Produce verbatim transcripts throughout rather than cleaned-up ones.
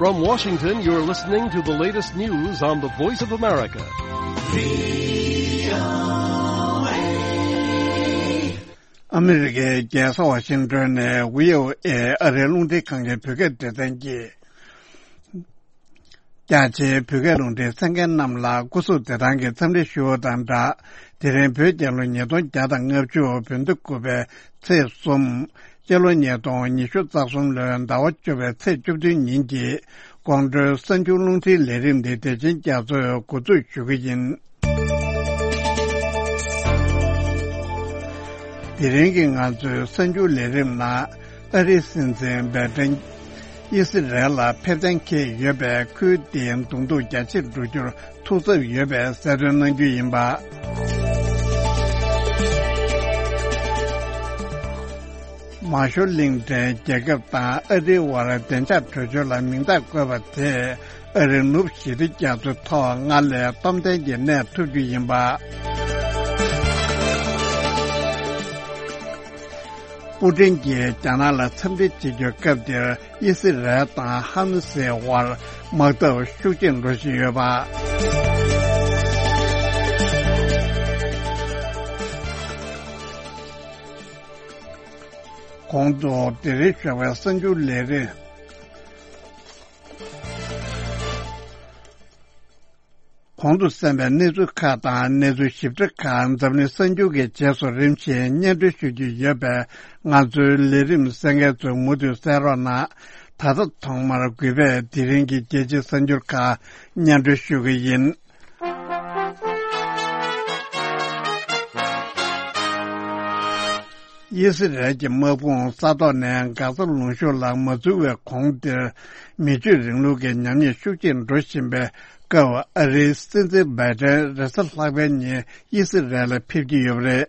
From Washington, you're listening to the latest news on the Voice of America. ཨ་མི་རི་ཀའི་རྒྱལ་ས་ཝ་ཤིང་ཏོན་ནས་ཝི་ཨོ་ཨེ་ཨ་རིའི་རླུང་འཕྲིན་ཁང་གི་བོད་སྐད་སྡེ་ཚན་གྱིས། རྒྱ་ཆེའི་བོད་སྐད་རླུང་འཕྲིན་གསན་མཁན་རྣམས་ལ་སྐུ་གཟུགས་བདེ་ཐང་གི་འཚམས་འདྲི་ཞུ་བ་དང་སྦྲགས། དེ་རིང་བོད་རྒྱལ་ལོ་ཉིས་སྟོང་བརྒྱ་དང་ལྔ་བཅུ་བོད་ཟླ་དགུ་པའི་ཚེས་གསུམ། སྤྱི་ལོ་ཉིས་སྟོང་ཉི་ཤུ་རྩ་གསུམ་ལོའི་ཟླ་བ་བཅུ་པའི་ཚེས་བཅུ་བདུན་ཉིན་གྱི་དགོང་དྲོའི་གསར་འགྱུར་རླུང་འཕྲིན་ལས་རིམ་འདི་བདེ་ཆེན་རྒྱ་མཚོས་འགོ་འཛུགས་ཞུ་གི་ཡིན། དེ་རིང་གི་ང་ཚོའི་གསར་འགྱུར་ལས་རིམ་ནང་ཨ་རིའི་སྲིད་འཛིན་བྷའི་ཏན་ཨི་སི་རལ་ལ་ཕེབས་གཏན་འཁེལ་ཡོད་པས། ཁུལ་དེའི་གདོང་ཐུག་རྒྱ་ཆེར་འགྲོ་རྒྱུར་ཐུགས་འཚབ་ཡོད་པའི་གསལ་སྟོན་གནང་རྒྱུ་ཡིན་པ། མ་ཤོ་གླིང་ཕྲན་རྒྱལ་ཁབ་དང་ཨ་རིའི་དབར་བདེ་འཇགས་གྲོས་ཆོད་ལ་མིང་རྟགས་བཀོད་པ་དེས་ཨ་རིའི་ནུབ་ཞི་བདེ་རྒྱ་མཚོའི་ཐོག་སྔར་ལས་སྟོབས་ལྡན་གྱི་གནས་ཐུབ་རྒྱུ་ཡིན་པ། པུ་ཏིན་གྱིས་རྒྱ་ནག་ལ་འཚམས་འདྲི་བྱེད་རྒྱུའི་སྐབས་འདིར་ཨི་སི་རལ་དང་ཧ་མ་སིའི་དབར་དམག་འཐབ་ཤུགས་ཆེར་འགྲོ་བཞིན་ཡོད་པ། གོང་དུ་དེ་རིང་ཞོགས་པའི་གསར་འགྱུར་ལས་རིམ། གོང་དུ་གསན་པའི་གནས་ཚུལ་ཁག་དང་གནས་ཚུལ་ཞིབ་ཕྲ་ཁག་འཛམ་གླིང་གསར་འགྱུར་གྱི་རྗེས་སུ་རིམ་བཞིན་སྙན་སྒྲོན་ཞུ་རྒྱུ་ཡོད་པས། ང་ཚོའི་ལས་རིམ་གསན་མཁན་ཚོས་མུ་མཐུད་གསན་རོགས་གནང་། ད་ལྟ་ཐོག་མར་གུས་པས་དེ་རིང་གི་རྒྱལ་སྤྱིའི་གསར་འགྱུར་ཁག་སྙན་སྒྲོན་ཞུ་གི་ཡིན། ཨི་སི་རལ་གྱི་དམག་དཔུང་ས་ཐོག་ནས་གྷ་ཟ་ལུང་གཤོང་ལ་མ་འཛུལ་བའི་གོང་དེར། མི་ཆོས་རིང་ལུགས་ཀྱི་ཉམས་ཉེས་ཤུགས་ཆེར་འགྲོ་བཞིན་པའི་སྐབས། ཨ་རིའི་སྲིད་འཛིན་བྷའི་ཏན་རེས་གཟའ་ལྷག་པའི་ཉིན་ཨི་སི་རལ་ལ་ཕེབས་ཀྱི་ཡོད་པ་རེད།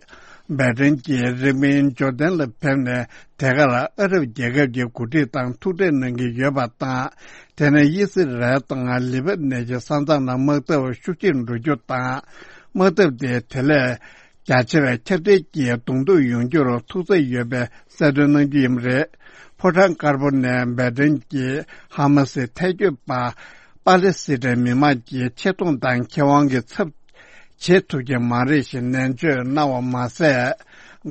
བྷའི་ཏན་གྱིས་རིང་མིན་ཇོར་ཌན་ལ་ཕེབས་ནས། དེ་གར་ཨ་རབ་རྒྱལ་ཁབ་ཀྱི་འགོ་ཁྲིད་དང་ཐུག་འཕྲད་གནང་གི་ཡོད་པ་དང་། དེ་ནས་ཨི་སི་རལ་དང་ལི་བ་ནན་གྱི་ས་མཚམས་ལ་དམག་འཐབ་ཤུགས་ཆེར་འགྲོ་རྒྱུ་དང་། དམག་འཐབ་དེ་དེ་ལས་རྒྱ་ཆེ་བའི་ཁྱབ་གདལ་གྱི་གདོང་ཐུག་ཡོང་རྒྱུར་ཐུགས་འཚབ་ཡོད་པའི་གསལ་སྟོན་གནང་རྒྱུ་ཡིན་པ་རེད། ཕོ་བྲང་དཀར་པོ་ནས་བྷའི་ཏན་གྱིས་ཧ་མ་སི་ཐལ་སྐྱོད་པ་པ་ལེ་སི་ཐན་མི་མང་གི་ཆེ་མཐོང་དང་ཁེ་དབང་གི་ཚབ་བྱེད་ཐུབ་ཀྱི་མ་རེད་ཞེས་ནན་བརྗོད་གནང་བ་མ་ཟད།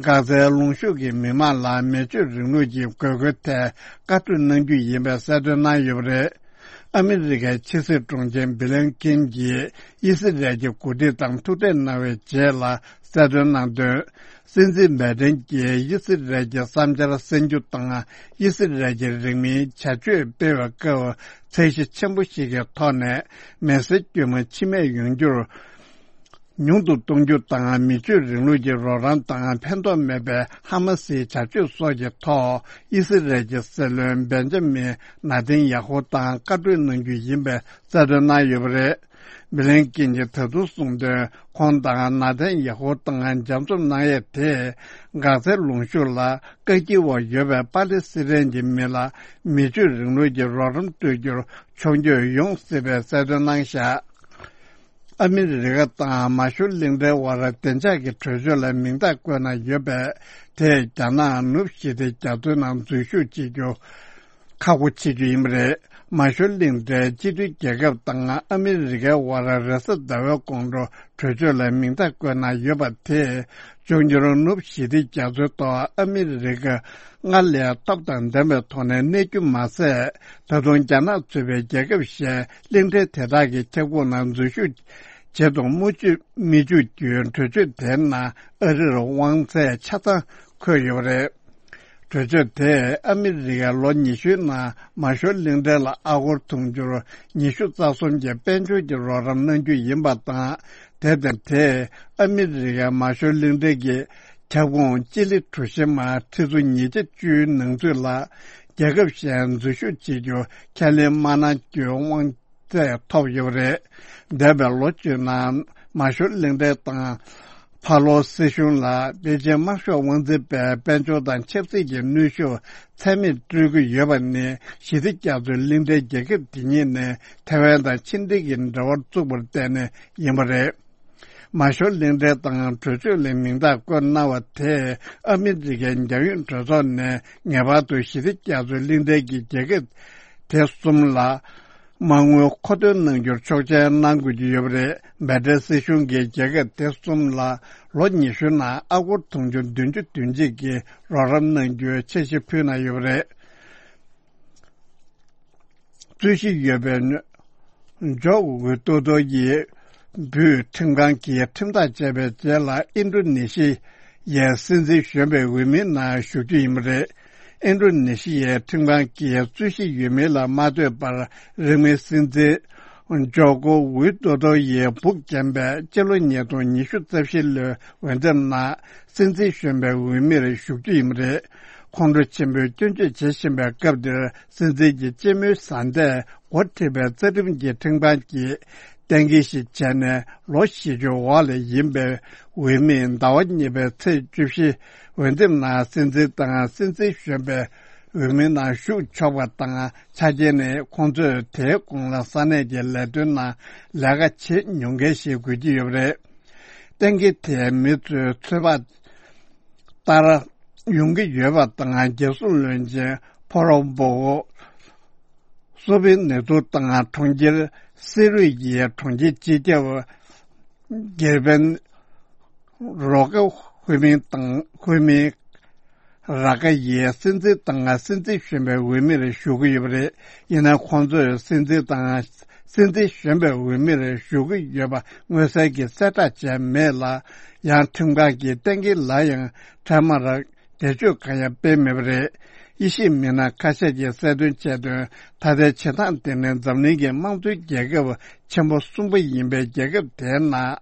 གྷ་ཟའི་ལུང་གཤོང་གི་མི་མང་ལ་མི་ཆོས་རིང་ལུགས་ཀྱི་དགོས་མཁོའི་ཐད་བཀའ་གྲོས་གནང་རྒྱུ་ཡིན་པའི་གསལ་སྟོན་གནང་ཡོད་པ་རེད། ཨ་མི་རི་ཀའི་ཕྱི་སྲིད་དྲུང་ཆེ་བྷི་ལིན་ཀིན་གྱིས་ཨི་སི་རལ་གྱི་འགོ་ཁྲིད་དང་ཐུག་འཕྲད་གནང་བའི་རྗེས་ལ་གསལ་སྟོན་གནང་དོན། སྲིད་འཛིན་བྷའི་ཏན་གྱིས་ཨི་སི་རལ་གྱི་བསམ་འཆར་གསན་རྒྱུ་དང་། ཨི་སི་རལ་གྱི་རིང་མིན་བྱ་སྤྱོད་སྤེལ་བའི་སྐབས་ཚད་གཞི་ཆེན་པོ་ཞིག་གི་ཐོག་ནས་མི་སེར་དཀྱུས་མ་འཆི་རྨས་ཡོང་རྒྱུར་ཉུང་དུ་གཏོང་རྒྱུ་དང་། མི་ཆོས་རིང་ལུགས་ཀྱི་རོགས་རམ་དང་ཕན་ཐོགས་མེད་པའི་ཧ་མ་སིའི་བྱ་སྤྱོད་སོགས་ཀྱི་ཐོག་ཨི་སི་རལ་གྱི་སྲིད་བློན་བེན་ཇ་མིན་ནཱ་ཐན་ཡ་ཧུ་དང་བཀའ་གྲོས་གནང་རྒྱུ་ཡིན་པའི་གསལ་སྟོན་གནང་ཡོད་པ་རེད། བྷི་ལིན་ཀིན་གྱིས་ད་དུང་གསུངས་དོན། ཁོང་དང་ནཱ་ཐན་ཡ་ཧུ་དང་མཇལ་འཛོམས་གནང་ཡས་དེས་གྷ་ཟའི་ལུང་གཤོང་ལ་བཀག་སྐྱིལ་འོག་ཡོད་པའི་པ་ལེ་སི་ཐན་གྱི་མི་ལ་མི་ཆོས་རིང་ལུགས་ཀྱི་རོགས་རམ་སྤྲོད་རྒྱུར་མཆོང་སྐྱོད་ཡོང་སྲིད་པའི་གསལ་སྟོན་གནང་བཞག་ཨ་མི་རི་ཀ་དང་མ་ཤོར་གླིང་ཕྲན་དབར་བདེ་འཇགས་ཀྱི་གྲོས་ཆོད་ལ་མིང་རྟགས་བཀོད་གནང་ཡོད་པས། དེས་རྒྱ་ནག་ནུབ་ཞི་བདེ་རྒྱ་མཚོའི་ནང་འཛུལ་ཞུགས་བྱེད་རྒྱུ་ཁག་པོ་བྱེད་རྒྱུ་ཡིན་པ་རེད། མ་ཤོར་གླིང་ཕྲན་སྤྱི་མཐུན་རྒྱལ་ཁབ་དང་ཨ་མི་རི་ཀའི་དབར་རེས་གཟའ་ཟླ་བའི་དགོང་དྲོ་གྲོས་ཆོད་ལ་མིང་རྟགས་བཀོད་གནང་ཡོད་པ་དེས། འབྱུང་འགྱུར་ནུབ་ཞི་བདེ་རྒྱ་མཚོའི་ཐོག་ཨ་མི་རི་ཀ་སྔར་ལས་སྟོབས་དང་ལྡན་པའི་ཐོག་ནས་གནས་རྒྱུ་མ་ཟད། ད་དུང་རྒྱ་ནག་གཙོས་པའི་རྒྱལ་ཁབ་གཞན་གླིང་ཕྲན་དེ་དག་གི་ཁྱབ་ཁོངས་ནང་འཛུལ་ཞུགས་བྱེད་དུ་མི་འཇུག་མི་འཇུག་རྒྱུའི་གྲོས་ཆོད་དེའི་ནང་ཨ་རིར་དབང་ཚད་ཆ་ཚང་འཁོད་ཡོད་པ་རེད། གྲོས་ཆོད་དེས་ཨ་མི་རི་ཀས་ལོ་ཉི་ཤུའི་ནང་མ་ཤོར་གླིང་ཕྲན་ལ་ཨ་སྒོར་དུང་ཕྱུར་ཉི་ཤུ་རྩ་གསུམ་གྱི་དཔལ་འབྱོར་གྱི་རོགས་རམ་གནང་རྒྱུ་ཡིན་པ་དང་། དེ་ལྟར་དེས་ཨ་མི་རི་ཀས་མ་ཤོར་གླིང་ཕྲན་གྱི་ཁྱབ་ཁོངས་སྤྱི་ལེ་གྲུ་བཞི་མ་ཁྲི་ཚོ་ཉིས་བརྒྱ་བཅུའི་ནང་ཚུད་ལ་རྒྱལ་ཁབ་གཞན་འཛུལ་ཞུགས་བྱེད་རྒྱུ་ཁས་ལེན་མ་གནང་རྒྱུའི་དབང་ཚད་ཐོབ་ཡོད་པ་རེད། འདས་པའི་ལོ་བཅུའི་ནང་མ་ཤོར་གླིང་ཕྲན་དང་ཕ་ལོ་སྲིད་གཞུང་ལ་པེ་ཅིན་དམར་ཤོག་དབང་འཛིན་པས་དཔལ་འབྱོར་དང་ཆབ་སྲིད་ཀྱི་གནོན་ཤུགས་ཚད་མེད་སྤྲོད་ཀྱི་ཡོད་པ་ནི་ཞི་བདེ་རྒྱ་མཚོའི་གླིང་ཕྲན་རྒྱལ་ཁབ་དེ་ཉིད་ནས་ཐེ་ཝན་དང་ཕྱི་འབྲེལ་གྱི་འབྲེལ་བར་བཙུགས་པར་བརྟེན་ནས་ཡིན་པ་རེད། མ་ཤོར་གླིང་ཕྲན་དང་གྲོས་ཆོད་ལ་མིང་རྟགས་བཀོད་གནང་བ་དེས་ཨ་མི་རི་ཀའི་རྒྱལ་ཡོངས་གྲོས་ཚོགས་ནས་ངེས་པར་དུ་ཞི་བདེ་རྒྱ་མཚོའི་གླིང་ཕྲན་གྱི་རྒྱལ་ཁབ་ དེ་གསུམ་ལ་མ་དངུལ་མཁོ་འདོན་གནང་རྒྱུར་ཆོག་མཆན་གནང་དགོས་ཀྱི་ཡོད་པ་རེད། འབད་བྲལ་སྲིད་གཞུང་གིས་རྒྱལ་ཁབ་དེ་གསུམ་ལ་ལོ་ཉི་ཤུ་ནང་ཨ་སྒོར་དུང་ཕྱུར་བདུན་ཅུ་དོན་གཅིག་གི་རོགས་རམ་གནང་རྒྱུའི་འཆར་གཞི་ཕུལ་གནང་ཡོད་པ་རེད། རྩོད་གཞི་ཡོད་པའི་ཇོ་ཝི་ཏོ་ཏོ་ཡིས་བོད་ཁྲིམས་ཁང་གིས་ཁྲིམས་ཐག་བཅད་པའི་རྗེས་ལ་ཨིན་ཌོ་ནེ་ཤི་ཡའི་སྲིད་འཛིན་གཞོན་པའི་འོས་མིའི་ནང་ཞུགས་རྒྱུ་ཡིན་པ་རེད། ཨིན་ཌོ་ནེ་ཤི་ཡའི་ཁྲིམས་ཁང་གིས་རྩོད་གཞི་ཡོད་མེད་ལ་མ་ལྟོས་པར་རིང་མིན་སྲིད་འཛིན་ཇོ་ཀོ་ཝི་ཏོ་ཏོ་ཡི་སྦུག་འགེམས་པའི་སྤྱི་ལོ་ཉིས་སྟོང་ཉི་ཤུ་རྩ་བཞི་ལོའི་འོས་འདེམས་ནང་སྲིད་འཛིན་གཞོན་པའི་འོས་མིར་ཞུགས་རྒྱུ་ཡིན་པ་རེད། ཁོང་ཁྲོ་ཆེན་པོས་སྐྱོན་བརྗོད་བྱེད་བཞིན་པའི་སྐབས་འདིར་སྲིད་འཛིན་གྱི་སྤྱི་མོས་བཟའ་ཟླས་འགོ་ཁྲིད་པའི་རྩ་ཁྲིམས་ཀྱི་ཁྲིམས་ཁང་གིས་གཏན་འཁེལ་ཞིག་བྱས་ནས་ལོ་བཞི་བཅུ་འོག་ལ་ཡིན་པའི་འོས་མིས་ཟླ་བ་གཉིས་པའི་ཚེས་བཅུ་བཞི་འོས་འདེམས་ནང་སྲིད་འཛིན་དང་སྲིད་འཛིན་གཞོན་པའི་འོས་མི་ནང་ཞུགས་ཆོག་པ་དང་ཆ་རྐྱེན་ནི་ཁོང་ཚོས་དེའི་གོང་ལ་ས་གནས་ཀྱི་ལས་དོན་ནང་ལས་ཀ་བྱེད་མྱོང་མཁན་ཞིག་དགོས་ཀྱི་ཡོད་པ་རེད། གཏན་འཁེལ་དེས་མི་ཚོའི་ཚོད་དཔག་ལྟར་ཡོང་གི་ཡོད་པ་དང་། རྒྱལ་སྲུང་བློན་ཆེན་ཕོ་རོ་བོ་སོ་པིན་ནེ་ཏུ་དང་གྲོང་ཁྱེར་སེ་རུ་ཡི་གྲོང་ཁྱེར་སྤྱི་ཁྱབ་སྒེར་དཔོན་རོ་ཀ་ཧུ་མིན་དང་ཧུ་མིན་ར་ཀ་ཡིས་སྲིད་འཛིན་དང་སྲིད་འཛིན་གཞོན་པའི་འོས་མིར་ཞུགས་ཀྱི་ཡོད་པ་རེད། ཡིན་ན་ཁོང་ཚོས་སྲིད་འཛིན་དང་སྲིད་འཛིན་གཞོན་པའི་འོས་མིར་ཞུགས་ཀྱི་ཡོད་པ་མངོན་གསལ་གྱིས་གསལ་བསྒྲགས་བྱས་མེད་ལ། ཡང་ཁྲིམས་ཁང་གི་གཏན་འཁེལ་ལ་ཡང་འཕྲལ་མར་འགྲེལ་བརྗོད་གང་ཡང་སྤེལ་མེད་པ་རེད། དབྱེ་ཞིབ་མི་སྣ་ཁ་ཤས་ཀྱིས་གསལ་སྟོན་བྱས་དོན། ད་ལྟའི་བྱེད་སྟངས་དེ་ནི་འཛམ་གླིང་གི་དམངས་གཙོའི་རྒྱལ་ཁབ་ཆེན་པོ་གསུམ་པ་ཡིན་པའི་རྒྱལ་ཁབ་དེའི་ནང་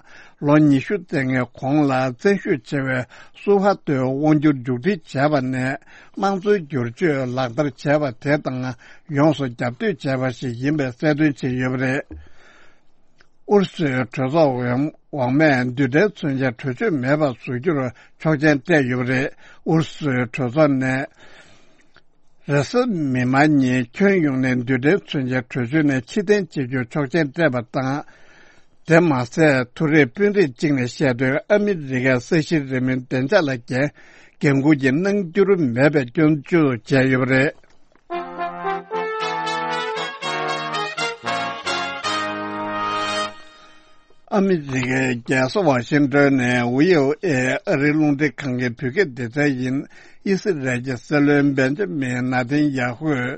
ལོ་ཉི་ཤུ་རྩ་ལྔའི་གོང་ལ་བཙན་ཤུགས་ཆེ་བའི་སུའུ་ཧ་ཏོའི་དབང་སྒྱུར་མཇུག་སྒྲིལ་བྱས་པ་ནས། དམངས་གཙོའི་བསྒྱུར་བཅོས་ལག་བསྟར་བྱས་པ་དེ་དང་ཡོངས་སུ་རྒྱབ་གཏོད་བྱས་པ་ཞིག་ཡིན་པའི་གསལ་སྟོན་བྱས་ཡོད་པ་རེད། ཨུ་རུ་སུའི་གྲོས་ཚོགས་འོག་མས་རྡུལ་ཕྲན་མཚོན་ཆའི་གྲོས་ཆོད་མེད་པར་བཟོ་རྒྱུར་ཆོག་མཆན་སྤྲད་ཡོད་པ་རེད། ཨུ་རུ་སུའི་གྲོས་ཚོགས་ནས་རེས་གཟའ་མིག་དམར་ཉིན་ཁྱོན་ཡོངས་ནས་རྡུལ་ཕྲན་མཚོན་ཆའི་གྲོས་ཆོད་ནས་ཕྱིར་འཐེན་བྱེད་རྒྱུར་ཆོག་མཆན་སྤྲད་པ་དང་། དེ་མ་ཟད། ཐུག་རེས་དཔོན་རིགས་གཅིག་ནས་བཤད་དོན། ཨ་མི་རི་ཀའི་ས་གཞི་རིང་མོའི་བདེ་འཇགས་ལ་འགན་འགན་འཁུར་གྱི་གནང་འགྱུར་མེད་པའི་སྐྱོན་བརྗོད་བྱས་ཡོད་པ་རེད། ཨ་མི་རི་ཀའི་རྒྱལ་ས་ཝ་ཤིང་ཏོན་ནས་ཝི་ཨོ་ཨེ་ཨ་རིའི་རླུང་འཕྲིན་ཁང་གི་བོད་སྐད་སྡེ་ཚན་ཡིན། ཨི་སི་རལ་གྱི་སྲིད་བློན་བེན་ཇ་མིན་ནཱ་ཐན་ཡ་ཧུས་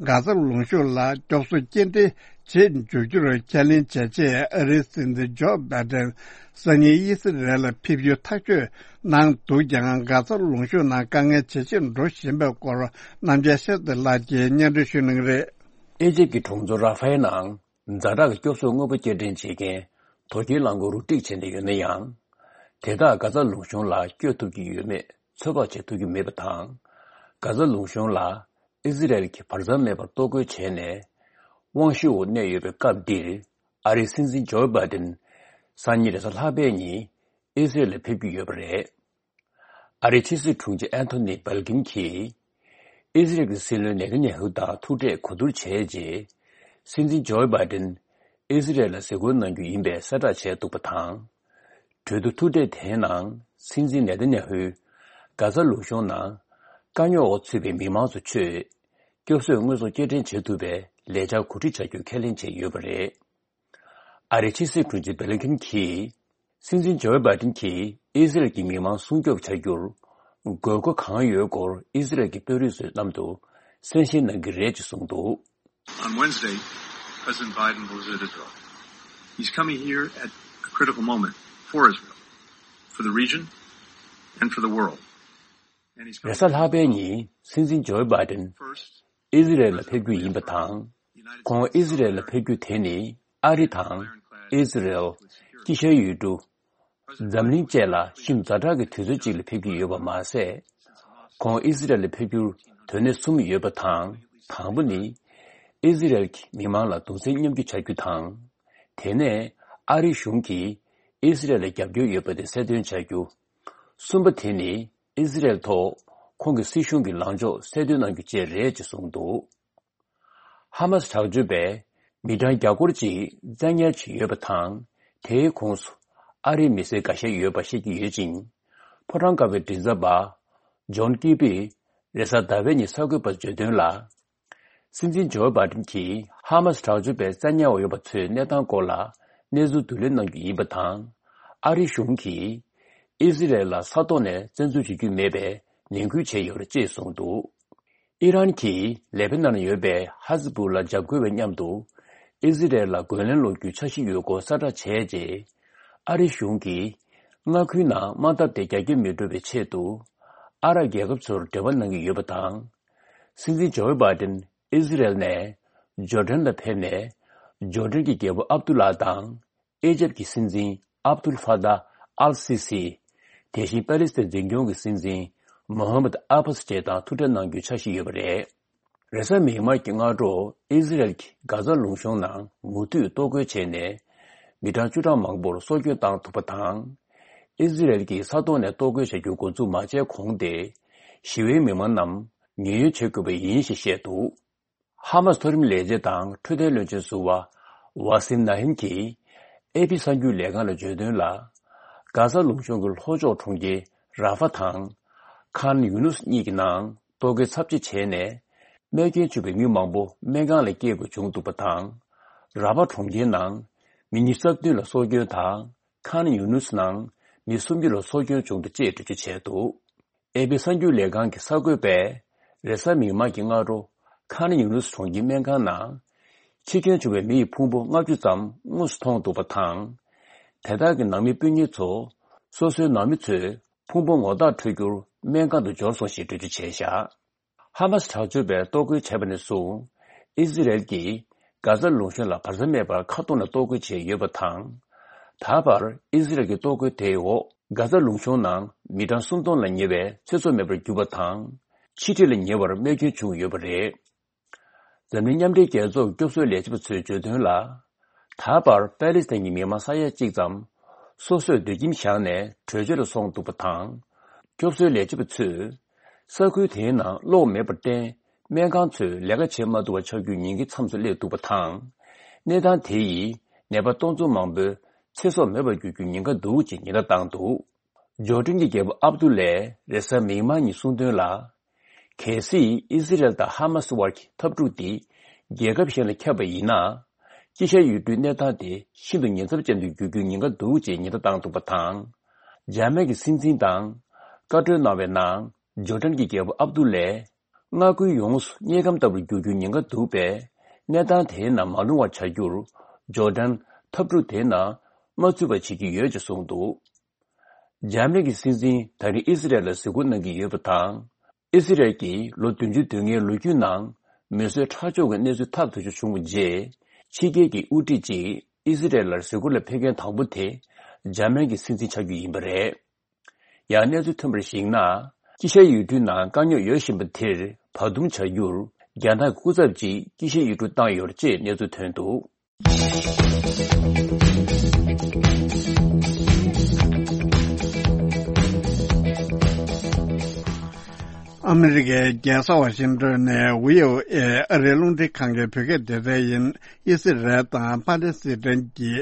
གྷ་ཟ་ལུང་གཤོང་ལ་སྐྱོབ་གསོ་སྐྱེལ་འདྲེན་བྱེད་འཇུག་རྒྱུར་ཁས་ལེན་བྱས་རྗེས། ཨ་རིའི་སྲིད་འཛིན་ཇོ་བྷའི་ཏན་སང་ཉིན་ཨི་སི་རལ་ལ་ཕེབས་རྒྱུའི་ཐག་གཅོད་གནང་འདུག་ཀྱང་། གྷ་ཟ་ལུང་གཤོང་ནང་དཀའ་ངལ་ཇེ་ཆེར་འགྲོ་བཞིན་པའི་སྐོར་རྣམ་རྒྱལ་ཤེས་རྩེ་ལགས་ཀྱིས་སྙན་སྒྲོན་ཞུ་གནང་གི་རེད། ཨེ་ཇིབ་ཀྱི་གྲོང་ཚོ་ར་ཧྥའི་ནང་ཛ་དྲག་གི་སྐྱོབ་གསོའི་དངོས་པོ་སྐྱེལ་འདྲེན་བྱེད་མཁན་དོ་སྐྱེལ་རླངས་འཁོར་རུ་སྒྲིག་བྱས་ནས་ཡོད་ན་ཡང་། དེ་དག་གྷ་ཟ་ལུང་གཤོང་ལ་བསྐྱོད་ཐུབ་ཀྱི་ཡོད་མེད་ཚོད་དཔག་བྱེད་ཐུབ་ཀྱི་མེད་པ་དང་། གྷ་ཟ་ལུང་གཤོང་ལ་ཨི་ཟི་རལ་གྱིས་བར་མཚམས་མེད་པར་གཏོར་རྒོལ་བྱས་ནས་དབང་ཤུགས་འོག་གནས་ཡོད་པའི་སྐབས་འདིར། ཨ་རིའི་སྲིད་འཛིན་ཇོ་བྷའི་ཏིན་སང་ཉིན་རེས་གཟའ་ལྷག་པའི་ཉིན་ཨི་ཟི་རལ་ལ་ཕེབས་ཀྱི་ཡོད་པ་རེད། ཨ་རིའི་ཕྱི་སྲིད་དྲུང་ཆེ་ཨན་ཐོ་ནི་བྷལ་ཀིན་གྱིས་ཨི་ཟི་རལ་གྱི་སྲིད་བློན་ནེ་ཐན་ཡ་ཧུ་དང་ཐུག་འཕྲད་གོ་བསྡུར་བྱས་རྗེས། སྲིད་འཛིན་ཇོ་བྷའི་ཏིན་ཨི་ཟི་རལ་ལ་གཟིགས་སྐོར་གནང་རྒྱུ་ཡིན་པའི་གསལ་བསྒྲགས་བྱས་འདུག་པ་དང་། གྲོས་བསྡུར་ཐུག་འཕྲད་དེའི་ནང་སྲིད་འཛིན་ནེ་ཐན་ཡ་ཧུས་གྷ་ཟ་ལུང་གཤོང་ནང་དཀའ་རྙོག་འོག་ཚུད་པའི་མི་མང་ཚོ་ཚོས་སྐྱོབ་གསོའི་དངོས་ཟོག་སྐྱེལ་འདྲེན་བྱེད་ཐུབ་པའི་ལས་འཆར་གོ་སྒྲིག་བྱ་རྒྱུ་ཁས་ལེན་བྱས་ཡོད་པ་རེད། ཨ་རིའི་ཕྱི་སྲིད་དྲུང་ཆེ་བྷེ་ལིན་ཁིན་གྱིས། སྲིད་འཛིན་ཇོ་བྷའི་ཏིན་གྱིས་ཨི་སི་རལ་གྱི་མི་མང་སྲུང་སྐྱོབ་བྱ་རྒྱུར་དགོས་མཁོ་གང་ཡོད་སྐོར་ཨི་སི་རལ་གྱི་དཔོན་རིགས་ཚོའི་མཉམ་དུ་གསན་ཞིབ་གནང་གི་རེད་ཅེས་གསུངས་འདུག། On Wednesday, President Biden will visit Israel. He's coming here at a critical moment for Israel, for the region, and for the world. And he's coming རེས་གཟའ་ལྷག་པའི་ཉིན་སྲིད་འཛིན་ཇོ་བྷའི་ཏིན་first ཨི་ཟི་རལ་ལ་ཕེབས་རྒྱུ་ཡིན་པ་དང་། ཁོང་ཨི་ཟི་རལ་ལ་ཕེབས་རྒྱུ་དེ་ནི་ཨ་རི་དང་ཨི་ཟི་རལ་དཀྱིལ་ཤར་ཡུལ་གྲུ་འཛམ་གླིང་བཅས་ལ་ཤིན་ཏུ་ཛ་དྲག་གི་དུས་ཚོད་ཅིག་ལ་ཕེབས་ཀྱི་ཡོད་པ་མ་ཟད། ཁོང་ཨི་ཟི་རལ་ལ་ཕེབས་རྒྱུར་དོན་གནད་གསུམ་ཡོད་པ་དང་། དང་པོ་ནི། ཨི་ཟི་རལ་གྱི་མི་མང་ལ་གདུང་སེམས་མཉམ་སྐྱེད་བྱ་རྒྱུ་དང་། དེ་ནས་ཨ་རི་གཞུང་གིས་ཨི་ཟི་རལ་ལ་རྒྱབ་སྐྱོར་ཡོད་པ་དེ་གསལ་སྟོན་བྱ་རྒྱུ། གསུམ་པ་དེ་ནི་ཨི་ཟི་རལ་ཐོག་ཁོང་གི་སྲིད་གཞུང་གི་ལངས་ཕྱོགས་གསལ་སྟོན་གནང་རྒྱུ་བཅས་རེད་ཅེས་གསུངས་འདུག། ཧ་མ་སི་དྲག་སྤྱོད་པས་མི་གྲངས་བརྒྱ་སྐོར་ཅིག་བཙན་ཉར་བྱས་ཡོད་པ་དང་། དེའི་ཁོངས་སུ་ཨ་རིའི་མི་སེར་འགའ་ཤས་ཡོད་པ་ཤེས་ཀྱི་ཡོད་ཅིང་། ཕོ་བྲང་དཀར་པོའི་མགྲིན་ཚབ་པ་ཇོན་ཀི་པིས་རེས་གཟའ་ཟླ་བའི་ཉིན་གསར་འགོད་པར་བརྗོད་དོན་ལ། སྲིད་འཛིན་ཇོ་བྷའི་ཌེན་གྱིས་ཧ་མ་སི་དྲག་སྤྱོད་པས་བཙན་ཉར་འོས་པ་ཚོའི་གནས་སྟངས་སྐོར་ལ་གནས་ཚུལ་བསྡུ་ལེན་གནང་རྒྱུ་ཡིན་པ་དང་། ཨ་རིའི་གཞུང་གིས་ཨི་ཟི་རལ་ལ་ས་ཐོག་ནས་བཙན་འཛུལ་བྱེད་རྒྱུ་མེད་པའི་ནན་སྐུལ་བྱས་ཡོད་རེད་ཅེས་གསུངས་འདུག་ཨི་རན་གྱིས་ལེ་པ་ནན་ཡོད་པའི་ཧ་ཟི་བུ་ལ་འཇབ་རྒོལ་བའི་མཉམ་དུ་ཨི་ཟི་རལ་ལ་རྒོལ་ལན་སློག་རྒྱུའི་འཆར་གཞི་ཡོད་སྐོར་གསལ་བསྒྲགས་བྱས་རྗེས། ཨ་རིའི་གཞུང་གིས་མངའ་ཁུལ་ནང་དམག་འཐབ་དེ་རྒྱ་སྐྱེད་མི་འགྲོ་བའི་ཆེད་དུ་ཨ་རབ་རྒྱལ་ཁབ་ཚོར་འབྲེལ་བ་གནང་གི་ཡོད་པ་དང་། སྲིད་འཛིན་ཇོ་བྷའི་ཌེན་ཨི་ཟི་རལ་ནས་ཇོར་ཌན་ལ་ཕེབས་ནས། ཇོར་ཌན་གྱི་རྒྱལ་པོ་ཨབ་དུ་ལ་དང་། ཨི་ཇེབ་ཀྱི་སྲིད་འཛིན་ཨབ་དུལ་ཧྥ་ཏཱ་ཨལ་སི་སི། དེ་བཞིན་པ་ལི་སི་ཐན་འཛིན་སྐྱོང་གི་སྲིད་འཛིན་མོ་ཧམ་མད་ཨ་བྷ་སི་བཅས་དང་ཐུག་འཕྲད་གནང་རྒྱུའི་འཆར་གཞི་ཡོད་པ་རེད། རེས་གཟའ་མིག་དམར་གྱི་སྔ་དྲོ་ཨི་ཟི་རལ་གྱིས་གྷ་ཛ་ལུང་གཤོང་ནང་མུ་མཐུད་གཏོར་རྒོལ་བྱས་ནས། མི་གྲངས་བཅུ་ཕྲག་མང་པོར་སྲོག་སྐྱོན་བཏང་ཐུབ་པ་དང་། ཨི་ཟི་རལ་གྱིས་ས་ཐོག་ནས་གཏོར་རྒོལ་བྱ་རྒྱུ་འགོ་འཛུགས་མ་བྱས་གོང་དེ། ཞི་བའི་མི་མང་རྣམས་ཉེན་གཡོལ་བྱེད་དགོས་པ་ཡིན་ཞེས་བཤད་འདུག་ཧ་མ་སི་མཐོ་རིམ་ལས་བྱེད་དང་འཕྲོད་བསྟེན་བློན་ཆེན་ཟུར་པ་ཝ་སིམ་ནཱ་ཧིམ་གྱིས་ཨེ་པི་གསར་འགྱུར་ལས་ཁང་ལ་བརྗོད་དོན་ལ། གྷ་ཛ་ལུང་གཤོང་གི་ལྷོ་ཕྱོགས་གྲོང་ཁྱེར་ར་ཧྥ་དང་། ཁཱན་ཡུ་ནུས་གཉིས་ཀྱི་ནང་གཏོར་རྒོལ་ཚབས་ཆེ་བྱས་ནས། རྨས་སྐྱོན་བྱུང་བའི་མི་མང་པོ་སྨན་ཁང་ལ་སྐྱེལ་དགོས་བྱུང་འདུག་པ་དང་། ར་ཧྥ་གྲོང་ཁྱེར་ནང་མི་ཉི་ཤུ་རྩ་བདུན་ལ་སྲོག་སྐྱོན་དང་། ཁཱན་ཡུ་ནུས་ནང་མི་སུམ་ཅུ་ལ་སྲོག་སྐྱོན་བྱུང་འདུག་ཅེས་འགྲེལ་བརྗོད་བྱས་འདུག་ཨེ་པི་གསར་འགྱུར་ལས་ཁང་གི་གསར་འགོད་པས། རེས་གཟའ་མིག་དམར་གྱི་སྔ་དྲོ། ཁཱན་ཡུ་ནུས་གྲོང་ཁྱེར་སྨན་ཁང་ནང་། འཆི་སྐྱོན་བྱུང་བའི་མི་ཡི་ཕུང་པོ་ལྔ་བཅུ་ཙམ་དངོས་སུ་མཐོང་འདུག་པ་དང་། དེ་དག་གི་ནང་མི་སྤུན་ཉེ་ཚོ། སོ་སོའི་ནང་མི་ཚོས་ཕུང་པོ་ངོ་རྟགས་འཕྲོད་རྒྱུར་སྨན་ཁང་དུ་འབྱོར་སོང་ཞེས་འགྲེལ་བརྗོད་བྱས་བཞག་ཧ་མ་སི་དྲག་སྤྱོད་པས་གཏོར་རྒོལ་བྱས་པ་ནས་བཟུང་། ཨི་ཟི་རལ་གྱིས་གྷ་ཛ་ལུང་གཤོང་ལ་བར་མཚམས་མེད་པར་མཁའ་ཐོག་ནས་གཏོར་རྒོལ་བྱས་ཡོད་པ་དང་། ད་བར་ཨི་ཟི་རལ་གྱི་གཏོར་རྒོལ་དེའི་འོག་གྷ་ཛ་ལུང་གཤོང་ནང་མི་གྲངས་སུམ་སྟོང་ལ་ཉེ་བའི་ཚེ་སྲོག་མེད་པར་གྱུར་པ་དང་། ཆིག་ཁྲི་ལ་ཉེ་བར་རྨས་སྐྱོན་བྱུང་ཡོད་པ་རེད། འཛམ་གླིང་མཉམ་འབྲེལ་རྒྱལ་ཚོགས་སྐྱོབ་གསོའི་ལས་བྱེད་པ་ཚོས་བརྗོད་དོན་ལ། ད་བར་པ་ལི་སི་ཐན་གྱི་མི་མང་ས་ཡ་གཅིག་ཙམ་སོ་སོས་སྡོད་ཁྱིམ་བཞག་ནས་བྲོས་བྱོལ་དུ་སོང་འདུག་པ་དང་། སྐྱོབ་གསོའི་ལས་བྱེད་པ་ཚོས་ས་ཁུལ་དེའི་ནང་གློག་མེད་པར་བརྟེན། སྨན་ཁང་ཚོས་ལས་ཀ་བྱེད་མ་ཐུབ་པ་ཆགས་རྒྱུའི་ཉེན་ཁའི་མཚམས་སུ་སླེབས་འདུག་པ་དང་། གནས་སྟངས་དེ་ཡིས་ནད་པ་སྟོང་ཚོ་མང་པོའི་ཚེ་སྲོག་མེད་པར་གྱུར་རྒྱུའི་ཉེན་ཁ་འདུག་ཅེས་ཉེན་བརྡ་བཏང་འདུག་ཇོར་ཌན་གྱི་རྒྱལ་པོ་ཨབ་དུ་ལས་རེས་གཟའ་མིག་དམར་ཉིན་གསུངས་དོན་ལ། གལ་སྲིད་ཨི་སི་རལ་དང་ཧ་མ་སི་དབར་གྱི་འཐབ་འཁྲུག་འདི་རྒྱལ་ཁབ་གཞན་ལ་ཁྱབ་པ་ཡིན་ན། དཀྱིལ་ཤར་ཡུལ་གྲུའི་གནས་སྟངས་དེ་ཤིན་ཏུ་ཉེན་ཚབས་ཅན་དུ་འགྱུར་རྒྱུའི་ཉེན་ཁ་འདུག་ཅེས་ཉེན་བརྡ་བཏང་འདུག་པ་དང་། འཇར་མན་གྱི་སྲིད་འཛིན་དང་བཀའ་གྲོས་གནང་བའི་ནང་། ཇོར་ཌན་གྱི་རྒྱལ་པོ་ཨབ་དུ་ལས། མངའ་ཁུལ་ཡོངས་སུ་དམྱལ་ཁམས་ལྟ་བུར་འགྱུར་རྒྱུའི་ཉེན་ཁ་འདུག་པས། གནས་སྟངས་དེའི་ནང་མ་ལྷུང་བར་བྱ་རྒྱུར། ཇོར་ཌན་འཐབ་འཁྲུག་དེའི་ནང་མ་ཚུད་པ་བྱེད་ཀྱི་ཡོད་ཅེས་གསུངས་འདུག་འཇར་མན་གྱི་སྲིད་འཛིན་ད་རིང་ཨི་སི་རལ་ལ་གཟིགས་སྐོར་གནང་གི་ཡོད་པ་དང་། ཨི་སི་རལ་གྱིས་ལོ་བདུན་ཅུ་དོན་ལྔའི་ལོ་རྒྱུས་ནང་མེ་གསོད་ཁྲག་སྦྱོར་གྱི་གནས་ཚུལ་ཐག་གཅོད་རྒྱུ་བྱུང་བའི་རྗེས། ཕྱི་རྒྱལ་གྱི་དབུ་ཁྲིད་ཅིག་ཨི་སི་རལ་ལ་གཟིགས་སྐོར་ལ་ཕེབས་མཁན་དང་པོ་དེ་འཇར་མན་གྱི་སྲིད་འཛིན་ཆགས་རྒྱུ་ཡིན་པ་རེད། ཡང་གནས་ཚུལ་ཐོན་པར་གཞིགས་ན། དཀྱིལ་ཤར་ཡུལ་གྲུའི་ནང་དཀའ་རྙོག་ཡོད་བཞིན་པ་དེར་བར་འདུམ་བྱ་རྒྱུར། རྒྱ་ནག་གི་སྐུ་ཚབ་ཅིག་དཀྱིལ་ཤར་ཡུལ་གྲུར་བཏང་ཡོད་ཅེས་གནས་ཚུལ་ཐོན་འདུག་ཨ་མི་རི་ཀའི་རྒྱལ་ས་ཝ་ཤིང་ཏོན་ནས་ཝི་ཨོ་ཨེ་ཨ་རིའི་རླུང་འཕྲིན་ཁང་གི་བོད་སྐད་སྡེ་ཚན་ཡིན། ཨི་སི་རལ་དང་པ་ལེ་སི་ཐན་གྱི་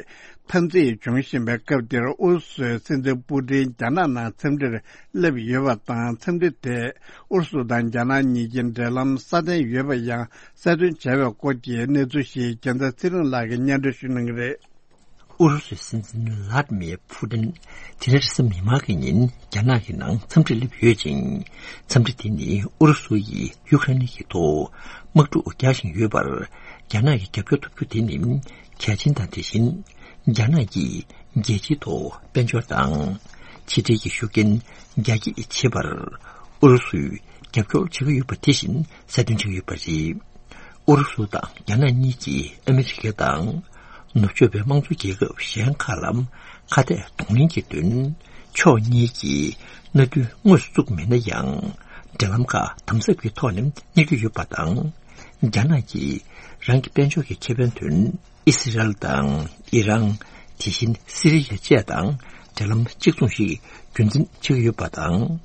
འཐབ་འཛིང་བྱུང་བཞིན་པའི་སྐབས་འདིར། ཨུ་རུ་སུའི་སྲིད་འཛིན་པུ་ཏིན་རྒྱ་ནག་ནང་འཚམས་འདྲིར་སླེབས་ཡོད་པ་དང་། འཚམས་འདྲི་དེས་ཨུ་རུ་སུ་དང་རྒྱ་ནག་གཉིས་ཀྱི་འབྲེལ་ལམ་སྲ་བརྟན་ཡོད་པ་ཡང་གསལ་སྟོན་བྱས་པའི་སྐོར་གྱི་གནས་ཚུལ་ཞིག་རྒྱལ་མཚན་ཚེ་རིང་ལགས་ཀྱིས་སྙན་སྒྲོན་ཞུ་གནང་གི་རེད། ཨུ་རུ་སུའི་སྲིད་འཛིན་ལྷ་ཏི་མིར་ཕུ་ཏིན་དེ་རིང་རེས་གཟའ་མིག་དམར་གྱི་ཉིན་རྒྱ་ནག་གི་ནང་འཚམས་འདྲིར་སླེབས་ཡོད་ཅིང་། འཚམས་འདྲི་དེ་ནི་ཨུ་རུ་སུ་ཡིས་ཡུ་ཁ་རེན་གྱི་ཐོག་དམག་འཁྲུག་རྒྱག་བཞིན་ཡོད་པར། རྒྱ་ནག་གི་རྒྱབ་སྐྱོར་ཐོབ་རྒྱུ་དེ་ནི་གལ་ཆེན་དང་། དེ་བཞིན་རྒྱ་ནག་གིས་རྒྱལ་སྤྱིའི་ཐོག་དཔལ་འབྱོར་དང་ཕྱི་འབྲེལ་གྱི་ཤུགས་རྐྱེན་རྒྱ་སྐྱེད་བྱེད་པར་ཨུ་རུ་སུས་རྒྱབ་སྐྱོར་བྱེད་ཀྱི་ཡོད་པ་དེ་བཞིན་གསལ་སྟོན་བྱེད་ཀྱི་ཡོད་པ་རེད། ཨུ་རུ་སུ་དང་རྒྱ་ནག་གཉིས་ཀྱིས་ཨ་མི་རི་ཀ་དང་ནུབ་ཕྱོགས་པའི་དམངས་གཙོ་རྒྱལ་ཁབ་གཞན་ཁག་ལ་ཁ་གཏད་གདོང་ལེན་གྱི་དོན། ཕྱོགས་གཉིས་ཀྱིས་མནའ་མཐུན་དངོས་སུ་བཙུགས་མེད་ན་ཡང་། འབྲེལ་ལམ་ཁག་དམ་ཟབ་ཀྱི་ཐོག་ནས་གཉེར་གྱི་ཡོད་པ་དང་། རྒྱ་ནག་གིས་རང་གི་དཔལ་འབྱོར་གྱི་ཁེ་ཕན་དོན། ཨི་སི་རལ་དང་ཨི་རན། དེ་བཞིན་སི་རི་ཡ་བཅས་དང་འབྲེལ་ལམ་གཅིག་མཚུངས་ཤིག་རྒྱུན་འཛིན་བྱེད་ཀྱི་ཡོད་པ་དང་།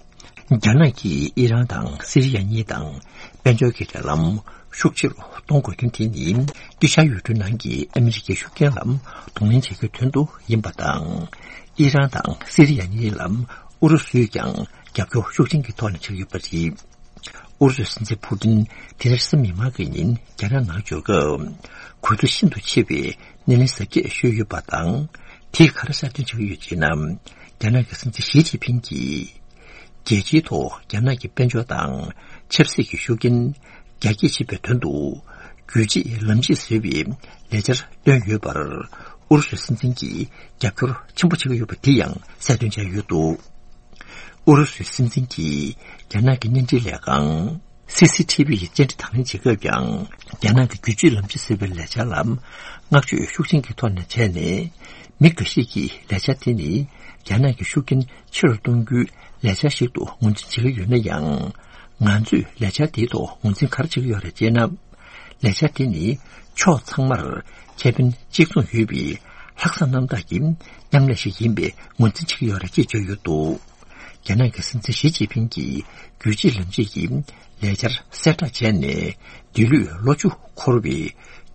རྒྱ་ནག་གིས་ཨི་རན་དང་སི་རི་ཡ་གཉིས་དང་དཔལ་འབྱོར་གྱི་འབྲེལ་ལམ་ཤུགས་ཆེ་རུ་གཏོང་དགོས་དོན་དེ་ནི། དཀྱིལ་ཤར་ཡུལ་གྲུའི་ནང་གི་ཨ་མི་རི་ཀའི་ཤུགས་རྐྱེན་ལ་གདོང་ལེན་བྱེད་རྒྱུའི་དོན་དུ་ཡིན་པ་དང་། ཨི་རན་དང་སི་རི་ཡ་གཉིས་ལ་ཨུ་རུ་སུས་ཀྱང་རྒྱབ་སྐྱོར་ཤུགས་ཆེན་གྱི་ཐོག་ནས་བྱེད་ཀྱི་ཡོད་པ་རེད། ཨུ་རུ་སུའི་སྲིད་འཛིན་ཕུ་ཏིན་དེ་རིང་གཟའ་མིག་དམར་གྱི་ཉིན་རྒྱ་ནག་ནང་འབྱོར་སྐབས། གུས་འདུད་ཤིན་ཏུ་ཆེ་བའི་སྣེ་ལེན་གཟབ་རྒྱས་ཞུས་ཡོད་པ་དང་། དེས་ག་རེ་གསལ་སྟོན་བྱེད་ཀྱི་ཡོད་ཅེ་ན། རྒྱ་ནག་གི་སྲིད་འཛིན་ཞི་ཅིན་ཕིང་གིས། རྒྱལ་སྤྱིའི་ཐོག་རྒྱ་ནག་གི་དཔལ་འབྱོར་དང་ཆབ་སྲིད་ཀྱི་ཤུགས་རྐྱེན་རྒྱ་སྐྱེད་བྱེད་པའི་དོན་དུ། རྒྱུད་གཅིག་ལམ་གཅིག་ཟེར་བའི་ལས་འཆར་བཏོན་ཡོད་པར། ཨུ་རུ་སུའི་སྲིད་འཛིན་གྱིས་རྒྱབ་སྐྱོར་ཆེན་པོ་བྱེད་ཀྱི་ཡོད་པ་དེ་ཡང་གསལ་སྟོན་བྱས་ཡོད་འདུག་ཨུ་རུ་སུའི་སྲིད་འཛིན་གྱིས་རྒྱ་ནག་གི་བརྙན་འཕྲིན་ལས་ཁང་། སི་སི་ཐི་བི་ཡི་བཅར་འདྲི་དང་ལེན་བྱེད་སྐབས་ཀྱང་། རྒྱ་ནག་གི་རྒྱུད་གཅིག་ལམ་གཅིག་ཟེར་བའི་ལས་འཆར་ལ་བསྔགས་བརྗོད་ཤུགས་ཆེན་གྱི་ཐོག་ནས་བྱས་ནས། མི་འགའ་ཞིག་གིས་ལས་འཆར་དེ་ནི་རྒྱ་ནག་གི་ཤུགས་རྐྱེན་ཆེ་རུ་གཏོང་རྒྱུའི་ལས་འཆར་ཞིག་ཏུ་ངོས་འཛིན་བྱེད་ཀྱི་ཡོད་ན་ཡང་། ང་ཚོས་ལས་འཆར་དེའི་ཐོག་ངོས་འཛིན་ག་རེ་བྱེད་ཀྱི་ཡོད་རེད་ཅེ་ན། ལས་འཆར་དེ་ནི་ཕྱོགས་ཚང་མར་ཁེ་ཕན་གཅིག་མཚུངས་ཡོད་པའི་ལྷག་བསམ་རྣམ་དག་གི་མཉམ་ལས་ཤིག་ཡིན་པའི་ངོས་འཛིན་བྱེད་ཀྱི་ཡོད་རེད་ཅེས་བརྗོད་ཡོད་འདུག་རྒྱ་ནག་གི་སྲིད་འཛིན་ཞི་ཅིན་ཕིང་གིས་རྒྱུད་གཅིག་ལམ་གཅིག་གི་ལས་འཆར་གསལ་བསྒྲགས་བྱས་ནས། འདི་ལོའི་ལོ་བཅུ་འཁོར་བའི་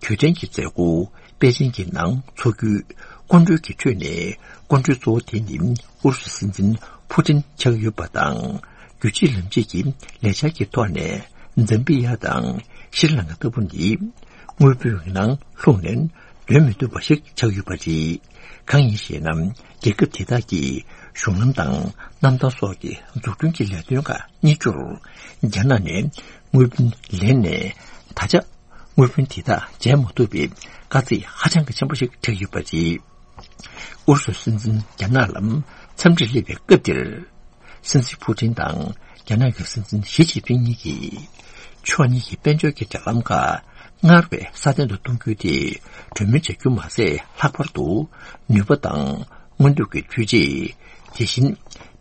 དུས་དྲན་གྱི་མཛད་སྒོ་པེ་ཅིང་གི་ནང་འཚོགས་རྒྱུའི་སྐུ་མགྲོན་གྱི་ཁྲོད་ནས། སྐུ་མགྲོན་གཙོ་བོ་དེ་ནི་ཨུ་རུ་སུའི་སྲིད་འཛིན་ཕུ་ཏིན་ཆགས་ཡོད་པ་དང་། རྒྱུད་གཅིག་ལམ་གཅིག་གི་ལས་འཆར་གྱི་ཐོག་ནས། ཛམ་བི་ཡ་དང་ཤྲི་ལང་ཀ་ལྟ་བུ་ནི་དངུལ་བུན་ནང་ལྷུང་ནས་སྡོད་མི་ཐུབ་པ་ཞིག་ཆགས་ཡོད་པ་རེད། གང་ཡིན་ཞེ་ན། རྒྱལ་ཁབ་དེ་དག་གི་གཞུང་ལམ་དང་གནམ་ཐང་སོགས་ཀྱི་འཛུགས་སྐྲུན་གྱི་ལས་དོན་ཁག་གཉེར་རྒྱུར། རྒྱ་ནག་ནས་དངུལ་བུན་ལེན་ནས། ད་ཆ་དངུལ་བུན་དེ་དག་འཇལ་མ་ཐུབ་པའི་དཀའ་ཚེགས་ཧ་ཅང་གི་ཆེན་པོ་ཞིག་འཕྲད་ཡོད་པ་རེད། ཨུ་རུ་སུའི་སྲིད་འཛིན་རྒྱ་ནག་ལ་འཚམས་འདྲིར་སླེབས་པའི་སྐབས་དེར། སྲིད་འཛིན་ཕུ་ཏིན་དང་རྒྱ་ནག་གི་སྲིད་འཛིན་ཞི་ཅིན་ཕིང་གཉིས་ཀྱིས། ཕྱོགས་གཉིས་ཀྱི་དཔལ་འབྱོར་གྱི་འབྲེལ་ལམ་ཁག་སྔར་བས་སྲ་བརྟན་དུ་གཏོང་རྒྱུ་དེ་གྲོས་མོལ་བྱ་རྒྱུ་མ་ཟད། ལྷག་པར་དུ་ནུས་པ་དང་། སྔོན་ཐོན་གྱི་འཕྲུལ་ཆས། དེ་བཞིན་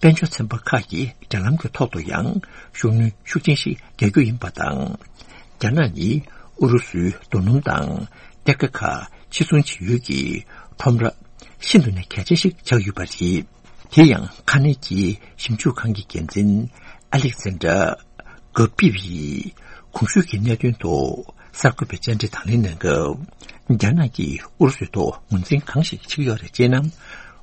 དཔལ་འབྱོར་ཚན་པ་ཁག་གི་འབྲེལ་ལམ་གྱི་ཐོག་ཏུ་ཡང་ཤུགས་སྣོན་ཤུགས་ཆེན་ཞིག་རྒྱག་རྒྱུ་ཡིན་པ་དང་། རྒྱ་ནག་ནི་ཨུ་རུ་སུའི་རྡོ་སྣུམ་དང་གཏེར་ཁ་ཁག་ཕྱིར་ཚོང་བྱེད་ཡུལ་གྱི་ཁྲོམ་ར་ཤིན་ཏུ་ནས་གལ་ཆེན་ཞིག་ཆགས་ཡོད་པ་རེད། དེ་ཡང་ཁ་ནན་གྱི་ཞིབ་འཇུག་ཁང་གི་འགན་འཛིན་ཨ་ལེག་ཟན་དྲ་གྷ་པི་བ་ཡིས་གོང་ཞུས་ཀྱི་གནད་དོན་ཐོག་གསར་འགོད་པའི་བཅར་འདྲི་དང་ལེན་གནང་སྐབས། རྒྱ་ནག་གིས་ཨུ་རུ་སུའི་ཐོག་ངོས་འཛིན་གང་ཞིག་བྱེད་ཀྱི་ཡོད་རེད་ཅེ་ན།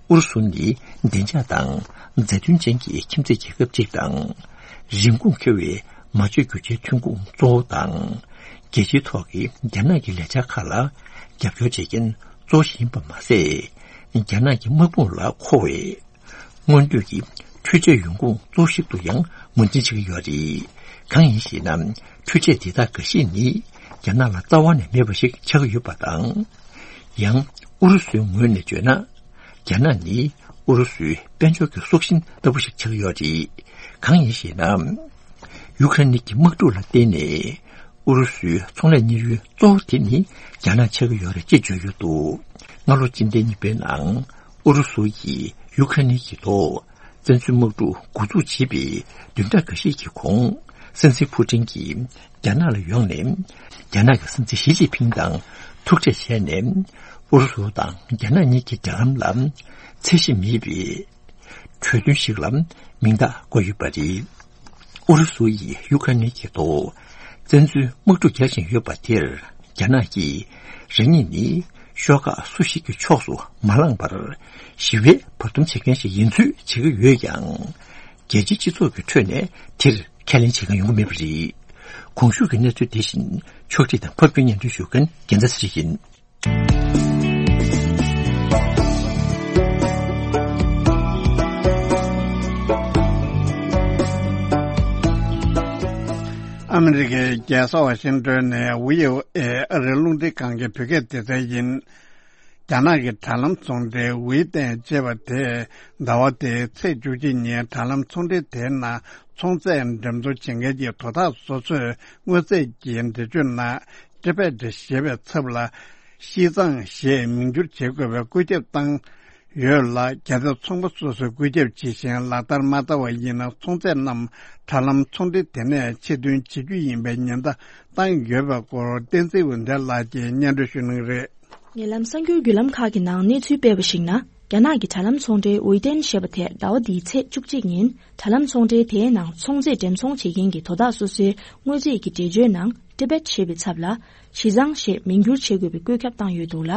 ཨུ་རུ་སུ་ནི་བདེ་འཇགས་དང་མཛའ་མཐུན་ཅན་གྱི་ཁྱིམ་མཚེས་རྒྱལ་ཁབ་ཅིག་དང་། རིན་གོང་ཁེ་བའི་མ་བཅོས་རྒྱུ་ཆའི་ཐོན་ཁུངས་གཙོ་བོ་དང་། རྒྱལ་སྤྱིའི་ཐོག་གི་རྒྱ་ནག་གི་ལས་འཆར་ཁག་ལ་རྒྱབ་སྐྱོར་བྱེད་མཁན་གཙོ་བོ་ཞིག་ཡིན་པ་མ་ཟད། རྒྱ་ནག་གི་དམག་དཔུང་ལ་མཁོ་བའི་སྔོན་ཐོན་གྱི་འཕྲུལ་ཆས་ཡོང་ཁུངས་གཙོ་བོ་ཞིག་ཏུ་ཡང་ངོས་འཛིན་བྱེད་ཀྱི་ཡོད་རེད། གང་ཡིན་ཞེ་ན། འཕྲུལ་ཆས་དེ་དག་འགའ་ཞིག་ནི་རྒྱ་ནག་ལ་རྩ་བ་ནས་མེད་པ་ཞིག་ཆགས་ཀྱི་ཡོད་པ་དང་། ཡང་ཨུ་རུ་སུའི་ངོས་ནས་བརྗོད་ན། རྒྱ་ནག་ནི་ཨུ་རུ་སུའི་དཔལ་འབྱོར་གྱི་སྲོག་ཤིང་ལྟ་བུ་ཞིག་ཆགས་ཀྱི་ཡོད་རེད། གང་ཡིན་ཞེ་ན། ཡུ་ཀེ་རེན་གྱི་དམག་འཁྲུག་ལ་བརྟེན་ནས། ཨུ་རུ་སུའི་ཚོང་ལས་གཉེར་ཡུལ་གཙོ་བོ་དེ་ནི་རྒྱ་ནག་ཆགས་ཀྱི་ཡོད་རེད་ཅེས་བརྗོད་ཡོད་འདུག་སྔ་ལོ་སྤྱི་ཟླ་གཉིས་པའི་ནང་ཨུ་རུ་སུ་ཡིས་ཡུ་ཀེ་རེན་གྱི་ཐོག་བཙན་འཛུལ་དམག་འཁྲུག་འགོ་འཛུགས་བྱས་པའི་བདུན་ཕྲག་འགའ་ཤས་ཀྱི་གོང་། སྲིད་འཛིན་ཕུ་ཏིན་གྱིས་རྒྱ་ནག་ལ་ཡོང་ནས། རྒྱ་ནག་གི་སྲིད་འཛིན་ཞི་ཅིན་ཕིང་དང་ཐུག་འཕྲད་བྱས་ནས། ཨུ་རུ་སུ་དང་རྒྱ་ནག་གཉིས་ཀྱི་འབྲེལ་ལམ་ལ་ཚད་གཞི་མེད་པའི་གྲོས་མཐུན་ཞིག་ལ་མིང་རྟགས་བཀོད་ཡོད་པ་རེད། ཨུ་རུ་སུ་ཡིས་ཡུ་ཀེ་རེན་གྱི་ཐོག་བཙན་འཛུལ་དམག་འཁྲུག་རྒྱག་བཞིན་ཡོད་པ་དེར། རྒྱ་ནག་གིས་རང་ཉིད་ནི་ཤོག་ཁག་སུ་ཞིག་གི་ཕྱོགས་སུ་མ་ལངས་པར་ཞི་བའི་བར་འདུམ་བྱེད་མཁན་ཞིག་ཡིན་ཚུལ་བྱེད་ཀྱི་ཡོད་ཀྱང་། རྒྱལ་སྤྱིའི་སྤྱི་ཚོགས་ཀྱི་ཁྲོད་ནས་དེར་ཁས་ལེན་བྱེད་མཁན་ཡོང་གི་མེད་པ་རེད། གོང་ཞུས་ཀྱི་གནས་ཚུལ་དེ་བཞིན་ཕྱོགས་སྒྲིག་དང་ཕབ་སྒྱུར་སྙན་སྒྲོན་ཞུ་མཁན་རྒྱལ་མཚན་ཚེ་རིང་ཡིན། ཨ་མི་རི་ཀའི་རྒྱལ་ས་ཝ་ཤིང་ཏོན་ནས་བྷི་ཨོ་ཨེ་ཨ་རིའི་རླུང་འཕྲིན་ཁང་གི་བོད་སྐད་སྡེ་ཚན་ཡིན། རྒྱ་ནག་གི་དྲ་ལམ་ཚོང་འབྲེལ་ཝེ་ཏན་ཅེས་པ་དེས་ཟླ་བ་འདིའི་ཚེས་བཅུ་གཅིག་ཉིན་དྲ་ལམ་ཚོང་འབྲེལ་དེའི་ནང་ཚོང་རྫས་འགྲེམས་ཚོང་བྱེད་མཁན་གྱི་དོ་བདག་སོ་སོས་དངོས་རྫས་ཀྱི་འགྲེལ་བརྗོད་ནང་ཊི་བེཊ་ཞེས་པའི་ཚབ་ལ་ཤིས་ཙང་ཞེས་མིང་བསྒྱུར་བྱེད་དགོས་པའི་བཀོད་ཁྱབ་བཏང་ཡོད་ལ། གལ་ཏེ་ཚོང་པ་སོ་སོས་བཀོད་ཁྱབ་བྱེད་བཞིན་ལག་བསྟར་མ་བསྟར་བ་ཡིན་ན། ཚོང་རྫས་རྣམས་དྲ་ལམ་ཚོང་འབྲེལ་དེ་ནས་ཕྱིར་འདོན་བྱེད་རྒྱུ་ཡིན་པའི་ཉེན་བརྡ་བཏང་ཡོད་པའི་སྐོར་བསྟན་འཛིན་འོད་ལྡན་ལགས་ཀྱིས་སྙན་སྒྲོན་ཞུ་གནང་རེད། ཉེ་ལམ་གསར་འགྱུར་བརྒྱུད་ལམ་ཁག་གི་ནང་གནས་ཚུལ་སྤེལ་བ་ཞིག་ན། རྒྱ་ནག་གི་དྲ་ལམ་ཚོང་འབྲེལ་ཝེ་ཏན་ཞེས་པ་དེས་ཟླ་བ་འདིའི་ཚེས་བཅུ་གཅིག་ཉིན་དྲ་ལམ་ཚོང་འབྲེལ་དེའི་ནང་ཚོང་རྫས་འགྲེམས་ཚོང་བྱེད་མཁན་གྱི་དོ་བདག་སོ་སོའི་དངོས་རྫས་ཀྱི་འགྲེལ་བརྗོད་ནང་ཊི་བེཊ་ཞེས་པའི་ཚབ་ལ་ཤིས་ཙང་ཞེས་མིང་བསྒྱུར་བྱེད་དགོས་པའི་བཀོད་ཁྱབ་བཏང་ཡོད་འདུག་ལ།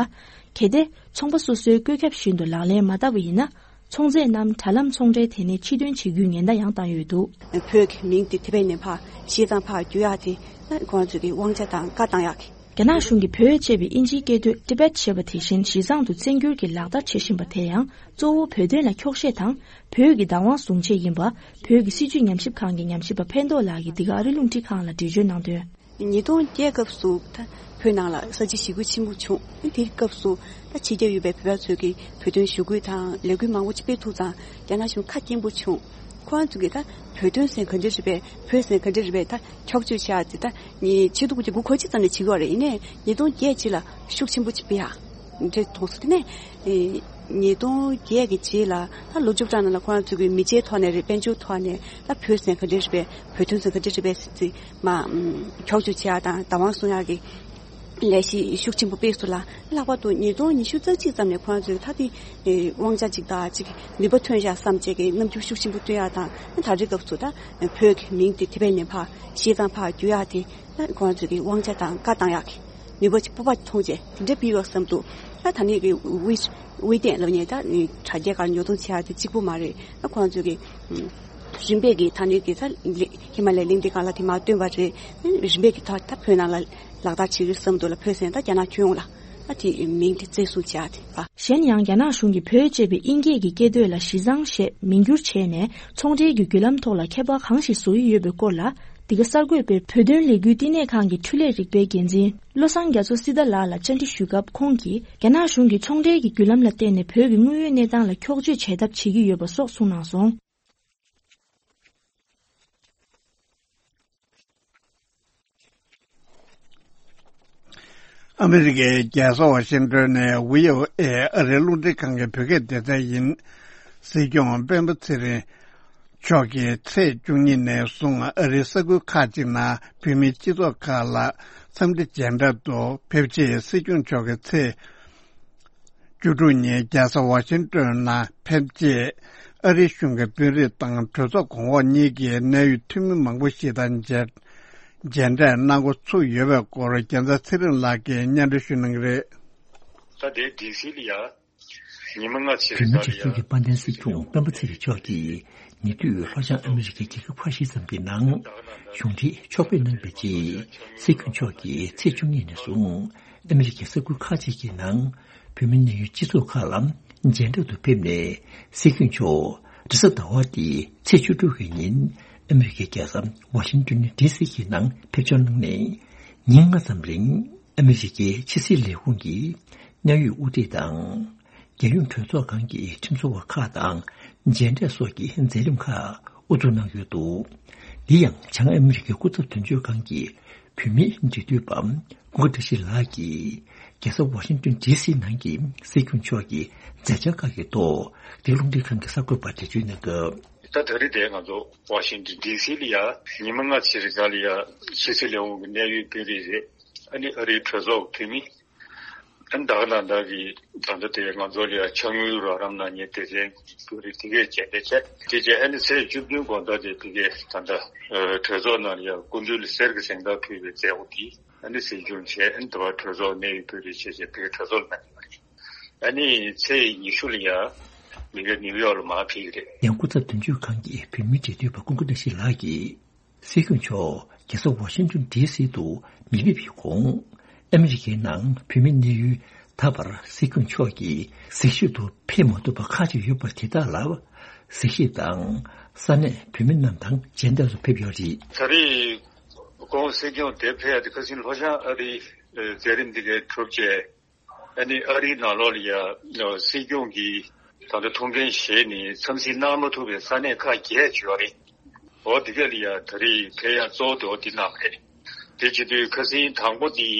གལ་ཏེ་ཚོང་པ་སོ་སོའི་བཀོད་ཁྱབ་བཞིན་དུ་ལག་ལེན་མ་བསྟར་བ་ཡིན་ན། ཚོང་རྫས་རྣམས་དྲ་ལམ་ཚོང་འབྲེལ་ཐད་ནས་ཕྱིར་འདོན་བྱེད་རྒྱུའི་ཉེན་བརྡ་ཡང་བཏང་ཡོད་འདུག། བོད་ཀྱི་མིང་དེ་ཐེ་བའི་ནས་ཕར་ཤེས་ཙང་ཕར་བསྒྱུར་ཡག་དེ་ཁོང་ཚོས་ཀྱི་དབང་ཆ་དང་བཀའ་བཏང་ཡག་གི། རྒྱ་ནག་གཞུང་གིས་བོད་ཅེས་པའི་ཨིན་ཇིའི་སྐད་དོད་Tibet་ཞེས་པ་དེ་བཞིན་གཞི་བཟང་དུ་བཙན་བསྒྱུར་གྱི་ལག་བསྟར་བྱེད་བཞིན་པ་དེ་ཡང་གཙོ་བོ་བོད་དོན་ལ་འཁྱོག་བཤད་དང་བོད་ཀྱི་བདག་དབང་བཟུང་ཆེད་ཡིན་པ། བོད་ཀྱི་སྲིད་བྱུས་ཉམས་ཞིབ་ཁང་གི་ཉམས་ཞིབ་པ་ཕན་ཐོགས་ལགས་ཀྱིས་འདི་ག་ཨ་རི་རླུང་འཕྲིན་ཁང་ལ་འགྲེལ་བརྗོད་གནང་དོན། ཉིས་སྟོང་བརྒྱད་སྐབས་སུ་ད་བོད་ནང་ལ་ས་བྱི་ཞི་རྒོལ་ཆེན་པོ་བྱུང་། དེའི་སྐབས་སུ་ད་ཕྱི་རྒྱལ་ཡོད་པའི་བོད་པ་ཚོས་ཀྱི་བོད་དོན་ཞུ་སྐུལ་དང་ལས་འགུལ་མང་པོ་ཅིག་སྤེལ་ཐུབ་ཙང་རྒྱ་ནག་གཞུང་ཁ་སྐྱེངས་པོ་བྱུང་། ཁོ་རང་ཚོ་གིས་ད་བོད་དོན་ཟེར་ག་འདྲ་རེད་པས། བོད་ཟེར་ག་འདྲ་རེད་པས། ད་འཁྱོག་བརྗོད་བྱེད་ཡག་དེ་ད་ཉིས་ཆིག་སྟོང་དགུ་བརྒྱ་དགུ་བཅུ་གོ་གཅིག་ཙམ་ནས་བྱེད་ཀྱི་ཡོད་རེད། ཡིན་ནའི་ཉིས་སྟོང་བརྒྱད་རྗེས་ལ་ཤུགས་ཆེན་པོ་ཅིག་སྤེལ་ཡག་འདྲ་མཐོང་སོང་། དེ་ནས་ཨེ་ཉིས་སྟོང་བརྒྱད་ཀྱི་རྗེས་ལ་ད་ལོ་བཅུ་གྲངས་ནང་ལ་ཁོ་རང་ཚོ་གི་མི་ཆེའི་ཐོག་ནས་རེད། དཔལ་འབྱོར་ཐོག་ནས་ད་བོད་ཟེར་ག་འདྲ་རེད་པས། བོད་དོན་ཟེར་ག་འདྲ་རེད་པས་ཟེར་ཚེ་མ་འཁྱོག་བརྗོད་བྱེད་ཡག་དང་བདག་དབང་བཟུང་ཡག་གི་ལས་གཞི་ཤུགས་ཆེན་པོ་སྤེལ་སོང་ལ། ལྷག་པར་དུ་ཉིས་སྟོང་ཉི་ཤུ་རྩ་གཅིག་ཙམ་ནས་ཁོ་རང་ཚོས་ད་དེ་དབང་ཆ་གཅིག་དང་གཅིག་ནུས་པ་ཐོན་ཡག་བསམ་བྱས་ཀྱི་རྣམ་འགྱུར་ཤུགས་ཆེན་པོ་སྟོན་ཡག་དང་། ད་རེས་སྐབས་སུ་ད་བོད་ཀྱི་མིང་དེ་ཐེ་བའི་ནས་ཕར་ཤེས་ཙང་ཕར་བསྒྱུར་ཡག་དེ་ད་ཁོ་རང་ཚོས་ཀྱི་དབང་ཆ་དང་བཀའ་བཏང་ཡག་གི་ནུས་པ་ཅིག་སྤོབས་པ་མཐོང་བྱས་དེ་འདྲ་སྤེལ་ཡོད་བསམ་འདུག། ད་ད་ནས་ཀྱི་དབུས་དབུས་སྟེང་ལ་ནས་ད་དྲ་རྒྱའི་སྒང་ཉོ་ཚོང་བྱེད་ཡག་དེ་གཅིག་པུ་མ་རེད། ད་ཁོ་རང་ཚོས་ཀྱི་རིམ་པས་ཀྱི་ད་ནས་ཀྱི་ད་ཧི་མ་ལའི་གླིང་དེ་སྒང་ལ་དེ་མར་བཏོན་པ་རེད། རིམ་པས་ཀྱི་ད་ད་བོད་ནང་ལ་ལག་བསྟར་བྱེད་ཀྱི་བསམ་འདུག་ལ། བོད་ཟེར་ད་རྒྱ་ནག་ཁྱོན་ཡོངས་ལ་ཨ་དེ་མིང་དེ་བཙན་བཟུང་བྱེད་ཡག་དེ་ཨ། གཞན་ཡང་རྒྱ་ནག་གཞུང་གིས་བོད་ཅེས་པའི་དབྱིན་སྐད་ཀྱི་སྐད་དོད་ལ་གཞི་བཟང་ཞེས་མིང་བསྒྱུར་བྱས་ནས་ཚོང་འབྲེལ་གྱི་བརྒྱུད་ལམ་ཐོག་ལ་ཁྱད་པར་གང་ཞིག་བཟོ་ཡི་ཡོད་པའི་སྐོར་ལ། འདི་ག་གསར་འགོད་པས་བོད་དོན་ལས་འགུལ་བསྟི་གནས་ཁང་གི་འཕྲུལ་ལས་རིག་པའི་འགན་འཛིན་བློ་བཟང་རྒྱ་མཚོ་སྲི་ད་ལགས་ལ་བཅར་འདྲི་ཞུས་སྐབས། ཁོང་གིས་རྒྱ་ནག་གཞུང་གིས་ཚོང་འབྲེལ་གྱི་བརྒྱུད་ལམ་ལ་བརྟེན་ནས་བོད་ཀྱི་དངོས་ཡོད་གནས་སྟངས་ལ་འཁྱོག་བརྗོད་བྱེད་ཐབས་བྱེད་ཀྱི་ཡོད་པ་སོགས་གསུངས་གནང་སོང་། ཨ་མི་རི་ཀའི་རྒྱལ་ས་ཝ་ཤིང་ཏོན་ནས་བྷི་ཨོ་ཨེ་ཨ་རིའི་རླུང་འཕྲིན་ཁང་གི་བོད་སྐད་སྡེ་ཚན་ཡིན། སྲིད་སྐྱོང་སྤེན་པ་ཚེ་རིང་མཆོག་གིས་ཚེས་བཅུ་གཉིས་ནས་བཟུང་ཨ་རིའི་ས་ཁུལ་ཁག་ཅིག་ནང་བོད་མིའི་སྤྱི་ཚོགས་ཁག་ལ་འཚམས་འདྲི་མཇལ་འཕྲད་དུ་ཕེབས་རྗེས། སྲིད་སྐྱོང་མཆོག་གིས་ཚེས་བཅུ་དྲུག་ཉིན་རྒྱལ་ས་ཝ་ཤིང་ཏོན་ནང་ཕེབས་རྗེས། ཨ་རིའི་གཞུང་གི་དཔོན་རིགས་དང་གྲོས་ཚོགས་གོང་འོག་གཉིས་ཀྱི་གནད་ཡོད་འཐུས་མི་མང་པོ་ཞིག་དང་མཇལ་མཇལ་འཕྲད་གནང་འགོ་ཚུགས་ཡོད་པའི་སྐོར་རྒྱལ་མཚན་ཚེ་རིང་ལགས་ཀྱིས་སྙན་སྒྲོན་ཞུ་གནང་གི་རེད། ད་ལྟའི་ཌི་སི་ལ་ཡ་ཉི་མ་ལྔ་ཕྱིན་རེད། བོད་མི་སྒྲིག་འཛུགས་ཀྱི་དཔལ་ལྡན་སྲིད་སྐྱོང་སྤེན་པ་ཚེ་རིང་མཆོག་གིས་ཉེ་དུས་ལྷོ་བྱང་ཨ་མི་རི་ཀའི་རྒྱལ་ཁབ་ཁ་ཤས་ཙམ་གྱི་ནང་གཞུང་འབྲེལ་ཕྱོགས་ཕེབས་གནང་བའི་རྗེས། སྲིད་སྐྱོང་མཆོག་གིས་ཚེས་བཅུ་གཉིས་ནས་བཟུང་ཨ་མི་རི་ཀའི་ས་ཁུལ་ཁག་ཅིག་གི་ནང་བོད་མི་གནད་ཡོད་སྤྱི་ཚོགས་ཁག་ལ་མཇལ་འཕྲད་དུ་ཕེབས་ནས། སྲིད་སྐྱོང་མཆོག་རེས་གཟའ་ཟླ་བ་སྟེ་ཚེས་བཅུ་དྲུག་གི་ཉིན་ཨ་མི་རི་ཀའི་རྒྱལ་ས་ཝ་ཤིང་ཏོན་ཌི་སི་གི་ནང་ཕེབས་འབྱོར་གནང་ནས། ཉིན་ལྔ་ཙམ་རིང་ཨ་མི་རི་ཀའི་ཕྱི་སྲིད་ལས་ཁུངས་ཀྱི་གནད་ཡོད་དབུ་ཁྲིད་དང་། རྒྱལ་ཡོངས་གྲོས་ཚོགས་ཁང་གི་ཁྲིམས་བཟོ་བ་ཁག་དང་མཇལ་འཕྲད་སོགས་ཀྱི་མཛད་རིམ་ཁག་དབུ་འཛུགས་གནང་ཡོད་འདུག། འདི་ཡང་བྱང་ཨ་མི་རི་ཀའི་སྐུ་ཚབ་དོན་གཅོད་ཁང་གི་བོད་མིའི་འབྲེལ་མཐུད་པ་ཀུན་དགའ་བཀྲ་ཤིས་ལགས་ཀྱིས་རྒྱལ་ས་ཝ་ཤིང་ཏོན་ཌི་སི་ནང་གི་སྲིད་སྐྱོང་མཆོག་གི་མཛད་འཆར་ཁག་གི་ཐོག་འདི་རླུང་འཕྲིན་ཁང་གི་གསར་འགོད་པར་འགྲེལ་བརྗོད་གནང་སྐབས། ད་ད་རེས་དེ་ང་ཚོ་ཝ་ཤིང་ཏོན་ཌི་སི་ལ་ཡ་ཉི་མ་ལྔ་ཕྱིན་རེད། ད་ལ་ཡ་ཕྱི་སྲིད་ལས་ཁུངས་ཀྱི་གནད་ཡོད་དཔོན་རིགས་རེད། ཨ་ནི་ཨ་རིའི་གྲོས་ཚོགས་ཀྱི་འཐུས་མི། ཨ་ནི་ད་ག་ནང་བཞིན་གྱི་ད་ལྟ་དེ་ང་ཚོ་ལ་ཡ་ཆགས་ཡུལ་རོགས་རམ་གནང་མཁན་སྡེ་ཚན་གྱི་དཔོན་རིགས་དེ་གས་མཇལ་འཕྲད་བྱས། དེ་རྗེས་ཨ་ནི་ཚེས་བཅུ་བདུན་དགོང་དག་དེ་དེ་གས་ད་ལྟ་ཨ་གྲོས་ཚོགས་ནང་ལ་ཡ་སྐུ་མདུན་ལ་གསེར་གྱི་གཟེངས་རྟགས་ཕུལ་བའི་མཛད་སྒོ་དེ་ཨ་ནི་གཟིགས་སྐྱོང་བྱས། ཨ་ནི་དེ་བར་གྲོས་ཚོགས་གནད་ཡོད་དཔོན་རིགས་བཅས་བྱས་དེ་གས་གྲོས་ཚོགས་ལ་གནང་ཡོད་པ་རེད། ཨ་ནི་ཚེས་ཉི་ཤུ་ལ་ཡ་མི་རྒན་ནིའུ་ཡོག་ལ་མར་ཕེབས་ཀྱི་རེད། ཡང་སྐུ་ཚབ་དོན་གཅོད་ཁང་གི་བོད་མིའི་འབྲེལ་མཐུད་པ་ཀུན་དགའ་བཀྲ་ཤིས་ལགས་ཀྱིས། སྲིད་སྐྱོང་མཆོག་རྒྱལ་ས་ཝ་ཤིང་ཏོན་ཌི་སི་དུ་མི་ཕེབས་ཀྱི་གོང་། ཨ་མི་རི་ཀའི་ནང་བོད་མི་གནས་ཡུལ་ད་བར་སྲིད་སྐྱོང་མཆོག་གིས་གཟིགས་ཞིབ་ཏུ་ཕེབས་མ་ཐུབ་པ་ཁག་ཅིག་ཡོད་པ་དེ་དག་ལ་གཟིགས་ཞིབ་དང་ས་གནས་བོད་མི་རྣམས་དང་མཇལ་འཕྲད་དུ་ཕེབས་ཡོད་རེད། ད་རེས་ཁོང་སྲིད་སྐྱོང་དེ་ཕེབས་ཡ་དེ་ཁ་སང་ལྷོ་བྱང་ཨ་རིའི་མཛད་རིམ་འདི་གའི་གྲུབ་རྗེས། ཨ་ནི་ཨ་རིའི་ནང་ལོགས་ལ་ཡ་སྲིད་སྐྱོང་གིས་ད་ལྟ་ཐུགས་འགན་བཞེས་ནས་འཚམས་གཟིགས་གནང་མ་ཐུབ་པའི་ས་གནས་ཁག་བརྒྱད་ཅིག་ཡོད་རེད། འོ་དེ་ག་ལ་ཡ་ད་རེས་ཕེབས་ཡ་གཙོ་བོ་དེ་འོ་དེ་གནང་བ་རེད། དེ་བྱེད་དུས་ཁ་སང་དང་པོ་དེ་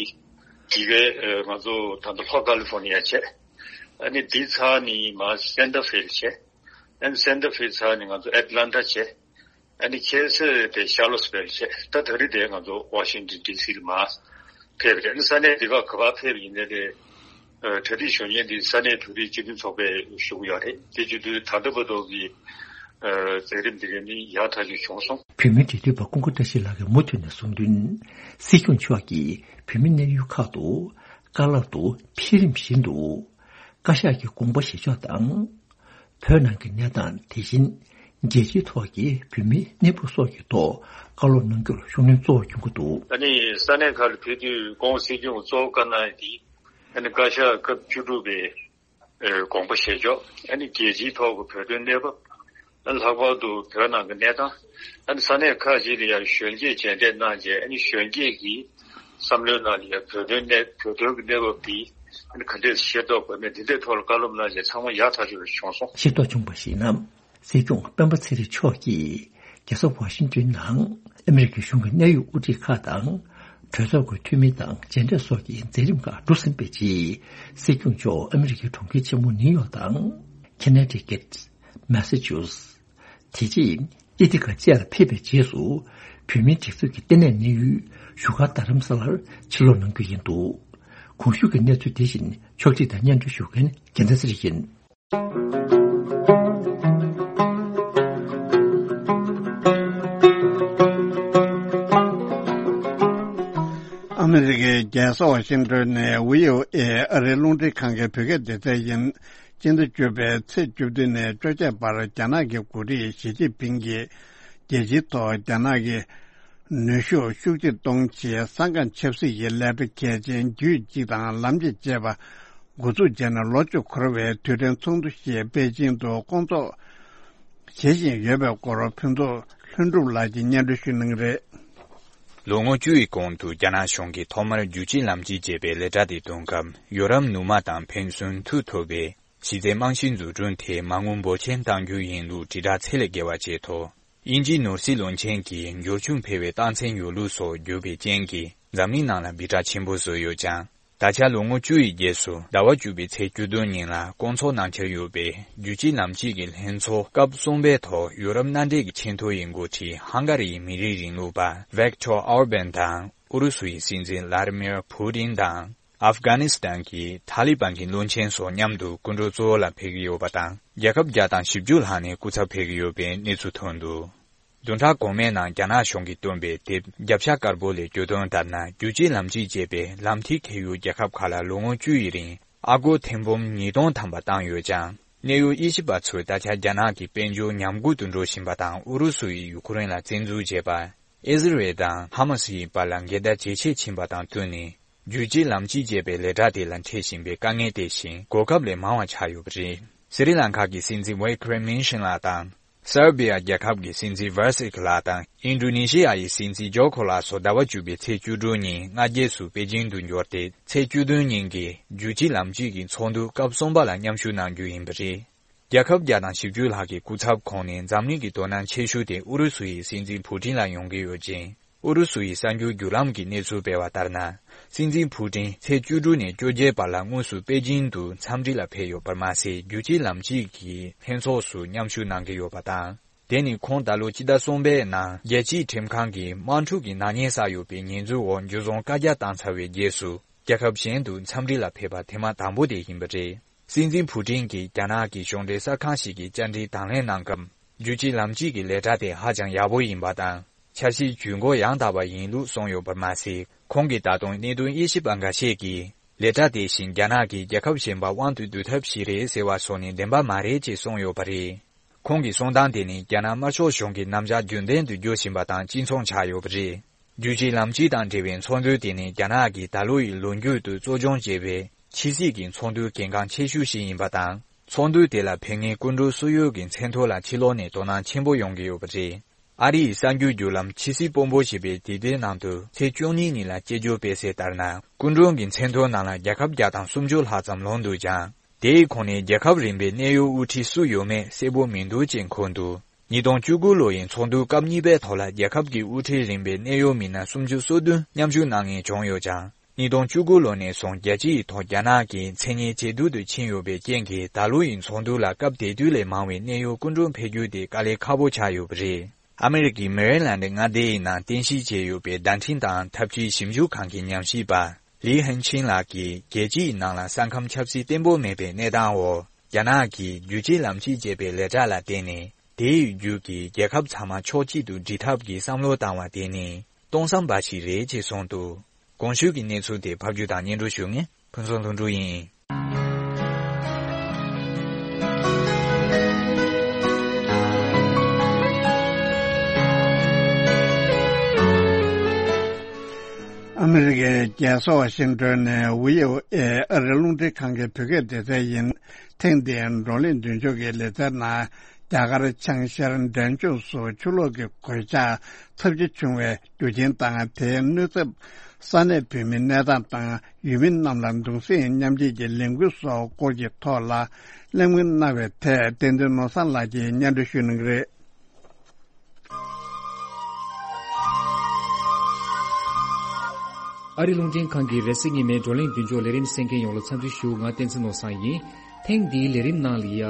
དེ་གའི་ང་ཚོ་ད་ལྟ་ལྷོ་ཀ་ལི་ཧྥོ་ནི་ཡ་བྱས། ཨ་ནི་དེ་ཚར་ནས་མར་སན་ཏ་ཧྥེ་ལ་བྱས། ཨ་ནི་སན་ཏ་ཧྥེ་ཚར་ནས་ང་ཚོ་ཨེ་ཏི་ལན་ཊ་བྱས། ཨ་ནི་ཁྱེད་ཚོས་དེ་ཤར་ལོ་སི་བྷེལ་བྱས། ད་ད་རེས་དེ་ང་ཚོ་ཝ་ཤིང་ཏོན་ཌི་སི་ལ་མར་ཕེབས་རེད། ཨ་ནི་ས་གནས་འདི་ག་ག་པར་ཕེབས་ཡིན་ནའི་དེ་གྲ་སྒྲིག་ཞུ་མཁན་འདི་ས་གནས་བོད་རིགས་སྤྱི་མཐུན་ཚོགས་པས་ཞུ་གི་ཡོད་རེད། དེ་བྱེད་དུས་ད་ལྟ་བར་དུ་གི་མཛད་རིམ་འདི་ག་ནི་ཡག་ཐག་ཆོད་བྱུང་སོང་། བོད་མིའི་འབྲེལ་མཐུད་པ་ཀུན་དགའ་བཀྲ་ཤིས་ལགས་ཀྱིས་མུ་མཐུད་ནས་གསུངས་དོན། སྲིད་སྐྱོང་མཆོག་གིས་བོད་མི་གནས་ཡུལ་ཁག་ཏུ་བཀའ་སློབ་ཏུ་འཕེལ་རིམ་བཞིན་དུ་བཀའ་ཤག་གི་དགོངས་པ་བཞེས་ཕྱོགས་དང་། བོད་ནང་གི་གནས་སྟངས། དེ་བཞིན་རྒྱལ་སྤྱིའི་ཐོག་གི་བོད་མིའི་གནས་བབ་སོགས་ཀྱི་ཐོག་བཀའ་སློབ་གནང་རྒྱུར་ཤུགས་སྣོན་གཙོ་བོ་བསྐྱོན་གྱི་འདུག། ཨ་ནི་ས་གནས་ཁག་ལ་ཕེབས་དུས་ྋགོང་སྲིད་སྐྱོང་གཙོ་བོ་བཀའ་གནང་ཡ་དེ། ཨ་ནི་བཀའ་ཤག་སྐབས་བཅུ་དྲུག་པའི་ཨེ་དགོངས་པ་བཞེས་ཕྱོགས། ཨ་ནི་རྒྱལ་སྤྱིའི་ཐོག་གི་བོད་དོན་གནས་བབ། ཨ་ནི་ལྷག་པར་དུ་བོད་ནང་གི་གནས་སྟངས། ཨ་ནི་ས་གནས་ཁག་ཅིག་ལ་ཡང་གཞོན་སྐྱེས་མཇལ་འཕྲད་གནང་རྗེས། ཨ་ནི་གཞོན་སྐྱེས་ཀྱི་བསམ་བློའི་ནང་ལ་ཡང་བོད་དོན་གནས་བོད་དོན་གྱི་གནས་བབ་འདི་ཨ་ནི་ག་འདྲས་ཤེས་རྟོགས་དགོས་མེད། འདི་འདྲའི་ཐོག་ལ་བཀའ་སློབ་གནང་རྗེས་ཚང་མ་ཡག་ཐག་ཆོད་པ་བྱུང་སོང་། ཤེས་རྟོགས་བྱུང་བར་གཞིགས་ན། སྲིད་སྐྱོང་སྤེན་པ་ཚེ་རིང་མཆོག་གིས་རྒྱལ་ས་ཝ་ཤིང་ཏོན་ནང་ཨ་མི་རི་ཀའི་གཞུང་གི་གནད་ཡོད་དབུ་ཁྲིད་ཁག་དང་གྲོས་ཚོགས་ཀྱི་འཐུས་མི་དང་མཇལ་འཕྲད་སོགས་ཀྱི་མཛད་རིམ་ཁག་གྲུབ་ཟིན་པའི་རྗེས། སྲིད་སྐྱོང་མཆོག་ཨ་མི་རི་ཀའི་གྲོང་ཁྱེར་ཆེན་མོ་ནིའུ་ཡོག་དང་། ཁེ་ན་ཊི་ཀེཊ། མེ་ས་ཅུ་སེ། དེ་རྗེས་ཨེ་ཐི་ཀ་བཅས་ལ་ཕེབས་པའི་རྗེས་སུ། བོད་མིའི་སྒྲིག་འཛུགས་ཀྱི་ལྟེ་གནས་གནས་ཡུལ་བཞུགས་སྒར་རྡ་རམ་ས་ལར་ཕྱིར་ལོག་གནང་རྒྱུ་ཡིན་འདུག། གོང་ཞུས་ཀྱི་གནས་ཚུལ་དེ་བཞིན་ཕྱོགས་སྒྲིག་དང་སྙན་སྒྲོན་ཞུ་མཁན་རྒྱལ་མཚན་ཚེ་རིང་ཡིན། ཨ་མི་རི་ཀའི་རྒྱལ་ས་ཝ་ཤིང་ཏོན་ནས་བྷི་ཨོ་ཨེ་ཨ་རིའི་རླུང་འཕྲིན་ཁང་གི་བོད་སྐད་སྡེ་ཚན་ཡིན། སྤྱི་ཟླ་བཅུ་པའི་ཚེས་བཅུ་བདུན་ནས་བཅོ་བརྒྱད་བར་རྒྱ་ནག་གི་འགོ་ཁྲིད་ཞི་ཅིན་ཕིང་གིས་རྒྱལ་སྤྱིའི་ཐོག་རྒྱ་ནག་གི་ནུས་ཤུགས་ཤུགས་ཆེར་གཏོང་ཆེད་གསང་སྒང་ཆབ་སྲིད་ཀྱི་ལས་གྲྭ་གལ་ཆེན་རྒྱུད་གཅིག་དང་ལམ་གཅིག་ཅེས་པ་འགོ་འཛུགས་བྱས་ནས་ལོ་གཅིག་འཁོར་བའི་དུས་དྲན་ཚོགས་འདུ་ཞིག་པེ་ཅིང་དུ་སྐོང་ཚོགས་བྱེད་བཞིན་ཡོད་པའི་སྐོར་ཕུན་ཚོགས་ལྷུན་གྲུབ་ལགས་ཀྱིས་སྙན་སྒྲོན་ཞུ་གནང་གི་རེད། ལོ་ངོ་བཅུ་ཡི་གོང་དུ་རྒྱ་ནག་གཞུང་གིས་ཐོག་མར་རྒྱུད་གཅིག་ལམ་གཅིག་ཅེས་པའི་ལས་གྲྭ་དེ་བཏོན་སྐབས། ཡོ་རོབ་ནུབ་མ་དང་ཕན་ཚུན་ཐུག་ཐུབ་པའི་གཞི་རྩའི་རྨང་གཞི་འཛུགས་སྐྲུན་དེ་མ་དངུལ་འབོར་ཆེན་གཏང་རྒྱུ་ཡིན་ལུགས་དྲིལ་བསྒྲགས་ཚད་ལས་བརྒལ་བ་བྱས་ཐོག། དབྱིན་ཇིའི་ནོར་སྲིད་བློན་ཆེན་གྱིས་འབྱོར་ཕྱུག་འཕེལ་བའི་རྟགས་མཚན་ཡོད་ལུགས་སོགས་བརྗོད་པའི་རྐྱེན་གྱིས། འཛམ་གླིང་ནང་ལ་སྦི་གྲགས་ཆེན་པོ་བཟོས་ཡོད་ཀྱང་། ད་ཆ་ལོ་ངོ་བཅུ་ཡི་རྗེས་སུ་ཟླ་བ་བཅུ་པའི་ཚེས་བཅུ་བདུན་ཉིན་ལ་སྐོང་ཚོགས་གནང་འཆར་ཡོད་པའི་རྒྱུད་གཅིག་ལམ་གཅིག་གི་ལྷན་ཚོགས་སྐབས་གསུམ་པའི་ཐོག་ཡུ་རོབ་མནའ་འབྲེལ་གྱི་ཆེས་མཐོ་ཡི་འགོ་ཁྲིད་ཧང་ག་རི་ཡི་མི་རིགས་རིང་ལུགས་པ་ཝེག་ཏོར་ཨོར་བན་དང་ཨུ་རུ་སུ་ཡི་སྲིད་འཛིན་ལ་ཏི་མིར་ཕུ་ཏིན་དང་། ཨབ་གྷ་ནི་སི་ཐན་གྱི་ཐ་ལི་བན་གྱི་བློན་ཆེན་སོགས་མཉམ་དུ་སྐུ་མགྲོན་གཙོ་བོ་ལ་ཕེབས་ཀྱི་ཡོད་པ་དང་། རྒྱལ་ཁབ་བརྒྱ་དང་བཞི་བཅུ་ལྷག་ནས་སྐུ་ཚབ་ཕེབས་ཀྱི་ཡོད་པའི་གནས་ཚུལ་ཐོན་འདུག། བདུན་ཕྲག་གོང་མའི་ནང་རྒྱ་ནག་གཞུང་གིས་བཏོན་པའི་དེབ་རྒྱབ་ཤ་དཀར་པོ་ལས་བརྗོད་དོན་ལྟར་ན། རྒྱུད་གཅིག་ལམ་གཅིག་ཅེས་པའི་ལམ་ཐིག་འཁེལ་ཡུལ་རྒྱལ་ཁབ་ཁག་ལ་ལོ་ངོ་བཅུ་ཡི་རིང་ཨ་སྒོར་ཐེར་འབུམ་ཉིས་སྟོང་ཐམ་པ་བཏང་ཡོད་ཀྱང་། གནད་ཡོད་དབྱེ་ཞིབ་པ་ཚོས་ད་ཆ་རྒྱ་ནག་གི་དཔལ་འབྱོར་ཉམས་རྒུད་དུ་འགྲོ་བཞིན་པ་དང་། ཨུ་རུ་སུ་ཡིས་ཡུ་ཁུ་རེན་ལ་བཙན་འཛུལ་བྱས་པ། ཨི་ཟི་རེལ་དང་ཧ་མ་སི་ཡི་བར་ལ་འགལ་ཟླ་ཇེ་ཆེར་ཕྱིན་པ་དང་བསྟུན་ནས། རྒྱུད་གཅིག་ལམ་གཅིག་ཅེས་པའི་ལས་གྲྭ་དེ་ལ་འཕྲད་བཞིན་པའི་དཀའ་ངལ་དེ་བཞིན་གོ་སྐབས་ལས་མང་བ་ཆགས་ཡོད་པ་རེད། སི་རི་ལང་ཀ་གི་སྲིད་འཛིན་ཝེ་ཁི་རེ་མིན་ཤིན་ལགས་དང་། སར་བི་ཡ་རྒྱལ་ཁབ་ཀྱི་སྲིད་འཛིན་ཝར་སིག་ལགས་དང་། ཨིན་ཌོ་ནེ་ཤི་ཡ་ཡི་སྲིད་འཛིན་ཇོ་ཁོ་ལགས་སོགས་ཟླ་བ་བཅུ་པའི་ཚེས་བཅུ་དྲུག་ཉིན་སྔ་རྗེས་སུ་པེ་ཅིང་དུ་འབྱོར་ཏེ། ཚེས་བཅུ་བདུན་ཉིན་གྱི་རྒྱུད་གཅིག་ལམ་གཅིག་གི་ཚོགས་འདུ་སྐབས་གསུམ་པ་ལ་མཉམ་ཞུགས་གནང་རྒྱུ་ཡིན་པ་རེད། རྒྱལ་ཁབ་བརྒྱ་དང་བཞི་བཅུ་ལྷག་གི་སྐུ་ཚབ་ཁོངས་ནས་འཛམ་གླིང་གི་དོ་སྣང་ཆེ་ཤོས་དེ་ཨུ་རུ་སུ་ཡི་སྲིད་འཛིན་ཕུ་ཏིན་ལ་ཡོང་གི་ཡོད་ཅིང་། ཨུ་རུ་སུ་ཡི་གསར་འགྱུར་བརྒྱུད་ལམ་གྱིས་གནས་ཚུལ་སྤེལ་བ་ལྟར་ན། སྲིད་འཛིན་ཕུ་ཏིན་ཚེས་བཅུ་དྲུག་ནས་བཅོ་བརྒྱད་བར་ལ་དངོས་སུ་པེ་ཅིང་དུ་འཚམས་འདྲི་ལ་ཕེབས་ཡོད་པར་མ་ཟད། རྒྱུད་གཅིག་ལམ་གཅིག་གི་ལྷན་ཚོགས་སུ་མཉམ་ཞུགས་གནང་གི་ཡོད་པ་དང་། དེ་ནི་ཁོང་ད་ལོ་སྤྱི་ཟླ་གསུམ་པའི་ནང་རྒྱལ་སྤྱིའི་ཁྲིམས་ཁང་གིས་དམག་འཁྲུག་གི་ནག་ཉེས་བསགས་ཡོད་པའི་ཉེས་འཛུགས་འོག་འཇུ་བཟུང་བཀའ་རྒྱ་བཏང་ཚར་བའི་རྗེས་སུ། རྒྱལ་ཁབ་གཞན་དུ་འཚམས་འདྲི་ལ་ཕེབས་པ་ཐེངས་མ་དང་པོ་དེ་ཡིན་པ་རེད། སྲིད་འཛིན་ཕུ་ཏིན་གྱིས་རྒྱ་ནག་གི་གཞུང་འབྲེལ་གསར་ཁང་ཞིག་གི་བཅར་འདྲིའི་དང་ལེན་གནང་སྐབས། རྒྱུད་གཅིག་ལམ་གཅིག་གི་ལས་གྲྭ་དེ་ཧ་ཅང་ཡག་པོ་ཡིན་པ་དང་། འཆར་གཞིའི་ཇུས་འགོད་ཡང་དག་པ་ཡིན་ལུགས་གསུངས་ཡོད་པར་མ་ཟད། ཁོང་གིས་ད་དུང་གནད་དོན་དབྱེ་ཞིབ་པ་འགའ་ཤས་ཀྱིས། ལས་གྲྭ་དེ་བཞིན་རྒྱ་ནག་གིས་རྒྱལ་ཁབ་གཞན་པ་དབང་དུ་བསྡུ་ཐབས་ཤིག་རེད་ཟེར་བ་སོགས་ནི་བདེན་པ་མ་རེད་ཅེས་གསུངས་ཡོད་པ་རེད། ཁོང་གི་གསུང་སྟངས་དེ་ནི་རྒྱ་ནག་དམར་ཤོག་གཞུང་གི་རྣམ་གཞག་རྒྱུན་ལྡན་དུ་འགྱུར་བཞིན་པ་དང་གཅིག་མཚུངས་ཆགས་ཡོད་པ་རེད། རྒྱུད་གཅིག་ལམ་གཅིག་དང་འབྲེལ་བའི་ཚོགས་འདུ་དེ་ནི་རྒྱ་ནག་གིས་ད་ལོ་ཡི་ལོ་མཇུག་ཏུ་གཙོ་སྐྱོང་བྱས་པའི་ཕྱི་སྲིད་ཀྱི་ཚོགས་འདུའི་གལ་འགངས་ཆེ་ཤོས་ཤིག་ཡིན་པ་དང་། ཚོགས་འདུ་དེ་ལ་ཕེབས་མཁན་སྐུ་མགྲོན་སུ་ཡོད་ཀྱི་མཚན་ཐོ་ལ་ཕྱི་ལོགས་ནས་དོ་སྣང་ཆེན་པོ་ཡོང་གི་ཡོད་པ་རེད། ཨ་རི་ཡི་གསར་འགྱུར་བརྒྱུད་ལམ་ཕྱི་སྲིད་དཔོན་པོ་ཞེས་པའི་དེབ་ཐེར་ནང་དུ་ཚེས་བཅུ་གཉིས་ཉིན་ལ་དཔྱད་བརྗོད་སྤེལ་གསལ་ལྟར་ན། སྐུ་མགྲོན་གྱི་མཚན་ཐོ་ནང་ལ་རྒྱལ་ཁབ་བརྒྱ་དང་སུམ་ཅུ་ལྷག་ཙམ་ལོངས་འདུག་ཀྱང་། དེའི་ཁོངས་ནས་རྒྱལ་ཁབ་རིམ་པའི་གནད་ཡོད་དབུ་ཁྲིད་སུ་ཡོད་མེད་གསལ་པོ་མི་འདུག་ཅེས་འཁོད་འདུག། ཉིས་སྟོང་བཅུ་དགུ་ལོ་ཡི་ཚོགས་འདུ་སྐབས་གཉིས་པའི་ཐོག་ལ་རྒྱལ་ཁབ་ཀྱི་དབུ་ཁྲིད་རིམ་པའི་གནད་ཡོད་མི་སྣ་སུམ་ཅུ་སོ་བདུན་མཉམ་ཞུགས་གནང་མཁན་བྱུང་ཡོད་ཀྱང་། ཉིས་སྟོང་བཅུ་དགུ་ལོ་ནས་བཟུང་རྒྱལ་སྤྱི་ཡི་ཐོག་རྒྱ་ནག་གི་མཚན་སྙན་ཇེ་སྡུག་ཏུ་ཕྱིན་ཡོད་པའི་རྐྱེན་གྱིས། ད་ལོ་ཡི་ཚོགས་འདུ་ལ་སྐབས་དེ་དུས་ལས་མང་བའི་གནད་ཡོད་སྐུ་མགྲོན་ཕེབས་རྒྱུ་དེ་དཀའ་ལས་ཁག་པོ་ཆགས་ཡོད་པ་རེད། ཨ་མི་རི་ཀའི་མེ་རི་ལན་ཌི་མངའ་སྡེ་ཡི་ནང་རྟེན་གཞི་བྱས་ཡོད་པའི་བརྡ་འཕྲིན་དང་འཐབ་ཇུས་ཞིབ་འཇུག་ཁང་གི་ཉམས་ཞིབ་པ་ལི་ཧན་ཆིན་ལགས་ཀྱིས། རྒྱལ་སྤྱིའི་ནང་ལ་ས་ཁམས་ཆབ་སྲིད་བརྟན་པོ་མེད་པའི་གནས་སྟངས་འོག་རྒྱ་ནག་གིས་རྒྱུད་གཅིག་ལམ་གཅིག་ཅེས་པའི་ལས་གྲྭ་ལ་བརྟེན་ནས། དེའི་བརྒྱུད་ཀྱིས་རྒྱལ་ཁབ་ཚང་མ་ཕྱོགས་གཅིག་ཏུ་སྒྲིལ་ཐབས་ཀྱི་བསམ་བློ་བཏང་བ་དེ་ནི་སྟོང་བསམ་འབའ་ཞིག་རེད་ཅེས་གསུངས་འདུག། གོང་ཞུས་ཀྱི་གནས་ཚུལ་དེ་ཕབ་སྒྱུར་དང་སྙན་སྒྲོན་ཞུ་མཁན་ཕུན་ཚོགས་ལྷུན་གྲུབ་ཡིན། ཨ་མི་རི་ཀའི་རྒྱལ་ས་ཝ་ཤིང་ཏོན་ནས་བྷི་ཨོ་ཨེ་ཨ་རིའི་རླུང་འཕྲིན་ཁང་གི་བོད་སྐད་སྡེ་ཚན་ཡིན། ཐེངས་འདིའི་བགྲོ་གླེང་མདུན་ལྕོག་གི་ལེ་ཚན་ནང་རྒྱ་གར་བྱང་ཤར་འབྲས་ལྗོངས་སུ་ཆུ་ལོག་གི་གོད་ཆག་ཚབས་ཆེ་བྱུང་བའི་རྒྱུ་རྐྱེན་དང་། དེའི་གནོད་འཚེ། ས་གནས་བོད་མིའི་གནས་སྟངས་དང་། ཡུལ་མི་རྣམས་ལ་གདུང་སེམས་མཉམ་སྐྱེད་ཀྱི་ལས་འགུལ་སོགས་སྐོར་གྱི་ཐོག་ལ་གླེང་མོལ་གནང་བའི་ཐད། བསྟན་འཛིན་ནོར་བཟང་ལགས་ཀྱིས་སྙན་སྒྲོན་ཞུ་གནང་གི་རེད། ཨ་རི་རླུང་འཕྲིན་ཁང་གི་རེས་གཟའ་ཉི་མའི་བགྲོ་གླེང་མདུན་ལྕོག་ལས་རིམ་གསན་མཁན་ཡོངས་ལ་འཚམས་འདྲི་ཞུ། ང་བསྟན་འཛིན་ནོར་བཟང་ཡིན། ཐེངས་འདིའི་ལས་རིམ་ནང་ལ་ཡ།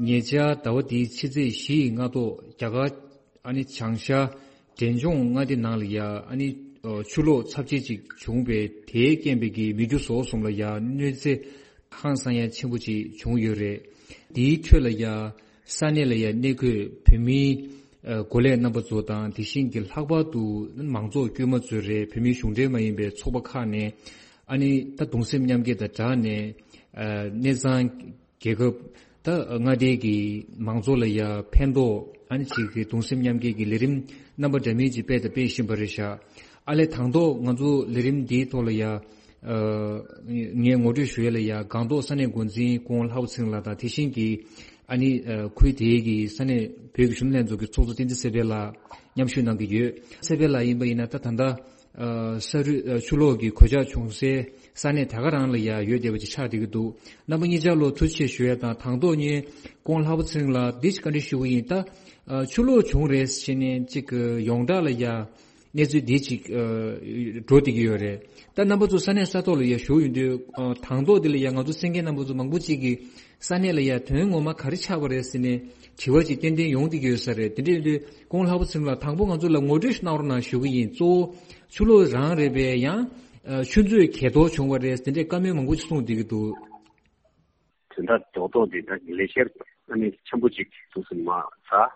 ཉེ་ཆར་ཟླ་བ་འདིའི་ཕྱི་ཚེས་བཞི་ཡི་སྔ་ཐོག་རྒྱ་གར་ཨ་ནི་བྱང་ཤར་འབྲས་ལྗོངས་མངའ་སྡེ་ནང་ལ་ཡ། ཨ་ནི་ཆུ་ལོག་ཚབས་ཆེ་ཅིག་བྱུང་བས། དེའི་རྐྱེན་པས་ཀྱི་མི་རྒྱུ་ཟོག་གསུམ་ལ་ཡ་གནོད་འཚེ་ཧང་སང་ཡ་ཆེན་པོ་ཅིག་བྱུང་ཡོད་རེད། དེའི་ཁྲོད་ལ་ཡ་ས་གནས་ལ་ཡ་གནས་འཁོད་བོད་མིའི་ཨ་འགོ་ལས་རྣམ་པ་ཚོ་དང་། དེ་བཞིན་གྱི་ལྷག་པར་དུ་མང་ཚོགས་དཀྱུས་མ་ཚོས་རེད། བོད་མིའི་གཞུང་འབྲེལ་མ་ཡིན་པའི་ཚོགས་པ་ཁག་ནས་ཨ་ནི་ད་གདུང་སེམས་མཉམ་སྐྱེད་དང་སྦྲགས་ནས། ཨ་གནས་ཚང་རྒྱལ་ཁབ་ད་མངའ་སྡེ་གི་མང་ཚོགས་ལ་ཡ་ཕན་ཐོགས། ཨ་ནི་ཅིག་གི་གདུང་སེམས་མཉམ་སྐྱེད་ཀྱི་ལས་རིམ་རྣམ་པ་འདྲ་མིན་ཅིག་སྤེལ་དང་སྤེལ་བཞིན་པ་རེད་ཤག་ཨ་ལས་དང་ཐོག་ང་ཚོ་ལས་རིམ་འདིའི་ཐོག་ལ་ཡ། ཨ་ངས་ངོ་སྤྲོད་ཞུ་ཡ་ལ་ཡ། སྒང་ཏོག་ས་གནས་འགོ་འཛིན་སྐུ་ངོ་ལྷག་པ་ཚེ་རིང་ལགས་དང་། དེ་བཞིན་གྱི་ཨ་ནི་ཨ་ཁུལ་དེའི་གི་ས་གནས་བོད་ཀྱི་གཞོན་ནུ་ལྷན་ཚོགས་ཀྱི་ཚོགས་གཙོ་བསྟན་འཛིན་ཚེ་འཕེལ་ལགས་མཉམ་ཞུགས་གནང་གི་ཡོད། ཚེ་འཕེལ་ལགས་ཡིན་པ་ཡིན་ན་ད་ད་ལྟ་ཨ་ས་རུད་ཨ་ཆུ་ལོག་གི་གོད་ཆག་བྱུང་སའི་ས་གནས་དེ་ག་རང་ལ་ཡ་ཡོད་བསྡད་པ་ཅིག་ཆགས་བསྡད་ཀྱི་འདུག་རྣམ་པ་གཉིས་ཆ་ལ་ཐུགས་རྗེ་ཆེ་ཞུ་ཡ་དང་། དང་ཐོག་ངས་སྐུ་ངོ་ལྷག་པ་ཚེ་རིང་ལགས་འདི་ཞིག་བཀའ་འདྲི་ཞུ་གི་ཡིན། ད་ཨ་ཆུ་ལོག་བྱུང་རེད་ཟེར་ནས་ཅིག་ཡོངས་གྲགས་ལ་ཡ་གནས་ཚུལ་འདི་ཅིག་ཨ་འགྲོ་བསྡད་ཀྱི་ཡོད་རེད། ད་རྣམ་པ་ཚོ་ས་གནས་ས་ཐོག་ལ་ཡ་བཞུགས་ཡོད་དུས། ཨ་དང་ཐོག་འདི་ལ་ཡ་ང་ཚོ་གསན་མཁན་རྣམ་པ་ཚོ་མང་པོ་ཅིག་གིས་ས་གནས་ལ་ཡ་དོན་ངོ་མ་ག་རེ་ཆགས་པ་རེད་ཟེར་ནས་དྲི་བ་ཅིག་ཏན་ཏན་ཡོང་བསྡད་ཀྱི་ཡོད་ས་རེད། དེ་འདྲ་ཡིན་དུས་སྐུ་ངོ་ལྷག་པ་ཚེ་རིང་ལགས་དང་པོ་ང་ཚོ་ལ་ངོ་སྤྲོད་ཞིག་གནང་རོགས་གནང་ཞུ་གི་ཡིན། གཙོ་བོ་ཆུ་ལོག་རང་རེད་པས། ཡང་ཨ་ཆུ་མཛོད་གས་གཏོར་བྱུང་བ་རེད་ཟེར་འདྲའི་བཀའ་མོལ་མང་པོ་ཞིག་གསུངས་བསྡད་ཀྱི་འདུག་དོན་དག་རྡོག་རྡོག་འདི་ད་གི་ལས་བཤེར་ཨ་ནི་ཆེན་པོ་ཅིག་འདུག་སེ་མ་ཚར།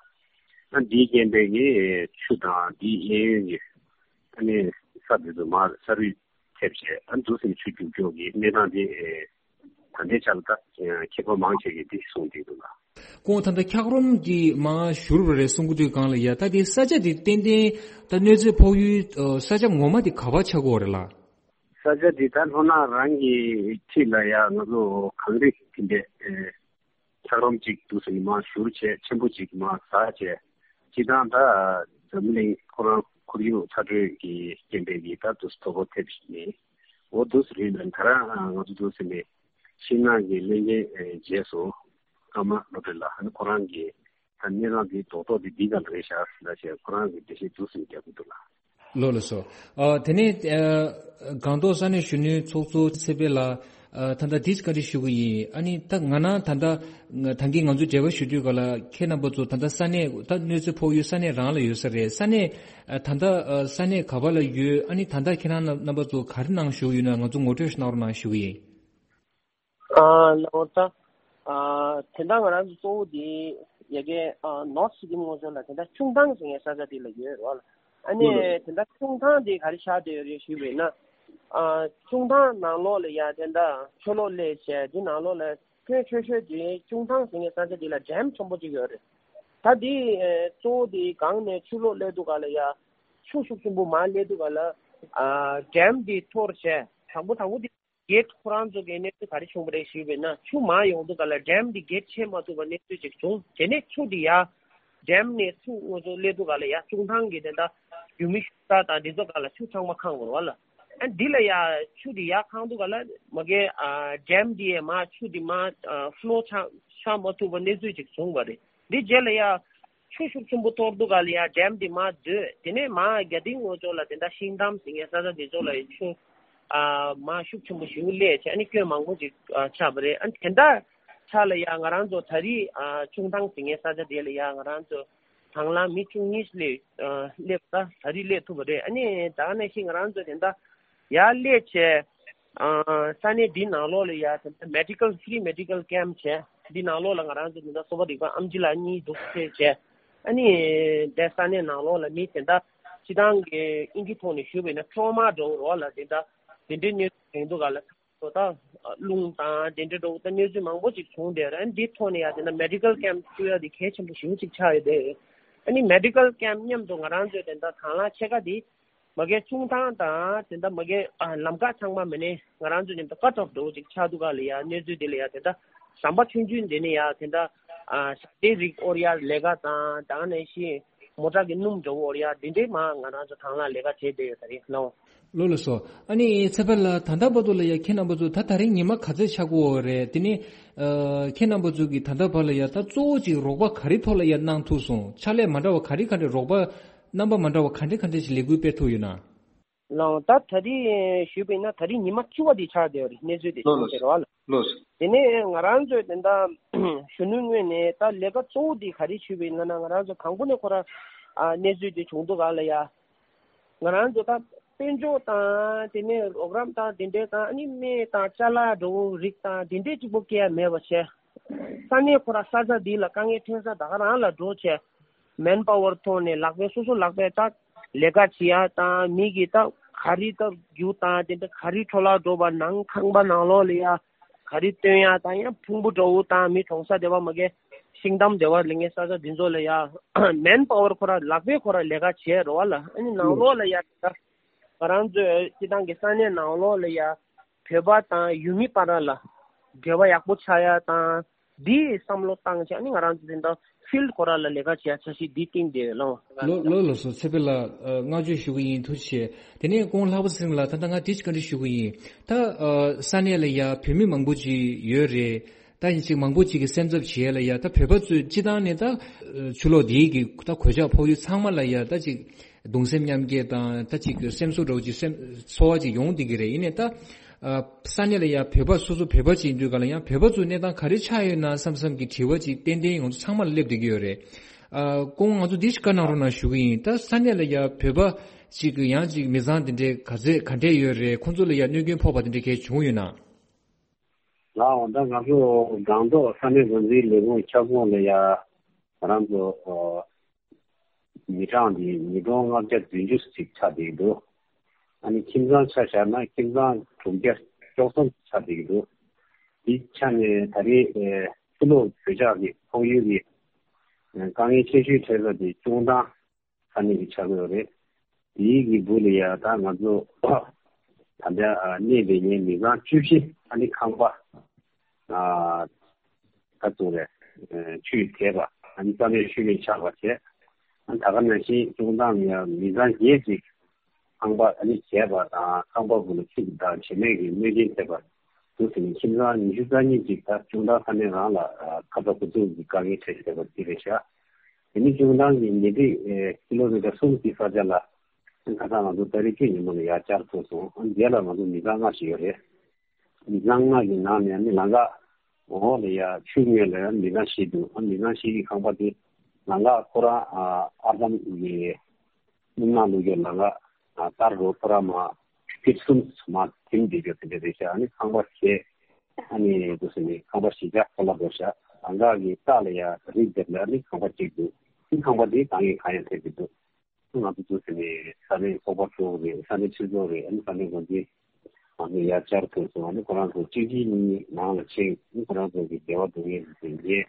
ཨ་འདིའི་རྐྱེན་པས་ངས་ཆུ་དང་འདིའི་གཡས་གཡོན་གྱི་ཨ་ནི་ས་འདི་ཚོ་མར་ས་རུད་ཐེབས་བྱས། ཨ་འདུག་སེ་ཆུ་རྒྱུག་འགྲོ་གི་གནས་སྟངས་འདི་ད་ལྟའི་ཆ་ལ་ད་མཁས་པ་མང་ཆེ་གིས་འདི་གསུངས་བསྡད་འདུག་ལ། ཁོང་ད་ལྟ་འཁྱགས་རོམ་གྱི་མར་བཞུར་བ་རེད་གསུང་གི་དུས་སྒང་ལ་ཡ། ད་དེ་ས་ཆ་དེ་ཏན་ཏན་ད་གནོད་འཚེ་ཕོག་ཡུལ་ས་ཆ་ངོ་མ་དེ་ག་པར་ཆགས་ཀྱི་ཡོད་རེད་ལགས། ས་ཆ་འདི་ད་ལྷོ་ནག་རང་གི་འཁྲིས་ལ་ཡ་ང་ཚོ་གངས་རི་དེ་འདྲས་ཨེ་འཁྱགས་རོམ་ཅིག་འདུག་སེ་མར་བཞུར་བྱས། ཆེན་པོ་ཅིག་མར་ཟག་བྱས། སྤྱིར་བཏང་ད་འཛམ་གླིང་ཁོ་རང་ཁོར་ཡུག་ཚ་དྲོད་ཀྱི་རྐྱེན་པས་ཀྱི་ད་འདུག་སེ་དོ་ཕོག་ཐེབས་བཞིན་ནས། འོ་འདུག་སེ་རེད་ན། ད་རང་ང་ཚོ་འདུག་སེ་ནས་ཤིང་ནགས་ཀྱི་གླེང་མཁན་ཨེ་རྗེས་སུ་ཀརྨ་བློ་གྲོས་ལགས། ཨ་ནི་ཁོ་རང་གིས་ད་གནས་སྟངས་འདི་རྡོག་རྡོག་འདི་འདི་ག་ལ་རེད་ཤག་ཟེར་ལ་བྱས། ཁོ་རང་གིས་འགྲེལ་བཤད་འདུག་སེ་རྒྱག་གི་འདུག་ལགས། ལགས་ལགས་སོ། ཨ་དེ་ནས་ཨ་སྒང་ཏོག་ས་གནས་གཞོན་ནུའི་ཚོགས་གཙོ་ཚེ་འཕེལ་ལགས། ཨ་ད་ལྟ་འདི་བཀའ་འདྲི་ཞུ་གི་ཡིན། ཨ་ནི་ད་ང་རང་ད་ལྟ་ད་གིན་ང་ཚོ་འབྲེལ་བ་ཞུ་དུས་སྒང་ལ་ཁྱེད་རྣམ་པ་ཚོ་ད་ལྟ་ས་གནས་ད་གནོད་འཚེ་ཕོག་ཡུལ་ས་གནས་རང་ལ་ཡོད་ས་རེད། ས་གནས་ཨ་ད་ལྟ་ཨ་ས་གནས་ག་པ་ལ་ཡོད། ཨ་ནི་ད་ལྟ་ཁྱེད་རང་རྣམ་པ་ཚོ་ག་རེ་གནང་བཞུགས་ཡོད་ན་ང་ཚོ་ངོ་སྤྲོད་ཞིག་གནང་རོགས་གནང་ཞུ་གི་ཡིན། ཨ་ལགས་འོ་ད། ཨ་དེ་འདྲ་ང་རང་ཚོ་གཙོ་བོ་དེ་ཡ་གི་ཨ་ནོར་ཐི་སི་ཊི་ངོས་ཕྱོགས་ལ་དེ་འདྲ་ཆུང་ཐང་ཟེར་མཁན་ས་ཆ་དེ་ལ་ཡོད་རེད་བ་ལ། ཨ་ནི་དེ་འདྲ་ཆུང་ཐང་དེ་ག་རེ་ཆགས་བསྡད་ཡོད་རེད་ཞུས་པ་ཡིན་ན། ཨ་ཆུང་ཐང་ནང་ལོགས་ལ་ཡ་དེ་འདྲ་ཆུ་ལོག་སླེབས་བྱས། དེ་ནང་ལོགས་ལ་ཁྱོན་ཆེ་ཤོས་དེ་ཆུང་ཐང་ཟེར་མཁན་ས་ཆ་དེ་ལ་ཌེམ་ཆེན་པོ་གཅིག་ཡོད་རེད། ད་དེ་ཨ་གཙོ་བོ་དེ་སྒང་ནས་ཆུ་ལོག་སླེབས་དུས་སྒང་ལ་ཡ་ཆུ་ཤུགས་ཆེན་པོ་མར་སླེབས་དུས་སྒང་ལ་ཨ་ཌེམ་དེ་འཐོར་བྱས། དང་པོ་དང་པོ་དེ་གེ་ཊི་ཁོ་རང་ཚོ་གི་གནས་ཚུལ་ག་རེ་བྱུང་བ་རེད་ཞུས་པ་ཡིན་ན། ཆུ་མར་ཡོང་དུས་སྒང་ལ་ཌེམ་འདི་གེ་ཊི་ཕྱེ་མ་ཐུབ་པ་གནས་ཚུལ་ཅིག་བྱུང་། དེ་ནས་ཆུ་འདི་ཡར་ཌེམ་ནས་ཆུ་ང་ཚོ་སླེབས་དུས་སྒང་ལ་ཡར་ཆུང་ཐང་གི་དེ་འདྲ་ཡུལ་མི་ཤུལ་ས་དང་འདི་ཚོ་སྒང་ལ་ཆུ་ཚང་མ་འཁང་བ་རེད་བ་ལ། ཨ་འདི་ལ་ཡར་ཆུ་འདི་ཡར་འཁང་དུས་སྒང་ལ་མ་གི་ཨ་ཌེམ་འདི་ཡས་མར་ཆུ་འདི་མར་ཨ་ཕུ་ལོ་ཆགས་ཆགས་མ་ཐུབ་པ་གནས་ཚུལ་ཅིག་བྱུང་བ་རེད། འདི་རྗེས་ལ་ཡ་ཆུ་ཤུགས་ཆེན་པོ་གཏོར་དུས་སྒང་ལ་ཡ་ཌེམ་འདི་མར་བརྡོལ། དེ་ནས་མར་རྒྱ་སྡིངས་ངོས་ཕྱོགས་ལ་དེ་འདྲ་ཤིང་ཐང་ཟེར་མཁན་ས་ཆ་དེ་ཚོ་ལ་ཡ་ཆུ་ཨ་མར་ཤུགས་ཆེན་པོ་ཞིག་སླེབས་བྱས། ཨ་ནི་སྐྱོན་མང་པོ་ཅིག་ཨ་ཆགས་པ་རེད། ཨ་ནི་དེ་འདྲ་ཆགས་ལ་ཡ་ང་རང་ཚོ་ད་རེས་ཨ་ཆུང་ཐང་ཟེར་མཁན་ས་ཆ་དེ་ལ་ཡ་ང་རང་ཚོ་དང་བླངས་མི་བཅུ་གཉིས་སླེབས་ཨ་སླེབས་ད་ད་རེས་སླེབས་ཐུབ་པ་རེད། ཨ་ནི་ད་ག་ནང་བཞིན་ང་རང་ཚོ་དེ་འདྲ་ཡར་སླེབས་བྱས། ཨ་ས་གནས་འདི་ནང་ལོགས་ལ་ཡ་དེ་འདྲ་མེ་ཌི་ཀལ་ཕི་རི་མེ་ཌི་ཀལ་ཀེམ་བྱས། འདི་ནང་ལོགས་ལ་ང་རང་ཚོ་དེ་འདྲ་གསོ་བ་རིག་པ་ཨེམ་ཆི་ལགས་གཉིས་འདུག་སེ་བྱས། ཨ་ནི་དེ་ས་གནས་ནང་ལོགས་ལ་མི་དེ་འདྲ་སྤྱིར་བཏང་གི་དབྱིན་ཇིའི་ཐོག་ནས་ཞུས་པ་ཡིན་ན་ཊོ་མ་འདྲ་བོ་རེད་བ་ལ། དེ་འདྲ་དེ་འདྲའི་གནས་ཚུལ་ཡོང་དུས་སྒང་ལ་ད་རླུང་དང་དེ་འདྲ་འདྲ་བོ་ད་གནས་ཚུལ་མང་པོ་ཅིག་བྱུང་བསྡད་རེད། ཨ་ནི་འདིའི་ཐོག་ནས་ཡ་དེ་འདྲ་མེ་ཌི་ཀལ་ཀེམ་བཙུགས་ཡ་དེ་གལ་ཆེན་པོ་ཞེ་པོ་ཅིག་ཆགས་ཡོད་དེ། ཨ་ནི་མེ་ཌི་ཀལ་ཀེམ་མཉམ་དུ་ང་རང་ཚོས་དེ་འདྲ་དང་བླངས་ཕྱེད་ཀ་དེ་ མ་གི་ཆུང་ཐང་དང་དེ་འདྲ་མ་གི་ཨ་ལམ་ཁ་ཚང་མ་མེད་ནས་ང་རང་ཚོ་ཉམས་ད་ཀ་ཊོབ་འགྲོ་ཅིག་ཆགས་འདུག་ག་ལ་ཡ། གནས་ཚུལ་དེ་ལ་ཡ་དེ་འདྲ་ཟམ་པ་ཆུང་ཆུང་འདི་ནས་ཡ་དེ་འདྲ་ཨ་ཞག་དེ་རིགས་འོར་ཡ་ལས་ཀ་དང་དང་ནས་ཤི་མོ་ཊ་གི་སྣུམ་འགྲོ་འོར་ཡ་འདི་འདྲས་མ་ང་རང་ཚོ་ཐང་ལ་ལས་ཀ་བྱས་བསྡད་ཡོད་ད་རེད་ལོ། ལོ་ལ་སོ། ཨ་ནི་ཚེ་འཕེལ་ལགས་ད་ལྟ་བར་དུ་ལ་ཡ་ཁྱེད་རྣམ་པ་ཚོ་ད་ད་རིང་ཉི་མ་ག་ཚོད་ཆགས་ཀྱི་ཡོད་རེད། དེ་ནི་ཨ་ཁྱེད་རྣམ་པ་ཚོ་གིས་ད་ལྟ་བར་ལ་ཡ་ད་གཙོ་བོ་ཅིག་རོགས་པ་ག་རེ་ཐོག་ལ་ཡ་གནང་ཐུབ་སོང་། ཕྱག་ལས་མ་འདྲ་བ་ག་རེ་ག་འདྲ་རོགས་པ་རྣམ་པ་མ་འདྲ་བ་ག་འདྲ་ག་འདྲ་ཞིག་ལས་འགུལ་སྤེལ་ཐུབ་ཡོད་ན། ལགས་ད་ད་རེས་ཞུས་པ་ཡིན་ན་ད་རེས་ཉི་མ་བཅུ་པ་དེ་ཆགས་བསྡད་ཡོད་རེད། གནས་ཚུལ་དེ་ལོ་ཆགས་ལོ་བསྡད་རེད་བ་ལ། ལོ། དེ་ནས་ང་རང་ཚོས་དེ་འདྲ་གཞོན་ནུའི་ངོས་ནས་ད་ལས་ཀ་གཙོ་བོ་དེ་ག་རེ་ཞུས་པ་ཡིན་ན་ང་རང་ཚོ་གང་པོ་ནས་ཁོ་ར་ཨ་གནས་ཚུལ་དེ་བྱུང་འདུག་ག་ལ་ཡ། ང་རང་ཚོ་ད་དཔལ་འབྱོར་དང་དེ་ནས་རོགས་རམ་དང་དེ་འདྲའི་དང་ཨ་ནི་སྨན་དང་ཅ་ལག་འགྲོ་རིགས་དང་དེ་འདྲའི་གཅིག་པོ་སྐྱེལ་ཡ་མེད་པ་བྱས། ས་གནས་ཁོ་ར་ས་ཆ་འདི་ལ་དཀའ་ངལ་འཕྲད་ས་ད་ག་རང་ལ་འགྲོ་བྱས། མེན་པ་ཝར་ཐོག་ནས་ལག་པས་སོ་སོ་ལག་པས་ད་ལས་ཀ་བྱེད་ཡ་དང་མི་གི་ད་ག་རི་ད་རྒྱུ་དང་དེ་འདྲ་ག་རི་འཕྲོ་བརླག་འགྲོ་བ་ནང་ཁང་པ་ནང་ལོགས་ལ་ཡ་ག་རི་སྟོན་ཡ་དང་ཡང་ཕུང་པོ་འདྲ་བོ་དང་མི་གྲོངས་ས་དེ་བ་མ་གས་ཤིང་འདམ་དེ་བ་ལ་ངས་ས་ཆ་འདི་ཚོ་ལ་ཡ་མེན་པ་ཝར་ཁོ་ར་ལག་པས་ཁོ་ར་ལས་ཀ་བྱས་རོ་བ་ལ། ཨ་ནི་ནང་ལོགས་ལ་ཡ་ད་ང་རང་ཚོའི་སྤྱི་བཏང་གི་ས་གནས་ནང་ལོགས་ལ་ཡ་བོད་པ་དང་ཡུལ་མི་བར་ལ་འབྲེལ་བ་ཡག་པོ་ཆགས་ཡ་དང་འདིའི་བསམ་བློ་བཏང་བྱས་ནི་ང་རང་ཚོ་དེ་འདྲ་ཕིལ་ཁོ་ར་ལ་ལས་ཀ་བྱེད་ཡ་འཆར་གཞི་འདི་བཏིང་བསྡད་ཡོད་ལོ། ལོ་ལོ་ལོ་སོ་ཚེ་འཕེལ་ལགས་བསྔགས་བརྗོད་ཞུ་གི་ཡིན། ཐུགས་རྗེ་ཆེ། དེ་ནས་ཀོང་ལྷག་པ་ཚེ་རིང་ལགས་ད་ལྟ་ང་དེ་ཅིག་བཀའ་འདྲི་ཞུ་གི་ཡིན། ད་ས་གནས་ལ་ཡ་བོད་མི་མང་པོ་ཅིག་ཡོད་རེད། ད་ཡིན་ཅིག་མང་པོ་ཅིག་གི་སེམས་འཚབ་བྱེད་ཡ་ལ་ཡ་ད་བོད་པ་ཚོས་སྤྱི་བཏང་ནས་ད་ཆུ་ལོག་འདིའི་གི་ད་གོད་ཆག་ཕོག་ཡུལ་ཚང་མ་ལ་ཡ་ད་ཅིག་གདུང་སེམས་མཉམ་སྐྱེད་དང་ད་ཅིག་སེམས་གསོ་འདྲ་བོ་ཅིག་སེམས་ཚོར་བ་ཅིག་ཡོང་བསྡད་ཀྱི་རེད། ཡིན་ནའི་ད་ས་གནས་ལ་ཡ་བོད་པ་སོ་སོ་བོད་པ་ཅིག་ཡིན་དུས་ག་ལ་ཡང་བོད་པ་ཚོའི་གནས་སྟངས་ག་རེ་ཆགས་ཡོད་ན་བསམ་བསམ་གྱི་དྲི་བ་ཅིག་ཏན་ཏན་ང་ཚོ་ཚང་མ་ལ་སླེབས་བསྡད་ཀྱི་ཡོད་རེད། ཨ་ཁོང་ང་ཚོ་འདི་ཞིག་བཀའ་གནང་རོགས་གནང་ཞུ་གི་ཡིན། ད་ས་གནས་ལ་ཡ་བོད་པ་ཅིག་ཡང་ཅིག་མི་ཚང་དེ་འདྲའི་ག་ཚད་ག་འདྲས་ཡོད་རེད། ཁོང་ཚོ་ལ་ཡ་གནོད་སྐྱོན་ཕོག་པ་དེ་འདྲ་གས་བྱུང་ཡོད་ན། ལགས་འོང་ད་ང་ཚོ་སྒང་ཏོག་ས་གནས་འགོ་འཛིན་ལས་ཁུངས་ཁྱབ་ཁོངས་ལ་ཡ་ང་རང་ཚོ་མི་གྲངས་འདི་ཉིས་སྟོང་ལྔ་བརྒྱ་བདུན་ཅུ་ཅིག་ཆགས་བསྡད་ཀྱི་འདུག་ཨ་ནི་ཁྱིམ་ཚང་ཆ་བཞག་ན་ཁྱིམ་ཚང་དྲུག་བརྒྱ་བཅུ་གསུམ་ཆགས་བསྡད་ཀྱི་འདུག་དེའི་ཆ་ནས་ད་རེས་ཕྱི་ལོགས་བོད་ཇག་གི་ཕོག་ཡུལ་གྱི་དཀའ་ངལ་ཆེ་ཤོས་འཕྲད་ས་དེ་ཀྲུང་ཐང་ས་གནས་ཀྱི་ཆགས་ཀྱི་ཡོད་རེད། དེའི་གི་སྦུག་ལ་ཡ་ད་ང་ཚོ་ད་ལྟ་གནས་བསྡད་མཁན་མི་ཚང་བཅུ་བཞི་ཨ་ནི་ཁང་པ་ད་ཚོ་རེད་ཆུས་དེད་པ་ཨ་ནི་རྩ་མེད་ཤུལ་མེད་ཆགས་པ་བྱས། ཨ་ནི་ད་ག་ནང་བཞིན་ཀྲུང་ཐང་ཡ་མི་ཚང་བརྒྱད་ཅིག་ཁང་པ་ཨ་ནི་བརྒྱབ་པ་དང་ཁང་པ་སྦུག་ལ་ཆུ་དང་བྱེ་མའི་གི་གནོད་སྐྱོན་ཐེབས་པ་འདུག་ཟེར་ནས་ཁྱིམ་ཚང་ཉི་ཤུ་རྩ་གཉིས་ཅིག་ད་ཀྲུང་ཐང་ས་གནས་རང་ལ་ཁ་ཚ་དགོས་གཏུགས་ཀྱི་དཀའ་ངལ་འཕྲད་བསྡད་པ་དེ་རེད་ཤག་དེ་ནི་ཀྲུང་ཐང་གི་ཉེ་འཁྲིས་ཀི་ལོ་མི་ཊར་གསུམ་གྱི་ས་ཆ་ལ་ཁ་སང་ང་ཚོ་ཏ་རིག་བཅུ་ཉིན་མོ་ལ་ཡར་བཅར་ཐུབ་སོང་། ཨ་ནི་རྗེས་ལ་ང་ཚོ་མི་ཚང་ལྔ་ཞིག་ཡོད་རེད། མི་ཚང་ལྔ་གི་ནང་ནས་ཨ་ནི་ལམ་ཁ་འོག་ལ་ཡ་ཆུ་ངོས་ལ་ཡ་མི་ཚང་བཞི་འདུག་ཨ་མི་ཚང་བཞི་གི་ཁང་པ་དེ་ལམ་ཁ་ཁོ་རང་ཨར་དམ་གི་སྣུམ་ནག་བླུགས་རྒྱུ་ལམ་ཁ་ཨ་ལྟར་རོ་ཁོ་རང་མ་ཕིཊ་གསུམ་མ་ཐིམ་བསྡད་རྒྱུ་དེ་འདྲ་རེད་ཤག་ཨ་ནི་ཁང་པ་བཞི་ཨ་ནི་འདུག་ཟེར་ནས་ཁང་པ་བཞི་ཆ་ཁོ་ལ་འགྲོ་ཤག་ལམ་ཁ་གི་ལྟག་ལ་ཡ་རི་འདེབས་ལ་ཨ་ནི་ཁང་པ་གཅིག་འདུག་ཨ་ནི་ཁང་པ་དེ་དཀའ་ངལ་གང་ཡང་འཕྲད་ཀྱི་འདུག་ང་ཚོ་འདུག་ཟེར་ནས་ས་གནས་ཚོགས་པ་ཚོ་རེད། ས་གནས་སྤྱི་ཚོགས་རེད། ཨ་ནི་ས་གནས་འགོ་འཛིན་ང་ཚོ་ཡར་བཅར་ཐུབ་སོང་། ཨ་ནི་ཁོ་རང་ཚོ་གཅིག་གཅིག་གཉིས་གཉིས་ནང་ལ་ཕྱིན། ཨ་ནི་ཁོ་རང་ཚོ་གི་འབྲེལ་བ་འདུག་ངེས་ཟིན་རྗེས་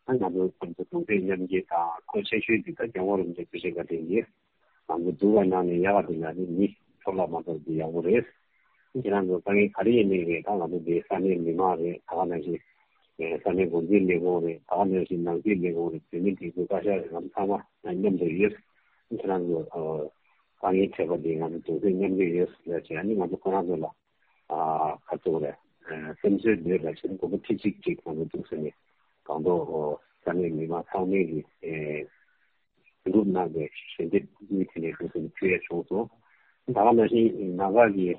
ཨ་ང་ཚོ་ཁོ་ཚོ་གདུང་སེམས་མཉམ་སྐྱེད་དང་། ཁོ་ཆེ་ཤོས་དེ་ད་སྐྱབས་མགོན་རིན་པོ་ཆེ་དགའ་ལྡན་གྱིས་ང་ཚོ་འདུག་པའི་ནང་ནས་ཡག་ག་དེ་ལ་ནི་མི་འཕྲོ་བརླག་མ་གཏོགས་དེ་ཡག་པོ་རེད། ཨ་ཁྱེད་རང་ཚོ་དཀའ་ངལ་ག་རེ་ཡིན་ནའི་རེད། ད་ང་ཚོ་འདིའི་ས་གནས་མི་མང་རེད། ད་ག་ནང་བཞིན་ས་གནས་འགོ་འཛིན་ལས་ཁུངས་རེད། ད་ག་ནང་བཞིན་ནང་སྲིད་ལས་ཁུངས་རེད། བོད་མི་སྒྲིག་འཛུགས་བཀའ་ཤག་རེད། ང་ཚོ་ཚང་མ་མཉམ་དུ་ཡོད། ཁྱེད་རང་ཚོ་དཀའ་ངལ་འཕྲད་པ་འདི་ང་ཚོ་གདུང་སེམས་མཉམ་སྐྱེད་ཡོད་ཟེར་བྱས། ཨ་ནི་ང་ཚོ་ཁོ་རང་ཚོ་ལ་ཁ་ཐུག་རེད། སེམས་གསོ་འདོད་ལ་བྱས་ནས་མགོ་བོ་ཁྲི་གཅིག་གཅིག་ང་ཚོ་འདུག་ཟེར་ནས་སྒང་ཏོག་ས་གནས་མི་མང་ཚང་མས་ཀྱི་སྒྲུབ་གནང་བའི་ཞལ་འདེབས་དངུལ་དེ་ནས་འདུག་ཟེར་ནས་ཕུལ་ཡས་བྱུང་སོང་། ད་ག་ནང་བཞིན་ནང་པ་གི་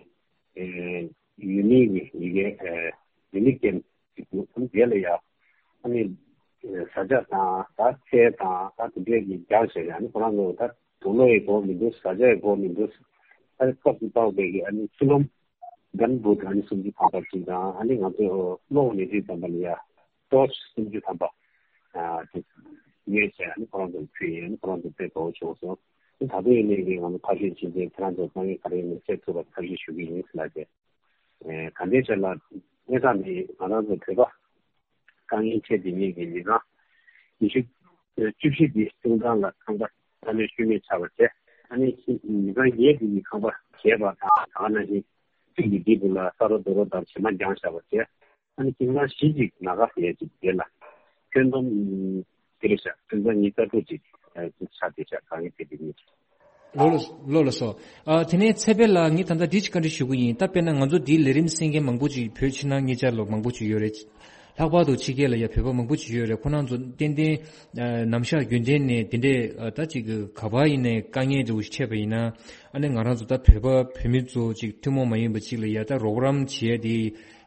ཡུལ་མི་གི་ཡི་གེ་ཡུལ་མི་རྐྱེན་ཞིག་འདུག་ཨ་ནི་དེ་ལ་ཡ་ཨ་ནི་བཟའ་བཅའ་དང་ད་ཚལ་དང་ད་དེ་འདྲས་ཀྱི་རྒྱག་བྱས་ནས། ཨ་ནི་ཁོ་རང་ཚོ་ད་དུག་ལོག་ཡི་དགོས་མི་འདུག་བཟའ་བཅའ་ཡི་དགོས་མི་འདུག་ཨ་ནི་སྐབས་སུ་བབས་པའི་གི་ཨ་ནི་ཆུ་ལོམ་གན་བུད་ཨ་ནི་སུམ་ཅུ་ཐམ་པ་ཅིག་དང་། ཨ་ནི་ང་ཚོ་གློག་ནས་དུས་ཙམ་པ་ལ་ཡ་ཊོར་ཆི་སུམ་ཅུ་ཐམ་པ་ཨ་དེ་ཉོས་བྱས་ཨ་ནི་ཁོ་རང་ཚོ་ལ་ཕུལ་ཡིན། ཨ་ནི་ཁོ་རང་ཚོ་དཔེ་དགའ་བོ་བྱུང་སོང་། ཨ་ནི་ད་དུང་ཡིན་ནའི་གི་ང་ཚོ་ཐབས་ཤེས་བྱས་ཏེ་ཁྱེད་རང་ཚོ་དཀའ་ངལ་ག་རེ་ཡིན་ནའི་སེལ་ཐུབ་པར་ཐབས་ཤེས་ཞུ་གི་ཡིན་ཟེར་ལབ་བྱས། ཨེ་ག་འདྲའི་ཆ་ལ་དངོས་བསམ་འདི་ང་རང་ཚོ་བོད་པ་དཀའ་ངལ་འཕྲད་བསྡད་མཁན་གྱི་མི་གྲངས་ཉི་ཤུ་བཅུ་བཞི་འདི་ཀྲུང་ཐང་ལ་ཁང་པ་རྩ་མེད་ཤུལ་མེད་ཆགས་པ་བྱས། ཨ་ནི་མི་ཚང་བརྒྱད་དེ་གི་ཁང་པ་བྱས་པ་དང་ད་ག་ནང་བཞིན་གཅིག་གི་འདི་བུ་ལ་ས་རོ་རྡོ་རོ་དང་བྱེ་མ་རྒྱང་བཞག་པ་བྱས། ཨ་ནི་ཁྱིམ་ཚང་བཞི་ཅིག་ན་ག་ཟེར་ཡ་ཅིག་དེ་ལ་ཁྱོན་བསྡོམས་དེ་རེད་ཤག་ཁྱིམ་ཚང་ཉི་ཤུ་རྩ་དྲུག་ཅིག་ཅིག་ཆགས་བསྡད་ཤག་གང་ཡིན་དེ་དེ་ཉིད། ལོ་ལ་ལོ་ལ་སོ། ཨ་དེ་ནས་ཚེ་འཕེལ་ལགས་ངས་ད་ལྟ་འདི་ཅིག་བཀའ་འདྲི་ཞུ་གི་ཡིན། ད་དཔེར་ན་ང་ཚོ་འདིའི་ལས་རིམ་གསན་མཁན་མང་པོ་ཅིག་བོད་ཕྱི་ནང་གཉིས་ཆར་ལ་མང་པོ་ཅིག་ཡོད་རེད། ལྷག་པར་དུ་ཕྱི་རྒྱལ་ལ་ཡ་བོད་པ་མང་པོ་ཅིག་ཡོད་རེད། ཁོ་རང་ཚོ་ཏན་ཏན་ཨ་ནམ་ཞག་རྒྱུན་ལྡན་ནས་དེ་འདྲས་ཨ་ད་ཅིག་ག་པར་ཡིན་ནའི་དཀའ་ངལ་འདྲ་བོ་ཞིག་འཕྲད་པ་ཡིན་ན། ཨ་ནི་ང་རང་ཚོ་ད་བོད་པ་བོད་མི་ཚོ་ཅིག་ཐུན་མོང་མ་ཡིན་པ་ཅིག་ལ་ཡ་ད་རོགས་རམ་བྱེད་ཡ་དེ་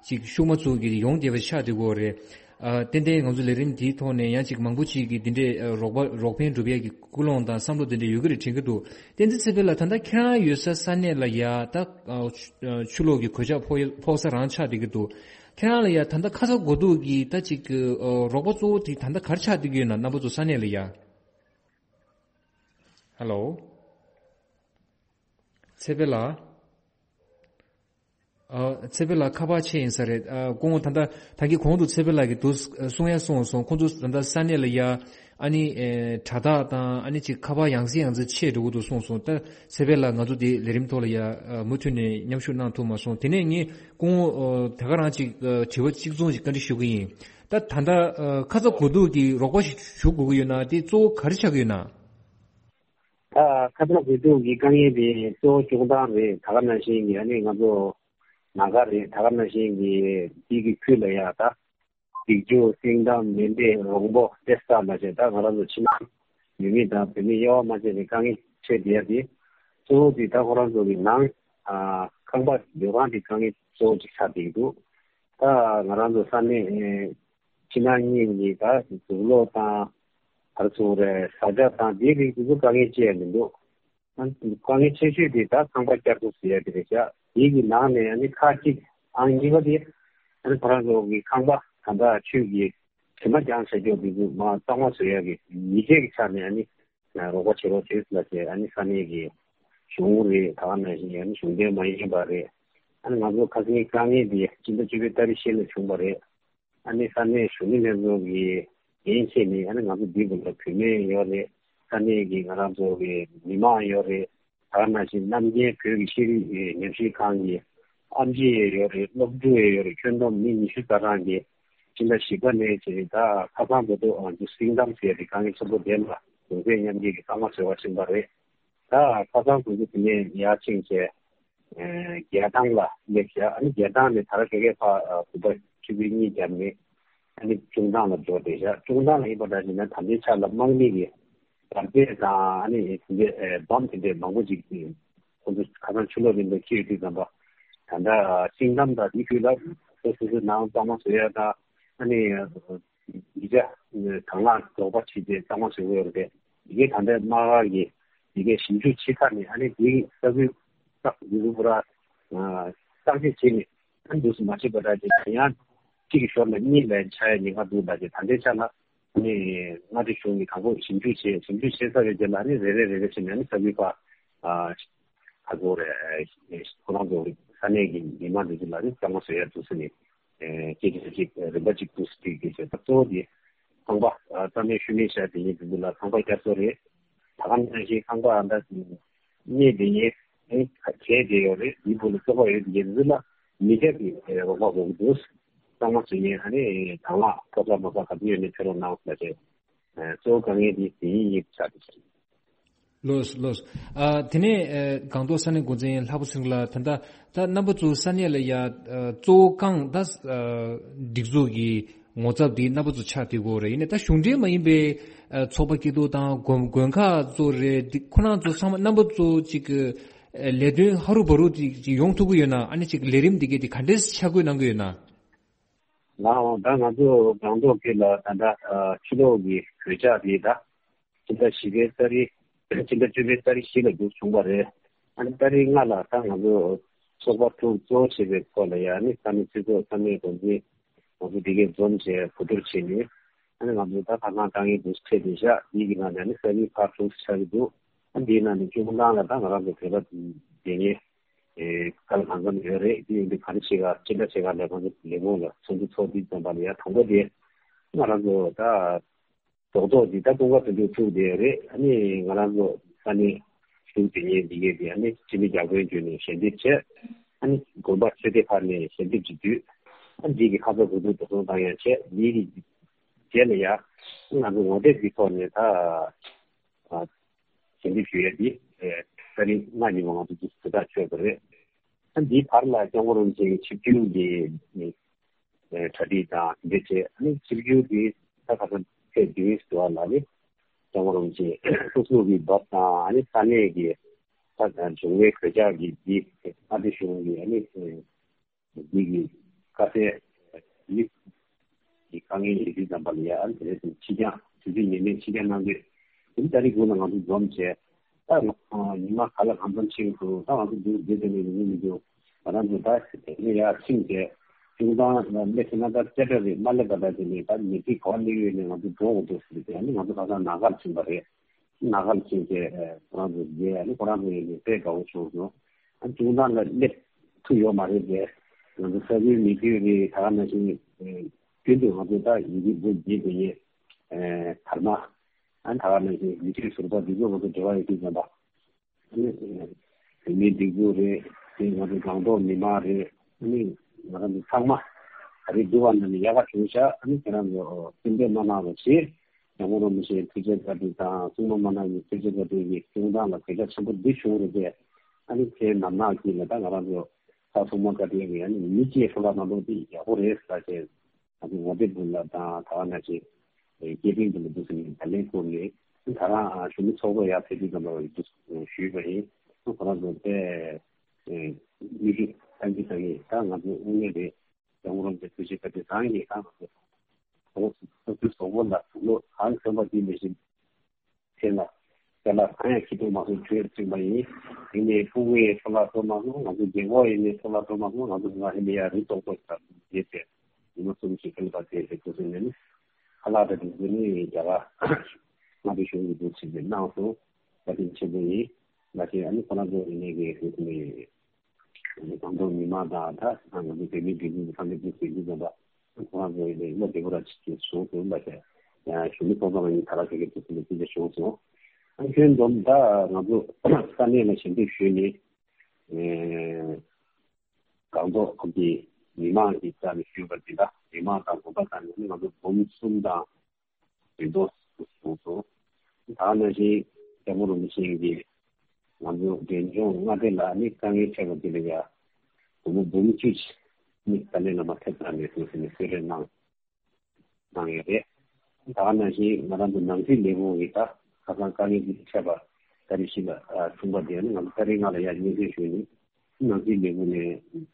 ཅིག་ཤུགས་མ་ཚུགས་ཀྱི་ཡོང་བསྡད་པ་ཆགས་བསྡད་ཀྱི་ཡོད་རེད། ཨ་ཏན་ཏན་ང་ཚོ་ལས་རིམ་འདིའི་ཐོག་ནས་ཡང་ཅིག་མང་པོ་ཅིག་གིས་འདི་འདྲའི་ཨ་རོགས་པ་རོགས་ཕན་སྒྲུབ་ཡ་གི་ཀུན་སློང་དང་བསམ་བློ་འདི་འདྲ་ཡོད་ཀྱི་རེད་དྲན་གྱི་འདུག་བསྟན་འཛིན་ཚེ་འཕེལ་ལགས་ད་ལྟ་ཁྱེད་རང་ཡོད་ས་ས་གནས་ལ་ཡ་ད་ཨ་ཆུ་ཨ་ཆུ་ལོག་གི་གོད་ཆག་ཕོག་ཕོག་ས་རང་ཆགས་བསྡད་ཀྱི་འདུག་ཁྱེད་རང་ལ་ཡ་ད་ལྟ་ཁ་ཚ་དགོས་གཏུགས་ཀྱི་ད་ཅིག་ཨ་རོགས་པ་གཙོ་བོ་དེ་ད་ལྟ་ག་རེ་ཆགས་བསྡད་ཀྱི་ཡོད་ན། རྣམ་པ་ཚོ་ས་གནས་ལ་ཡ། ཧེ་ལོ། ཚེ་འཕེལ་ལགས། ཨ་ཚེ་འཕེལ་ལགས་ཁ་པར་ཆད་ཡིན་ས་རེད། ཨ་སྐུ་ངོ་ད་ལྟ་ད་གིན་གོང་དུ་ཚེ་འཕེལ་ལགས་ཀྱིས་འདུག་གསུང་ཡ་གསུངས་སོང་། ཁོང་ཚོ་ད་ལྟ་ས་གནས་ལ་ཡ་ཨ་ནི་ཨེ་དྲ་ཐག་དང་ཨ་ནི་ཅིག་ཁ་པར་ཡང་སེ་ཡང་སེ་ཆད་འགྲོ་གི་འདུག་གསུངས་སོང་། ད་ཚེ་འཕེལ་ལགས་ང་ཚོ་དེ་ལས་རིམ་ཐོག་ལ་ཡ་ཨ་མུ་མཐུད་ནས་མཉམ་ཞུགས་གནང་ཐུབ་མ་སོང་། དེ་ནས་ངས་སྐུ་ངོ་ཨ་ད་ག་རང་ཅིག་ཨ་དྲི་བ་གཅིག་མཚུངས་ཤིག་བཀའ་འདྲི་ཞུ་གི་ཡིན། ད་ད་ལྟ་ཨ་ཁ་ཚ་དགོས་གཏུགས་ཀྱི་རོགས་པ་ཞིག་ཞུ་དགོས་ཀྱི་ཡོད་ན་དེ་གཙོ་བོ་ག་རེ་ཆགས་ཀྱི་ཡོད་ན། ད་ཁ་ཚ་དགོས་གཏུགས་ཀྱི་དཀའ་ངལ་དེ་གཙོ་བོ་སྐྱོང་སྟངས་རེད། ད་ག་ནང་བཞིན་གྱི་ཨ་ནི་ང་ཚོ་ན་ག་རེད། ད་ག་ནང་བཞིན་གྱི་དེ་གི་ཁུལ་ལ་ཡ་ད་སྒྲིག་འཇུག་སེང་གཏམ་མེ་མདའི་རོང་པོ་དེ་ལྟ་ལ་བྱས། ད་ང་རང་ཚོ་ཕྱི་ནང་ཡུལ་མི་དང་བོད་མི་དབྱེ་བ་མ་ཕྱེ་བའི་དཀའ་ངལ་འཕྲད་བསྡད་ཡ་དེ་གཙོ་བོ་དེ་ད་ཁོ་རང་ཚོ་གི་ནང་ཨ་ཁང་པ་སྡོད་ཁང་གི་དཀའ་ངལ་གཙོ་བོ་ཅིག་ཆགས་བསྡད་ཀྱི་འདུག་ད་ང་རང་ཚོ་ས་གནས་ཕྱི་ནང་གཉིས་ཀྱི་ད་དུག་ལོག་དང་ག་རེ་ཟེར་དགོས་རེད། ཟ་ཆས་དང་དེའི་རིགས་དེ་ཚོ་དཀའ་ངལ་ཅི་ཡང་མི་འདུག་དཀའ་ངལ་ཆེ་ཤོས་དེ་ད་ཁང་པ་བསྐྱར་གསོ་ཟེར་ཡ་དེ་རེད་ཤག་དེའི་གི་ནང་ནས་ཨ་ནི་ཁག་གཅིག་ཨང་གཉིས་པ་དེ་ཨ་ནི་ཁོ་རང་ཚོ་གི་ཁང་པ་ད་ལྟ་ཆུ་གི་བྱེ་མ་རྒྱང་བཞག་རྒྱུ་དེ་ཚོ་མར་གཙང་མ་བཟོ་ཡ་གི་ཡིག་ཆ་གི་ཆ་ནས་ཨ་ནི་རོགས་པ་བྱེད་རོགས་བྱེད་ལབ་བྱས། ཨ་ནི་ས་གནས་ཀྱི་གཞུང་རེད། ད་ག་ནང་བཞིན་ཨ་ནི་གཞུང་འབྲེལ་མ་ཡིན་པ་རེད། ཨ་ནི་ང་ཚོ་ཁ་སང་དཀའ་ངལ་འདི་སྤྱི་ཟླ་བཅུ་པའི་ཏ་རིག་བཞི་ལ་བྱུང་བ་རེད། ཨ་ནི་ས་གནས་གཞོན་ནུ་ལྷན་ཚོགས་ཀྱི་འགན་འཁྱེར་ནས་ཨ་ནི་ང་ཚོ་འདི་བུ་ལ་བུད་མེད་ཡོད་རེད། ས་གནས་ཀྱི་ང་རང་ཚོ་གི་མི་མང་ཡོད་རེད། ད་ག་ནང་བཞིན་རྣམ་རྒྱལ་བོད་ཀྱི་ཤེས་རིག་ཉམས་ཞིབ་ཁང་གི་ཨེམ་ཆི་ཡང་ཡོད་རེད། སློབ་ཕྲུག་ཡང་ཡོད་རེད། ཁྱོན་བསྡོམས་མི་ཉི་ཤུ་རྩ་གྲངས་ཀྱིས་སྤྱི་ཟླ་བཞི་པ་ནས་བྱས་ད་ཁ་སང་བར་དུ་ཨ་ཅོ་སིང་གཏམ་ཟེར་ཏེ་དཀའ་ངལ་ཆེན་པོ་ལྡན་པ་གུང་སེང་མཉམ་སྐྱེད་ཀྱི་གཙང་མ་བཟོ་བར་ཕྱིན་པ་རེད། ད་ཁ་སང་དགོང་དག་དེ་ནས་ཡར་ཕྱིན་བྱས། ཨེ་རྒྱལ་ཐང་ལ་སླེབས་ཤག་ཨ་ནི་རྒྱལ་ཐང་ནས་དར་དཀར་ཕར་ཨ་བུམ་པ་ཆུ་བོའི་གཉིས་བརྒྱབ་ནས་ཨ་ནི་ཅུང་ཐང་ལ་འབྱོར་བསྡད་ཤག་ཅུང་ཐང་ལ་ཡིན་པ་འདྲ་བྱས་ན་ད་ལྟའི་ཆ་ལ་དམག་མི་གི་འབར་རྫས་དང་ཨ་ནི་དེ་འདྲའི་ཨེ་བམ་དེ་འདྲའི་མང་པོ་ཅིག་ཁོང་ཚོ་ཁ་སང་ཆུ་ལོག་རིམ་པ་སྐྱེས་དུས་ཙམ་པ་ད་ལྟ་ཤིང་ཏམ་དང་དེའི་ཁུལ་ལ་སོ་སོ་སོའི་ནང་གཙང་མ་བཟོ་ཡ་དང་ཨ་ནི་ཡིག་ཆ་དང་བླངས་རོགས་པ་བྱས་ཏེ་གཙང་མ་བཟོ་གི་ཡོད་རེད། ཡི་གེ་ད་ལྟའི་དམག་སྒར་གྱི་ཡི་གེ་ཞིབ་འཇུག་བྱེད་ཁ་ནས་ཨ་ནི་དེའི་ས་ཁུལ་བརྟག་ཡི་གེ་པུ་ར་བརྟག་དཔྱད་བྱས་ནས་ཨ་ནི་འདུག་སེ་མ་བྱེད་པ་འདྲ་བྱས་ཡང་གཅིག་གི་ཞོར་ལ་གཉིས་ལ་ཆགས་ཡ་ཉེན་ཁ་འདུག་ད་བྱས་ད་ལྟའི་ཆ་ལ་ཨ་ནི་མངའ་སྡེ་གཞུང་གིས་དང་པོ་ཞིབ་འཇུག་བྱས། ཞིབ་འཇུག་བྱས་ཚར་བའི་རྗེས་ལ་ཨ་ནི་རེ་རེ་རེ་རེ་བྱས་ནས་ཨ་ནི་ས་ཁུལ་ཁག་ཨ་ཁ་ཚོ་རེ་ཁོ་རང་ཚོ་ས་གནས་ཀྱི་མི་མང་འདི་ཚོ་ལ་ཨ་ནི་གཙང་མ་བཟོ་ཡ་འདུག་སེ་ནས། སྐད་ཆ་གཅིག་རིམ་པ་གཅིག་ཏུ་སྒྲིག་དགོས་ཟེར། ད་གཙོ་བོ་དེ་ཁང་པ་རྩ་མེད་ཤུལ་མེད་བཞག་དེ་ཡིན་དུས་ལ་ཁང་པ་བསྐྱར་གསོ་རེད། ད་ག་ནང་བཞིན་ཁང་པ་ཨ་ད་གནས་དེ་ཡིན་གས་དེ་ཡོད་རེད། དེའི་བུ་ལ་སོགས་པ་ཡོད་དེ་ཡིན་ཚུལ་ལ་མི་སྐྱ་གི་རོགས་པ་དགོས་ཀྱི་འདུག་གཙང་མ་བཟོ་མཁན་ཨ་ནི་དང་བླངས་ཐོབ་ས་མ་ས་ག་ཚོད་ཡོད་ནས་ཕེབས་རོགས་གནང་ཟེར་རེད། གཙོ་བོ་དཀའ་ངལ་དེ་དེ་ཡིན་ཡིན་ཆགས་ཀྱི་རེད། ལོས་ལོས། ཨ་དེ་ནས་ཨ་སྒང་ཏོག་ས་གནས་འགོ་འཛིན་ལྷག་པ་ཚེ་རིང་ལགས། ད་ལྟ་ད་རྣམ་པ་ཚོ་ས་གནས་ལ་ཡ་ཨ་གཙོ་བོ་རྐང་ད་ཨ་སྒྲིག་འཛུགས་ཀྱི་ངོ་ཚབ་དེ་རྣམ་པ་ཚོ་ཆགས་བསྡད་ཀྱི་ཡོད་རེད། ཡིན་ནའི་ད་གཞུང་འབྲེལ་མ་ཡིན་པའི་ཨ་ཚོགས་པ་སྐྱིད་སྡུག་དང་དགོན་དགོན་ཁག་ཚོ་རེད། འདི་ཁོ་རང་ཚོ་ཚང་མ་རྣམ་པ་ཚོ་ཅིག་ཨ་ལས་དོན་ཧ་རུ་བ་རུ་ཅིག་ཅིག་ཡོང་ཐུབ་ཀྱི་ཡོད་ན། ཨ་ནི་ཅིག་ལས་རིམ་འདི་གས་དེ་ག་འདྲས་ཆ་བགོས་གནང་གི་ཡོད་ན། ལགས་འོང་། ད་ང་ཚོ་སྒང་ཏོག་དེ་ལ་ད་ལྟ་ཨ་ཕྱི་ལོགས་ཀྱི་གོད་ཆག་དེ་ད་ཕྱི་ཟླ་བཞི་པའི་ཏ་རིག་ཕྱི་ཟླ་བཅུ་པའི་ཏ་རིག་བཞི་ལ་འདུག་བྱུང་བ་རེད། ཨ་ནི་ཏ་རིག་ལྔ་ལ་ད་ང་ཚོ་ཚོགས་པ་དྲུག་གཙོ་བོ་བྱས་པའི་ཐོག་ལ་ཡ་ཨ་ནི་ས་གནས་སྤྱི་ཚོགས་ས་གནས་འགོ་འཛིན་ང་ཚོ་དེ་གས་འཛོམས་བྱས་གོ་བསྡུར་བྱས་ནས་ཨ་ནི་ང་ཚོ་ད་ཁ་སང་དཀའ་ངལ་འདུག་འཕྲད་བསྡད་ཤག་དེའི་གི་ནང་ནས་ཨ་ནི་ས་ཁུལ་ཁག་དྲུག་ཆགས་ཀྱི་འདུག་ཨ་འདིའི་ནང་ནས་ཅུང་ལང་ལ་ད་ང་རང་ཚོ་བོད་པ་དེ་ངས་ཨེ་ག་ལ་གང་འཚམ་ཡོད་རེད། དེ་ཡིན་དུས་ག་རེ་བྱེད་ག་ཅི་འདྲ་བྱེད་ག་ལས་ཁོང་ཚོ་ལས་ཁུངས་ལ་ཚོགས་འདུ་ཚོགས་དུས་ཙམ་པ་ལ་ཡ་དང་པོ་དེ་ང་རང་ཚོ་ད་རྡོག་རྡོག་འདི་ད་ཀུན་དགའ་དོན་གྲུབ་ཐུག་དེ་རེད། ཨ་ནི་ང་རང་ཚོ་ས་གནས་ དུ་དེ་ཉིད་འདི་གའི་དེ་ཨ་ནི་སྤྱི་མི་རྒྱ་དཔོན་བརྒྱུད་ནས་ཞལ་འདེབས་བྱས། ཨ་ནི་དགོན་པ་ཆོས་སྡེ་ཁག་ནས་ཞལ་འདེབས་ཀྱི་དུས། ཨ་འདི་གི་ཁ་ཚ་དགོས་གཏུག་འགྲོ་སོང་བཏང་ཡང་བྱས། འདི་གི་རྗེས་ལ་ཡང་ང་ཚོ་ངོ་དེབ་ཀྱི་ཐོག་ནས་ད་ཞལ་འདེབས་ཞུ་ཡས་འདི་ཏ་རིག་ལྔ་ཉིན་མོ་ང་ཚོ་འདི་གྲ་སྒྲིག་ཆོད་པ་རེད། ཨ་འདིའི་བར་ལ་སྐྱབས་མགོན་རིན་པོ་ཆེའི་ཆིབས་བསྒྱུར་གྱི་གྲ་སྒྲིག་དང་དེ་འདྲ་བྱས། ཨ་ནི་ཆིབས་བསྒྱུར་གྱི་ད་ཁ་སང་ཚེས་བདུན་ཞུ་བ་ལ་ནི་སྐྱབས་མགོན་རིན་པོ་ཆེ་སྐུ་གཟུགས་ཀྱི་བབས་དང་། ཨ་ནི་ས་གནས་ཀྱི་ད་འབྱུང་བའི་གོད་ཆག་གི་འདི་མངའ་སྡེ་གཞུང་གི་ཨ་ནི་འདི་གི་དཀའ་སེལ་ཡིག་གི་དཀའ་ངལ་ཡོད་དུས་ཙམ་པ་ལ་ཡ། ཨ་ནི་དེ་ནས་ཕྱི་འགྱངས་དུས་ཚོད་ངེས་མེད་ཕྱི་འགྱངས་གནང་དུས། དེ་ནི་ཏ་རིག་དགུ་ལ་ང་ཚོ་འཛོམས་བྱས། ད་ང་ཉི་མ་ག་ལ་གང་འཚམ་ཕྱིན་འདུག་ད་ང་ཚོ་འདུག་བསྡད་དེ་ནས་ཡོང་གི་མི་འདུག་ང་རང་ཚོ་ད་དེ་ནས་ཡར་ཕྱིན་བྱས། ཅུང་ཐང་ལ་སླེབས་ཟིན་ན་ད་ཅ་ཏྲ་རེད། མ་སླེབས་པ་ད་དེ་ནས་ད་ཉེ་ཚིག་ག་པར་སླེབས་ཡོད་ནས་ང་ཚོ་འགྲོ་དགོས་འདུག་ཟེར་ཏེ། ཨ་ནི་ང་ཚོ་ཁ་སང་ན་གར་ཕྱིན་པ་རེད། ན་གར་ཕྱིན་བྱས་ཁོ་རང་ཚོ་མཇལ། ཨ་ནི་ཁོ་རང་ཚོ་ཡིན་ནས་དཔེ་དགའ་བོ་བྱུང་སོང་། ཨ་ཅུང་ཐང་ལ་སླེབས་ཐུབ་ཡོད་མ་རེད་དེ། ང་ཚོ་ས་ཁུལ་མི་ཁུལ་རེད། ད་ག་ནང་བཞིན་རྒྱུན་དུ་ང་ཚོ་ད་ཡིན་གྱི་འདུག་བྱས་དེ་ཡིན། དར་མ། ཨ་ད་ག་ནང་བཞིན་ཡུལ་དུས་ཟུར་པ་འདི་ཚོ་ང་ཚོ་འབྲེལ་བ་ཡོད་དུས་ཙམ་པ། ཨ་ནི་བོད་མིའི་སྒྲིག་འཛུགས་རེད། དེ་ང་ཚོ་སྒང་ཏོག་མི་མང་རེད། ཨ་ནི་ང་རང་ཚོ་ཚང་མ་ད་རེས་འདུག་པ་ན་ནི་ཡག་པ་བྱུང་ཤག་ཨ་ནི་ཁྱེད་རང་ཚོ་སེམས་ཁྲལ་མ་གནང་རོགས་ཞེས། སྐྱབས་མགོན་རིན་པོ་ཆེའི་ཐུགས་རྗེ་བཀའ་དྲིན་དང་སྲུང་མ་མ་ནག་གི་ཐུགས་རྗེ་བཀའ་དྲིན་གྱིས་ཁྱེད་རང་ལ་གོད་ཆག་ཆེན་པོ་འདི་བྱུང་རེད་དེ། ཨ་ནི་ཁྱེད་ནམ་ནག་གིས་ལ་ད་ང་རང་ཚོ་ད་སྲུང་མ་བཀའ་དྲིན་གྱིས་ཨ་ནི་མི་སྐྱེས་སྲོག་ལ་མ་གཏོགས་དེ་ཡག་པོ་རེད་ཟེར་བྱས། ང་ཚོ་ངོ་དེབ་འདི་ལ་དང་ད་ག་ནང་བཞིན་སྐད་འཕྲིན་འདི་ལ་འདུག་ཟེར་ནས་བརྡ་ལན་བསྐུར་ནས། ད་རང་གཞོན་ནུ་ཚོགས་པ་ཡར་ཕེབས་དུས་ཙམ་པ་འདུག་ཞུས་པ་ཡིན། ཁོ་རང་ཚོ་དཔེ་མིག་ཆུ་བཏང་གི་བཏང་གི། ད་ང་ཚོ་དངོས་གནས་རེད། སྐྱབས་མགོན་རིན་པོ་ཆེའི་ཐུགས་རྗེ་བཀའ་དྲིན་རང་གིས་ད་ང་ཚོ་ཚོགས་པ་ཚོགས་པ་ལ་དུག་ལོག་གང་གྱོན་པ་དེ་མི་ཤེས། ཚེ་ལ་དེ་ལ་གང་ཡང་ཤི་དུ་མ་སོང་བྲོས་བཅུག་པ་ཡིན། དེ་ནས་ཕྲུ་གུ་ཡི་འཚོ་བ་སྤྲོ་མ་སོང་། ང་ཚོ་རྒན་གོག་ཡིན་ནས་འཚོ་བ་སྤྲོ་མ་སོང་། ང་ཚོ་ང་ཧེ་ལས་ཡ་རི་ཏོག་ཏོག་ཞིག་ལ་བསྡད་དེ་ཉི་མ་གསུམ་ཞིག་ཁ་ལ་བ་དེ་རེ་ཏོག་ཏོག་ནས་ནི་ཁ་ལག་དང་དེ་ཚོ་ནི་རྒྱ་གར་མངའ་སྡེ་གཞུང་གི་འདུག་ཕྱིན་ཏེ་གནང་སོང་། བཀའ་དྲིན་ཆེན་པོ་ཡིན། ང་ཚོས་ཨ་ནི་ཁོ་རང་ཚོ་ཡིན་ནས་གི་དེ་ཚོ་ནི། སྒང་ཏོག་མི་མང་དང་ད་ང་ཚོ་བོད་མིའི་སྒྲིག་འཛུགས་ཀྱི་ཚང་མས་འདུག་ཟེར་གྱི་ཡོད་པ། ཁོ་རང་ཚོ་ཡིན་ནའི་བློ་བདེ་པོ་ར་ཅིག་གིས་བྱུང་སོང་། ཡིན་པ་བྱས་ཡང་གཞོན་ནུ་ཚོགས་པ་ནང་ནས་ད་ར་ཁ་ཁ་ཅིག་ཟེར་ནས་དེ་འདྲ་བྱུང་སོང་། ཨ་ཁྱོན་བསྡོམས་ད་ང་ཚོ་ས་གནས་ལ་ཞལ་འདེབས་ཞུས་ནས། ཨེ་སྒང་ཏོག་ཁུལ་གྱི་མི་མང་གི་རྩ་ནས་ཞུས་པ་འདི་འདྲ། མི་མང་དང་དགོན་པ་དང་ནི་ང་ཚོ་འབུམ་གསུམ་དང་བདུན་སྟོང་སོང་སོང་། ད་ནང་བཞིན་སྐྱབས་མགོན་རིན་པོ་ཆེ་གིས་ང་ཚོ་འབྲས་ལྗོངས་མངའ་སྡེ་ལ་ནི་དཀའ་ངལ་འཕྲད་པ་དེ་ལ་ཡ་སྒོར་མོ་འབུམ་གཅིག་ནི་ཏཱ་ལའི་བླ་མ་ཐེབས་རྩ་ནས་ཐུགས་སེམས་ནས་གསོལ་རས་གནང་གནང་ཡོད་རེད། ད་ནང་བཞིན་ང་རང་ཚོ་ནང་སྲིད་ལས་ཁུངས་ཀྱིས་ད་ཁ་སང་དཀའ་ངལ་འདི་འཕྲད་པ་ད་རེས་ཤིག་ལ་ཐུག་པ་དེ་ནི་ང་ཚོ་ཏ་རིག་ལྔ་ལ་ཡ་སྙན་སེང་ཞུས་ནས་ནང་སྲིད་ལས་ཁུངས་ནས།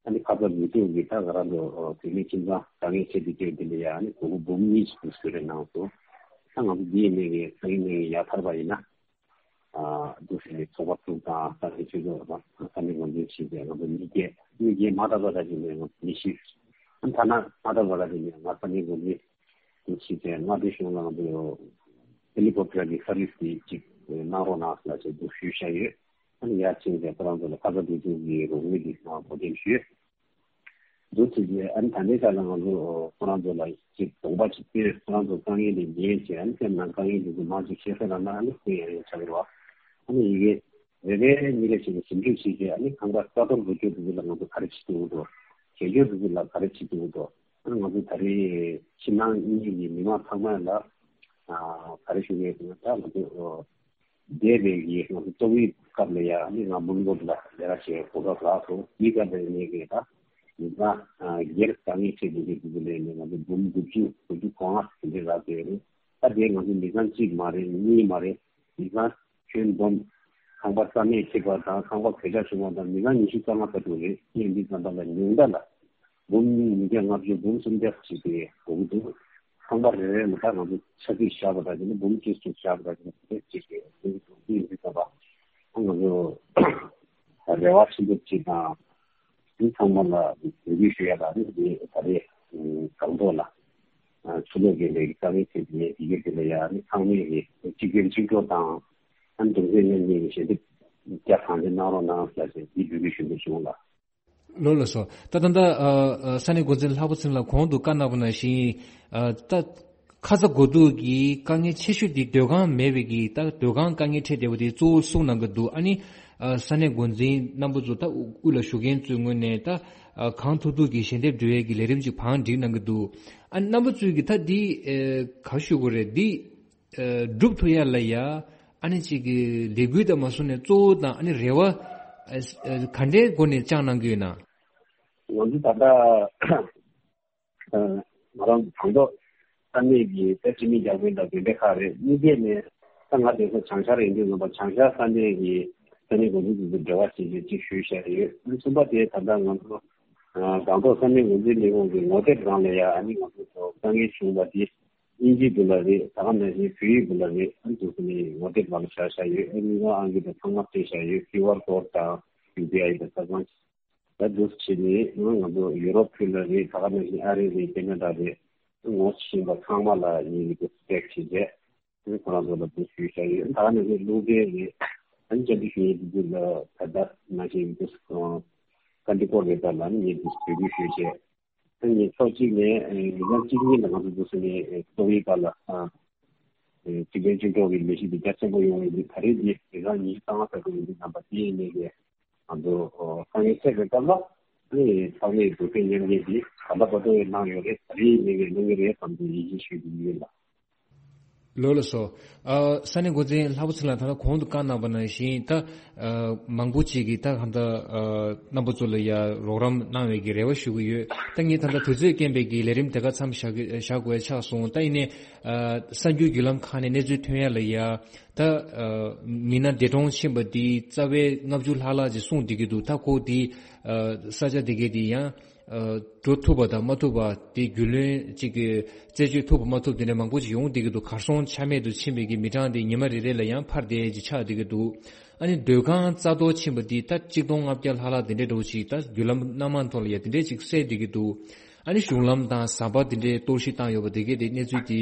ཨ་ནི་ཁ་ཚ་དགོས་གཏུག་གིས་ད་ང་རང་ཚོ་བོད་མི་ཁྱིམ་ཚང་དཀའ་ངལ་འཕྲད་དེ་སྐྱོད་དེ་ལ་ཡ་ཨ་ནི་སྒོར་མོ་འབུམ་གཉིས་ཤིག་གསོལ་རས་གནང་སོང་། ད་ང་ཚོ་འདི་ཡིན་ནའི་གི་སང་ཉིན་ནས་ཡར་ཐར་པ་ཡིན་ན། ཨ་འདུག་ཟེར་ནས་ཚོགས་པ་དྲུག་དང་ས་གནས་ཆོས་ཚོགས་དང་ས་གནས་འགོ་འཛིན་བྱས་ཏེ་ང་ཚོ་མི་བརྒྱད་མི་བརྒྱད་མ་དག་པ་ར་ཅིག་ནས་ང་ཚོ་ཉི་ཤུ། ཨ་ཐ་ན་མ་དག་པ་ར་ཅིག་ནས་ང་ས་གནས་འགོ་འཛིན་དུ་ཕྱིན་ཏེ་མངའ་སྡེ་གཞུང་ལ་ང་ཚོ་ཧེ་ལི་ཀོབ་ཊར་གྱི་སར་བིས་དེ་ཅིག་གནང་རོགས་གནང་ཟེར་ལ་ཅིག་འདུག་ཞུས་བཞག་ཡོད། ཨ་ནི་ཡར་ཕྱིན་ཏེ་ཁོ་རང་ཚོ་ལ་ཁ་ཚ་དགོས་གཏུག་གི་རོགས་དངུལ་དེ་གནང་བ་འགོད་འདེམས་ཞུས། འདུག་ཟེར་གྱི། ཨ་ནི་ད་ལྟའི་ཆ་ལ་ང་ཚོ་ཁོ་རང་ཚོ་ལ་ཅིག་གདོང་པ་ཅིག་སྟོན། ཁོ་རང་ཚོ་དཀའ་ངལ་དེ་ཉན་བྱས། ཨ་ནི་སེམས་ནང་དཀའ་ངལ་དེ་ཚོ་མར་ཅིག་བཤད་ས་རག་ན་ཨ་ནི་དེ་ཡང་ཡང་ཆགས་ཀྱི་རེད་བ། ཨ་ནི་ཡི་གེ་རེ་རེ་གཉིས་རེ་བྱས་ནས་ཞིབ་འཇུག་བྱས་བྱས། ཨ་ནི་ཁང་པ་རྩ་གཏོར་དགོས་ཀྱི་འདུག་ལ་ང་ཚོ་ག་རེ་བྱེད་ཐུབ་ཀྱི་འདུག་བྱེད་རྒྱུ་འདུག་ལ་ག་རེ་བྱེད་ཐུབ་ཀྱི་འདུག་ཨ་ནི་ང་ཚོ་ད་རེས་ཕྱི་ནང་གཉིས་ཀྱི་མི་མང་ཚང་མ་ལ་ཨ་ག་རེ་ཞུ་གི་ཡོད་ཟེར་ན། ད་ང་ཚོ་འདས་པའི་གི་ང་ཚོ་ཏོག་དབྱིབས་སྐབས་ལ་ཡ་ཨ་ནི་ང་འབུམ་སྐོར་ལ་ལས་ཀ་བྱེད་གོ་སྐབས་རག་སོང་། དེའི་སྐབས་ལ་ཡིན་ནའི་གི་ད་མི་ཚང་སྒེར་དཀའ་ངལ་འཕྲད་དགོས་ཀྱི་འདུག་ལས་ནས་ང་ཚོ་འབུམ་དགུ་བཅུ་དགུ་བཅུ་གོ་ལྔ་དེ་འདྲ་རག་བསྡད་ཡོད་རེད། ད་དེ་ང་ཚོ་མི་ཚང་གཅིག་མ་རེད། གཉིས་མ་རེད། མི་ཚང་ཁྱོན་བསྡོམས་ཁང་པ་རྩ་མེད་ཐེབས་པ་དང་ཁང་པ་གོད་ཆག་བྱུང་བ་དང་མི་ཚང་ཉི་ཤུ་རྩ་ལྔ་ལྟ་བུ་རེད། ཡིན་དུས་ཙམ་པ་ལ་ཉུང་མཐའ་ལ་འབུམ་ཉིས་བརྒྱ་ལྔ་བཅུ་འབུམ་སུམ་བརྒྱ་ཞིག་དེ་དགོས་ཀྱི་འདུག་ཁང་པ་རེ་རེ་ལ་ད་ང་ཚོ་ཆ་རྒྱུས་བཞག་པ་དང་དེ་ནི་འབུམ་གཅིག་ཙམ་བཞག་པ་དང་དེ་ནི་དེ་གཅིག་རེད། དེ་ཡིན་དུས་ཙམ་པ་ང་ཚོ་རེ་བ་ཆེན་པོ་གཅིག་དང་། འདི་ཚང་མ་ལ་འབོད་སྐུལ་ཞུ་ཡ་ལ་ནི་འདི་ད་རེས་སྒང་ཏོག་ལ་ཆུ་ལོག་གི་ལས་ཀ་རེད་དེ། དེ་ཡི་གེ་དེ་ལ་ཡ་ནི་ཚང་མས་གི་གཅིག་གྱུར་གཅིག་གྲོགས་དང་། ཨ་ནི་གདུང་སེམས་མཉམ་སྐྱེད་ཀྱི་ཞལ་འདེབས་རྒྱ་གང་ཆེ་གནང་རོགས་གནང་ཟེར་ཏེ་འདི་འབོད་སྐུལ་ཞུ་འདོད་བྱུང་ལ། ལགས་ལགས་སོ། ད་ད་ལྟ་ཨ་ཨ་ས་གནས་འགོ་འཛིན་ལྷག་པ་ཚེ་རིང་ལགས་གོང་དུ་བཀའ་གནང་བ་ནང་བཞིན་ཨ་ད། ཁ་ཚ་དགོས་གཏུགས་ཀྱི་དཀའ་ངལ་ཆེ་ཤོས་དེ་སྡོད་ཁང་མེད་པའི་གི་ད་སྡོད་ཁང་དཀའ་ངལ་འཕྲད་བསྡད་པ་དེ་གཙོ་བོ་གསུངས་གནང་གི་འདུག་ཨ་ནི་ཨ་ས་གནས་འགོ་འཛིན་རྣམ་པ་ཚོ་ད་དབུ་ལ་བཞུགས་མཁན་ཚོའི་ངོས་ནས་ད་ཨ་གང་ཐུབ་ཐུབ་ཀྱི་ཞལ་འདེབས་འགྲོ་ཡས་ཀྱི་ལས་རིམ་ཅིག་བང་སྒྲིག་གནང་གི་འདུག་ཨ་ནི་རྣམ་པ་ཚོས་ཀྱི་ད་འདི་ཨ་ག་ཞུ་དགོས་རེད། འདི་ཨ་སྒྲུབ་ཐུབ་ཡ་ལ་ཡ་ཨ་ནི་ཅིག་གི་ལས་འགུལ་དང་མ་སོང་ནས་གཙོ་བོ་དང་ཨ་ནི་རེ་བ་ཨ་ཨ་ག་འདྲའི་སྒོ་ནས་བཅངས་གནང་གི་ཡོད་ན། ང་ཚོ་ད་ལྟ་ང་རང་གྲོང་ཚོ་ས་གནས་ཀྱི་ས་སྤྱི་མི་རྒྱ་དཔོན་དང་དེ་འདྲ་ཁག་རེད། གཉིས་པ་ནས་ད་ང་དེ་ཚོ་བྱང་ཤར་ཡིན་དུས་ང་ཚོ་བྱང་ཤར་ས་གནས་ཀྱི་ས་གནས་འགོ་འཛིན་ཚོ་འབྲེལ་བ་བྱེད་ཀྱི་གཅིག་ཞུས་བཞག་ཡོད། གསུམ་པ་དེ་ད་ལྟ་ང་ཚོ་སྒང་ཏོག་ས་གནས་འགོ་འཛིན་ལས་ཁུངས་ཀྱི་ངོ་དེབ་སྒང་ལ་ཡ་ཨ་ནི་ང་ཚོ་ཚོ་དཀའ་ངལ་བྱུང་བ་དེ་དབྱིན་ཇིའི་སྐོར་ལ་རེད། ད་ག་ནང་བཞིན་བོད་ཡིག་སྐོར་ལ་རེད། ཨ་ནི་དུ་ནས་ངོ་དེབ་སྒང་ལ་བཞག་བཞག་ཡོད། ཨ་ནི་ང་ཨང་ཀི་དང་ཚང་མ་སྤྲད་བཞག་ཡོད། ཀིའུ་ཨར་ཀོཌ་དང་ཡུ་པི་ཨའི་དང་ཚང་མ། ད་འདུག་བྱས་ནས་ང་ཚོ་ཡུ་རོབ་ཁུལ་ལ་རེད། ད་ག་ནང་བཞིན་ཨ་རི་རེད། ཁེ་ན་ཌ་རེད། ངོ་ཤེས་པ་ཚང་མ་ལ་ངས་ཀྱི་སྤྲད་བྱས་རྗེས་ཁོ་རང་ཚོ་ལ་འདུག་ཞུས་བཞག་ཡོད། ད་ག་ནང་བཞིན་རླུང་འཕྲིན་རེད། ཨ་ནི་བཅར་འདྲི་ཞུ་ཡས་དེ་ཚོ་ལ་ད་ལྟ་ནང་བཞིན་འདུག་ཀ་འདི་སྐོར་རེད་པ་ལ་ནི་ངས་འདུག་འབོད་སྐུལ་ཞུས་བྱས། ཨ་ནི་ཕྱོགས་གཅིག་ནས་ཨ་ཉིན་གྲངས་གཅིག་གཉིས་ལ་ང་ཚོ་འདུག་སེ་ནས་ཨ་ཏོག་དབྱིབས་པ་ལ་ཨ་ཨ་གཅིག་ཕན་གཅིག་གྲོགས་ཀྱི་ལས་གཞི་འདི་རྒྱ་ཆེན་པོ་ཡོང་བའི་འདི་ད་རེས་འདི་ཉིན་གྲངས་ཉི་ཤུ་རྩ་ལྔ་ཙམ་དུ་ཡིན་འདི་རྣམ་པ་དེ་ཡིན་ནས་ཀྱི་ང་ཚོ་ཨ་དཀའ་ངལ་འཕྲད་པའི་སྐབས་ལ་ཨ་ནི་ས་གནས་འགོ་ཁྲིད་མཉམ་འབྲེལ་འདི་ག་འདྲ་བར་དུ་གནང་ཡོད་རེད། ད་རེས་ཡིན་ནས་ཀྱི་གནང་གི་རེད་བསམ་འདི་ཡིད་ཆེས་ཞུ་རྒྱུ་ཡིན་ལ། ལགས་ལགས་སོ། ཨ་ས་གནས་འགོ་འཛིན་ལྷག་པ་ཚེ་ལགས་ད་ལྟ་གོང་དུ་བཀའ་གནང་བ་ནང་བཞིན་ད་ཨ་མང་པོ་ཅིག་གིས་ད་གང་ལྟར་ཨ་རྣམ་པ་ཚོ་ལ་ཡ་རོགས་རམ་གནང་བའི་གི་རེ་བ་ཞུ་གི་ཡོད། ད་ངས་ད་ལྟ་དུས་ཚོད་རྐྱེན་པས་གི་ལས་རིམ་དེ་ག་མཚམས་བཞག་གི་བཞག་དགོས་ཆགས་སོང་། ད་ཡིན་ནའི་ཨ་གསར་འགྱུར་བརྒྱུད་ལམ་ཁག་ནས་གནས་ཚུལ་ཐོན་ཡ་ལ་ཡ་ད་ཨ་མི་སྣ་འདས་གྲོངས་ཕྱིན་པ་དེ་རྩ་བའི་ལྔ་བཅུ་ལྷག་ལྷག་ཅིག་གསུངས་བསྡད་ཀྱི་འདུག་ད་ཁོ་དེ་ཨ་ས་ཆ་དེ་གའི་དེ་ཡང་། འགྲོ་ཐུབ་པ་དང་མ་ཐུབ་པ་དེ་རྒྱུས་ལོན་གཅིག་གི་རྩད་གཅོད་ཐུབ་པ་མ་ཐུབ་དེ་འདྲ་མང་པོ་ཞིག་ཡོང་བསྡད་ཀྱི་འདུག་གར་སོང་ཆ་མེད་དུ་ཕྱིན་པའི་གི་མི་གྲངས་དེ་ཉི་མ་རེ་རེ་ལ་ཡང་འཕར་བསྡད་ཀྱི་ཆགས་བསྡད་ཀྱི་འདུག་ཨ་ནི་སྡོད་ཁང་རྩ་གཏོར་ཕྱིན་པ་འདི་ད་གཅིག་སྟོང་ལྔ་བརྒྱ་ལྷག་ལྷག་དེ་འདྲའི་འགྲོ་ཞིག་ད་བརྒྱུད་ལམ་སྣ་མང་ཐོག་ལ་ཡང་དེ་འདྲའི་ཅིག་གསལ་བསྡད་ཀྱི་འདུག་ཨ་ནི་གཞུང་ལམ་དང་ཟམ་པ་དེ་འདྲའི་གཏོར་བཤིག་བཏང་ཡོད་པ་དེ་གས་དེ་གནས་ཚུལ་དེ་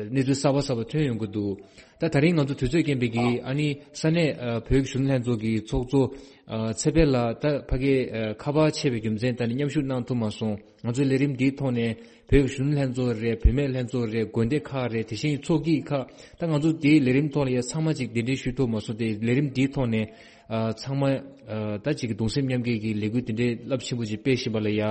གནས་ཚུལ་གསར་པ་གསར་པ་ཐོན་ཡོང་གི་འདུག་ད་ད་རིང་ང་ཚོ་དུས་ཚོད་རྐྱེན་པས་ཀྱིས་ཨ་ནི་ས་གནས་ཨ་བོད་ཀྱི་གཞོན་ནུ་ལྷན་ཚོགས་ཀྱི་ཚོགས་གཙོ་ཨ་ཚེ་འཕེལ་ལགས་ད་ཕ་གིར་ཨ་ཁ་པར་ཆད་པའི་རྒྱུ་མཚན་ད་ནི་མཉམ་ཞུགས་གནང་ཐུབ་མ་སོང་། ང་ཚོའི་ལས་རིམ་འདིའི་ཐོག་ནས་བོད་ཀྱི་གཞོན་ནུ་ལྷན་ཚོགས་རེད། བུད་མེད་ལྷན་ཚོགས་རེད། དགོན་སྡེ་ཁག་རེད། དེ་བཞིན་ཚོགས་སྐྱིད་ཁག་ད་ང་ཚོ་འདིའི་ལས་རིམ་ཐོག་ལ་ཡ་ཚང་མ་ཅིག་གདན་འདྲེན་ཞུ་ཐུབ་མ་སོང་། དེ་ལས་རིམ་འདིའི་ཐོག་ནས་ཨ་ཚང་མ་ཨ་ད་ཅིག་གི་གདུང་སེམས་མཉམ་སྐྱེད་ཀྱི་ལས་འགུལ་དེ་འདྲའི་རླབས་ཆེན་པོ་ཅིག་སྤེལ་བཞིན་པ་ལ་ཡ་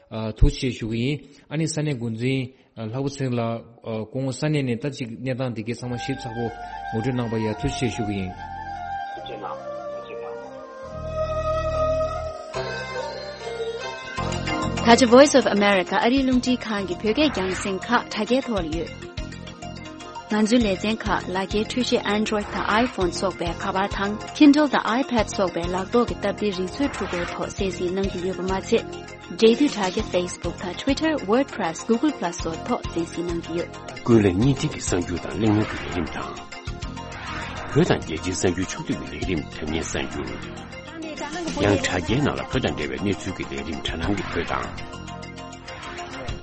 ཨ་ཐུགས་རྗེ་ཆེ་ཞུ་གི་ཡིན། ཨ་ནི་ས་གནས་འགོ་འཛིན་ཨ་ལྷག་པ་ཚེ་རིང་ལགས་ཨ་སྐུ་ངོ་ས་གནས་ནས་ད་ཅིག་གནས་སྟངས་དེ་གའི་ཚང་མ་ཞིབ་ཚགས་པོ་ངོ་སྤྲོད་གནང་པ་ཡ་ཐུགས་རྗེ་ཆེ་ཞུ་གི་ཡིན། ཐུགས་རྗེ་གནང་། ཐུགས་རྗེ་གནང་། ད་ཆ་Voice of America ཨ་རིའི་རླུང་འཕྲིན་ཁང་གི་བོད་སྐད་རྒྱང་སྲིང་ཁག་དྲ་རྒྱའི་ཐོག་ལ་ཡོད། ང་ཚོའི་ལེ་ཚན་ཁག་ལག་འཁྱེར་འཕྲུལ་ཆས་Android་དང་iPhone་སོགས་པའི་ཁ་པར་དང་Kindle་དང་iPad་སོགས་པའི་ལག་ཐོག་གི་སྟབས་བདེའི་རིག་མཛོད་འཕྲུལ་འཁོར་ཐོག་གསན་གཟིགས་གནང་གི་ཡོད་པ་མ་ཚད། འབྲེལ་མཐུད་དྲ་རྒྱ་Facebook་དང་Twitter WordPress Google Plus སོགས་ཐོག་གསན་གཟིགས་གནང་གི་ཡོད། ཀུན་གླེང་བརྙན་འཕྲིན་གྱི་གསར་འགྱུར་དང་གླེང་མོལ་གྱི་ལས་རིམ་དང་། བོད་དང་རྒྱལ་སྤྱིའི་གསར་འགྱུར་ཕྱོགས་བསྡུས་ཀྱི་ལས་རིམ་དྲ་བརྙན་གསར་འགྱུར། ཡང་དྲ་རྒྱའི་ནང་ལ་བོད་དང་འབྲེལ་བའི་གནས་ཚུལ་གྱི་ལས་རིམ་དྲ་ལམ་གྱི་བོད་དང་།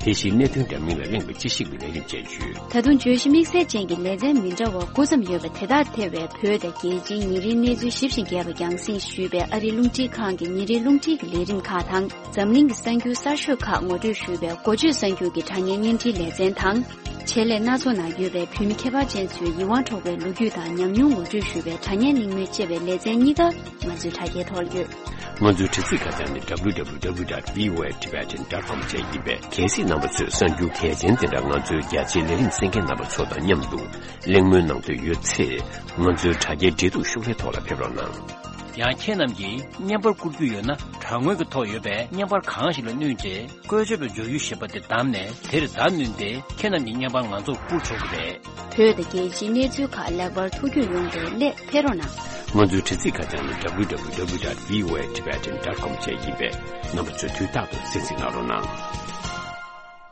དེ་བཞིན་གནད་དོན་འདྲ་མིན་ལ་གླེང་བའི་དཔྱད་ཞིབ་ཀྱི་ལས་རིམ་བཅས་ཡོད། ད་དུང་བརྗོད་གཞི་དམིགས་བསལ་ཅན་གྱི་ལེ་ཚན་མི་འདྲ་བ་དགུ་ཙམ་ཡོད་པ་དེ་དག་ཐེ་བའི་བོད་དང་རྒྱལ་སྤྱིའི་ཉིན་རེའི་གནས་ཚུལ་ཞིབ་ཅིང་རྒྱས་པ་རྒྱང་སྲིང་ཞུས་པའི་ཨ་རིའི་རླུང་འཕྲིན་ཁང་གི་ཉིན་རེའི་རླུང་འཕྲིན་གྱི་ལས་རིམ་ཁག་དང་། འཛམ་གླིང་གི་གསར་འགྱུར་གསར་ཤོས་ཁག་ངོ་སྤྲོད་ཞུས་པའི་འགོ་བརྗོད་གསར་འགྱུར་གྱི་དྲ་བརྙན་བརྙན་འཕྲིན་ལེ་ཚན་དང་། ཆེད་ལས་སྣ་ཚོགས་ནང་ཡོད་པའི་བོད་མི་ཁྱད་པར་ཅན་ཚོའི་ཡིད་དབང་འཕྲོག་པའི་ལོ་རྒྱུས་དང་ཉམས་མྱོང་ངོ་སྤྲོད་ཞུས་པའི་དྲ་བརྙན་གླེང་མོལ་བཅས་པའི་ལེ་ཚན་གཉིས་ཀ་ང་ཚོའི་དྲ་རྒྱའི་ཐོག་ལ་ཡོད། ང་ཚོའི་དྲ་ཚིགས་ཁ་བྱང་ནི་W W W dot V O A Tibetan dot com བཅས་ཡིན་པས། གལ་སྲིད་རྣམ་པ་ཚོས་གསར་འགྱུར་གལ་ཆེན་དེ་འདྲ་ང་ཚོའི་རྒྱ་ཆེའི་ལས་རིམ་གསན་མཁན་རྣམ་པ་ཚོ་དང་མཉམ་དུ་གླེང་མོལ་གནང་འདོད་ཡོད་ཚེ། ང་ཚོའི་དྲ་རྒྱའི་འབྲེལ་གཏུག་ཤོག་ལྷེ་ཐོག་ལ་ཕེབས་རོགས་གནང་། ཡང་ཁྱེད་རྣམས་ཀྱིས་བརྙན་པར་བསྐུར་རྒྱུ་ཡོད་ན། དྲ་ངོས་ཀྱི་ཐོག་ཡོད་པའི་བརྙན་པར་གང་ཞིག་ལ་བསྣུན་རྗེས། བཀོལ་སྤྱོད་པའི་སྦྱོར་ཡུལ་ཞེས་པ་དེ་བདམས་ནས། དེར་བརྡ་བསྣུན་ཏེ། ཁྱེད་རྣམས་ཀྱི་བརྙན་པར་ང་ཚོར་བསྐུར་ཆོག་གི་རེད། བོད་དང་རྒྱལ་སྤྱིའི་གནས་ཚུལ་ཁག་ལེགས་པར་ཐུགས་རྒྱུས་ཡོང་བའི་སླད་ཕེབས་རོགས་གནང་། ང་ཚོའི་དྲ་ཚིགས་ཁ་བྱང་ནི་W W W dot V O A Tibetan dot com བཅས་ཡིན་པས། རྣམ་པ་ཚོས་དུས་རྟག་ཏུ་གསན་གཟིགས་གནང་རོགས་གནང་།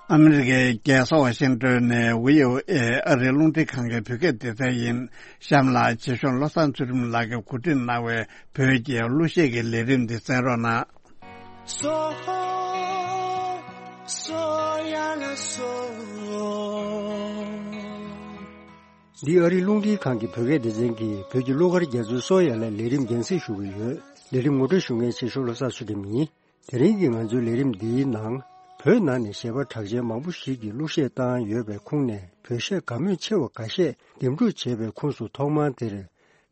ཨ་མི་རི་ཀའི་རྒྱལ་ས་ཝ་ཤིང་ཏོན་ནས་V O A ཨ་རིའི་རླུང་འཕྲིན་ཁང་གི་བོད་སྐད་སྡེ་ཚན་ཡིན། གཤམ་ལ་རྗེ་གཞུང་བློ་བཟང་ཚུལ་ཁྲིམས་ལགས་ཀྱིས་གོ་སྒྲིག་གནང་བའི་བོད་ཀྱི་གླུ་གཞས་ཀྱི་ལས་རིམ་འདི་གསན་རོགས་གནང་། སོ་སོ་ཡ་ལ་སོ། འདི་ཨ་རིའི་རླུང་འཕྲིན་ཁང་གི་བོད་སྐད་སྡེ་ཚན་གྱི་བོད་ཀྱི་གླུ་གར་རྒྱ་མཚོའི་སོ་ཡ་ལ་ལས་རིམ་རྒྱང་སྲིང་ཞུ་གི་ཡོད། ལས་རིམ་ངོ་སྤྲོད་ཞུ་མཁན་ཆེ་ཤོས་བློ་བཟང་ཚུལ་ཁྲིམས་ཡིན། དེ་རིང་གི་ང་ཚོའི་ལས་རིམ་འདིའི་ནང་། བོད་ནང་ནས་གཞས་པ་གྲགས་ཅན་མང་པོ་ཞིག་གིས་གླུ་གཞས་བཏང་ཡོད་པའི་ཁོངས་ནས། བོད་གཞས་དགའ་མོས་ཆེ་བ་འགའ་ཤས་འདེམས་སྒྲུག་བྱས་པའི་ཁོངས་སུ། ཐོག་མར་འདིར་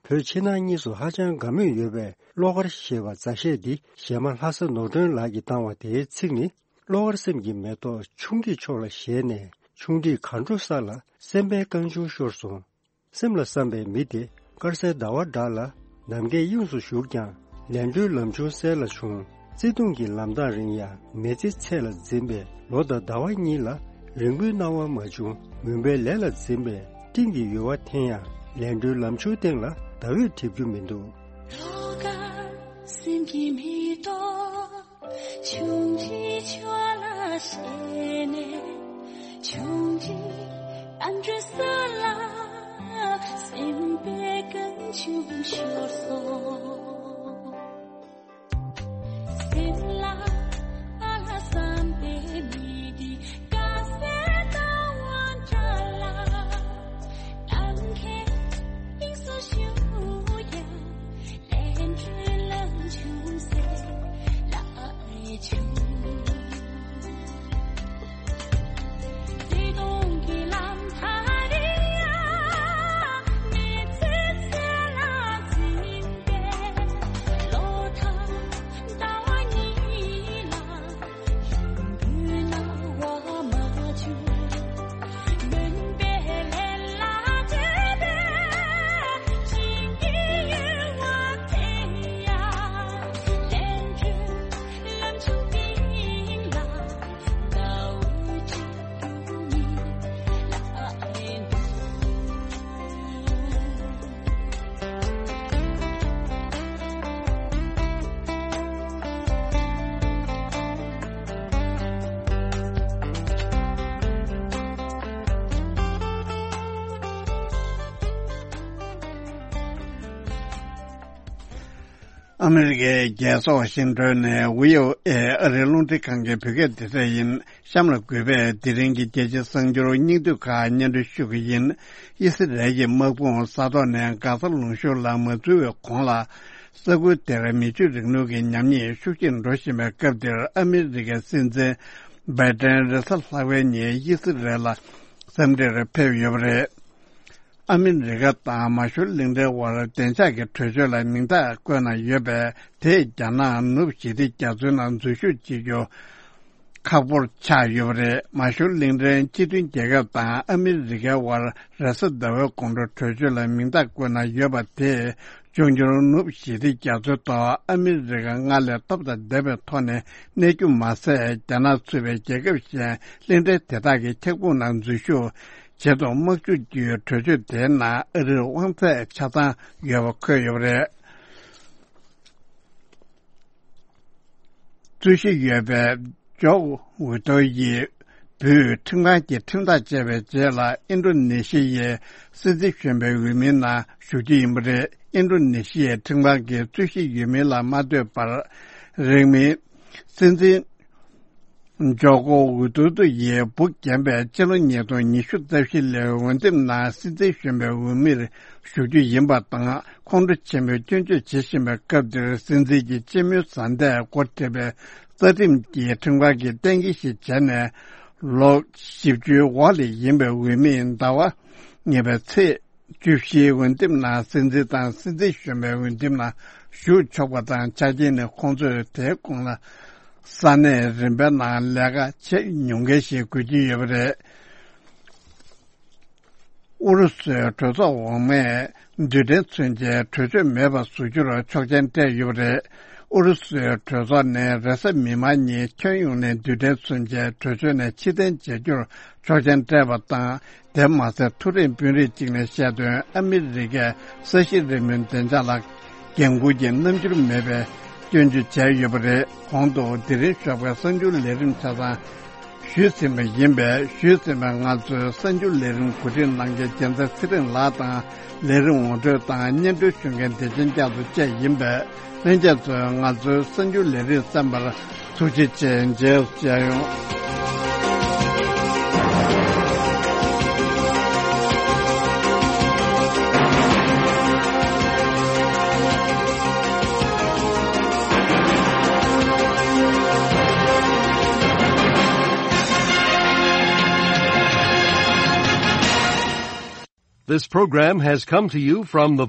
བོད་ཕྱི་ནང་གཉིས་སུ་ཧ་ཅང་དགའ་མོས་ཡོད་པའི་བློ་དཀར་ཞེས་པ་མཛའ་གཞས་འདི་གཞས་མ་ལྷ་ས་ནོར་སྒྲོན་ལགས་ཀྱིས་བཏང་བ་དེའི་ཚིག་ནི། བློ་དཀར་སེམས་ཀྱི་མེ་ཏོག་ཆུང་འདྲིས་ཕྱོགས་ལ་བཞད་ནས། ཆུང་འདྲིས་གར་འགྲོ་ས་ལ་སེམས་པའི་རྐང་ཆུང་ཤོར་སོང་། སེམས་ལ་བསམ་པའི་མི་དེ་དཀར་གསལ་ཟླ་བ་འདྲ་ལ། ནམ་མཁའི་དབྱིངས་སུ་བཞུགས་ཀྱང་ལས་འགྲོའི་ལམ་ཆུང་གསལ་ལ་བྱུང་། བརྩེ་དུང་གི་ལམ་ཐག་རིང་ཡང་མེ་ལྕེ་ཚད་ལ་འཛིན་པས་ལོ་དང་ཟླ་བ་གཉིས་ལ་རིང་པོའི་སྣང་བ་མ་བྱུང་། མུན་པའི་ལས་ལ་འཛིན་པས་སྤྲིན་གྱི་ཡུ་བ་འཐེན་ཡང་ལས་འགྲོའི་ལམ་ཆུང་སྟེང་ལ་ཟླ་འོད་འགྲིབ་རྒྱུ་མི་འདུག་བློ་དཀར་སེམས་ཀྱི་མེ་ཏོག་ཆུང་འདྲིས་ཕྱོགས་ལ་བཞད་ནས། ཆུང་འདྲིས་ཨ་འབྲུ་ས་ལ་སེམས་པའི་རྐང་ཆུང་ཤོར་སོང་། སེམས་ལ་ཨ་ལ་བསམ་པའི་མི་དེ་དཀར་གསལ་ཟླ་བ་འདྲ་ལ། ནམ་མཁའི་དབྱིངས་སུ་བཞུགས་ཀྱང་ཨ་མི་རི་ཀའི་རྒྱལ་ས་ཝ་ཤིང་ཏོན་ནས་བྷི་ཨོ་ཨེ་ཨ་རིའི་རླུང་འཕྲིན་ཁང་གི་བོད་སྐད་སྡེ་ཚན་ཡིན། གཤམ་ལ་གུས་པས་དེ་རིང་གི་རྒྱལ་སྤྱིའི་གསར་འགྱུར་སྙིང་བསྡུས་ཁག་སྙན་སྒྲོན་ཞུ་གི་ཡིན། ཨི་སི་རལ་གྱི་དམག་དཔུང་ས་ཐོག་ནས་གྷ་ཟ་ལུང་གཤོང་ལ་མ་འཛུལ་བའི་གོང་ལ། ས་ཁུལ་དེར་མི་ཆོས་རིང་ལུགས་ཀྱི་ཉམས་ཉེས་ཤུགས་ཆེར་འགྲོ་བཞིན་པའི་སྐབས་འདིར། ཨ་མི་རི་ཀའི་སྲིད་འཛིན་བྷའི་ཏན་རེས་གཟའ་ལྷག་པའི་ཉིན་ཨི་སི་རལ་ལ་འཚམས་འདྲིར་ཕེབས་ཡོད་པ་རེད། ཨ་མི་རི་ཀ་དང་མ་ཤུར་གླིང་ཕྲན་དབར་བདེ་འཇགས་ཀྱི་གྲོས་ཆོད་ལ་མིང་རྟགས་བཀོད་གནང་ཡོད་པས། དེས་རྒྱ་ནག་ནུབ་ཞི་བདེ་རྒྱ་མཚོའི་ནང་འཛུལ་ཞུགས་བྱེད་རྒྱུ་ཁག་པོར་ཆགས་ཡོད་པ་རེད། མ་ཤུར་གླིང་ཕྲན་སྤྱི་མཐུན་རྒྱལ་ཁབ་དང་ཨ་མི་རི་ཀའི་དབར་རེས་གཟའ་ཟླ་བའི་དགོང་དྲོ་གྲོས་ཆོད་ལ་མིང་རྟགས་བཀོད་གནང་ཡོད་པ་དེས། འབྱུང་འགྱུར་ནུབ་ཞི་བདེ་རྒྱ་མཚོའི་ཐོག་ཨ་མི་རི་ཀ་སྔར་ལས་སྟོབས་དང་ལྡན་པའི་ཐོག་ནས་གནས་རྒྱུ་མ་ཟད། རྒྱ་ནག་ཚུད་པའི་རྒྱལ་ཁབ་གཞན་གླིང་ཕྲན་དེ་དག་གི་འཁྱག་དཔུང་ནང་འཛུལ་ཞུགས་བྱེད་དུ་དམག་འཇུག་རྒྱུའི་གྲོས་ཆོད་དེའི་ནང་ཨ་རིར་དབང་ཚད་ཆ་ཚང་ཡོད་པ་འཁོད་ཡོད་པ་རེད། རྩོད་གཞི་ཡོད་པའི་ཇོག་ཝི་ཏོ་ཡི་བུས་ཁྲིམས་ཁང་གི་ཁྲིམས་ཐག་བཅད་པའི་རྗེས་ལ། ཨིན་ཌོ་ནེ་ཤི་ཡའི་སྲིད་འཛིན་གཞོན་པའི་འོས་མིའི་ནང་ཞུགས་རྒྱུ་ཡིན་པ་རེད། ཨིན་ཌོ་ནེ་ཤི་ཡའི་ཁྲིམས་ཁང་གིས་རྩོད་གཞི་ཡོད་མིན་ལ་མ་ལྟོས་པར། རིང་མིན་སྲིད་འཛིན་ཇོ་ཀོ་ཝི་ཏོ་ཏོ་ཡིས་འབུ་བརྒྱབ་པའི་སྤྱི་ལོ་ཉིས་སྟོང་ཉི་ཤུ་རྩ་བཞི་ལོའི་འོས་འདེམས་ནང་སྲིད་འཛིན་གཞོན་པའི་འོས་མིར་ཞུགས་རྒྱུ་ཡིན་པ་དང་། ཁོང་ཁྲོ་ཆེན་པོས་སྐྱོན་བརྗོད་བྱེད་བཞིན་པའི་སྐབས་འདིར། སྲིད་འཛིན་གྱི་སྤྱི་མོས་བཟའ་ཟླས་འགོ་ཁྲིད་པའི་རྩ་ཁྲིམས་ཀྱི་ཁྲིམས་ཁང་གིས་གཏན་འཁེལ་ཞིག་བྱས་ནས། ལོ་བཞི་བཅུའི་འོག་ལ་ཡིན་པའི་འོས་མིས་ཟླ་བ་ཉེ་བའི་ཚེས་བཅུ་བཞིའི་འོས་འདེམས་ནང་སྲིད་འཛིན་དང་སྲིད་འཛིན་གཞོན་པའི་འོས་འདེམས་ནང་ཞུགས་ཆོག་པ་དང་། ཆ་རྐྱེན་ནི་ཁོང་ཚོས་དེའི་གོང་ལ་ས་གནས་རིམ་པའི་ནང་ལས་ཀ་བྱེད་མྱོང་མཁན་ཞིག་དགོས་ཀྱི་ཡོད་པ་རེད། ཨུ་རུ་སུའི་གྲོས་ཚོགས་འོག་མས་རྡུལ་ཕྲན་མཚོན་ཆའི་གྲོས་ཆོད་མེད་པར་བཟོ་རྒྱུར་ཆོག་མཆན་སྤྲད་ཡོད་པ་རེད། ཨུ་རུ་སུའི་གྲོས་ཚོགས་ནས་རེས་གཟའ་མིག་དམར་ཉིན་ཁྱོན་ཡོངས་ནས་རྡུལ་ཕྲན་མཚོན་ཆའི་གྲོས་ཆོད་ནས་ཕྱིར་འཐེན་བྱ་རྒྱུར་ཆོག་མཆན་སྤྲད་པ་དང་། དེ་མ་ཟད། མཐོ་རིམ་དཔོན་རིགས་གཅིག་ནས་བཤད་དོན། ཨ་མི་རི་ཀས་ས་གཞི་རི་མོའི་བདེ་འཇགས་ལ་འགན་འཁུར་གྱི་རྣམ་འགྱུར་མེད་པའི་སྐྱོན་བརྗོད་བྱས་ཡོད་པ་རེད། གོང་དུ་དེ་རིང་ཞོགས་པའི་གསར་འགྱུར་ལས་རིམ་ཆ་ཚང་ཞུས་ཟིན་པ་ཡིན་པས། ཞུས་ཟིན་པའི་ང་ཚོའི་གསར་འགྱུར་ལས་རིམ་གོ་སྒྲིག་གནང་མཁན་རྒྱལ་མཚན་ཚེ་རིང་ལགས་དང་། ལས་རིམ་ངོ་སྤྲོད་དང་སྙན་སྒྲོན་ཞུ་མཁན་བདེ་ཆེན་སྐྱབས་སུ་བཅས་ཡིན་པས། ལྷན་རྒྱས་ཚོས་ང་ཚོའི་གསར་འགྱུར་ལས་རིམ་གསན་པར་ཐུགས་རྗེ་ཆེ། མཇལ་ཡོང་། This program has come to you from the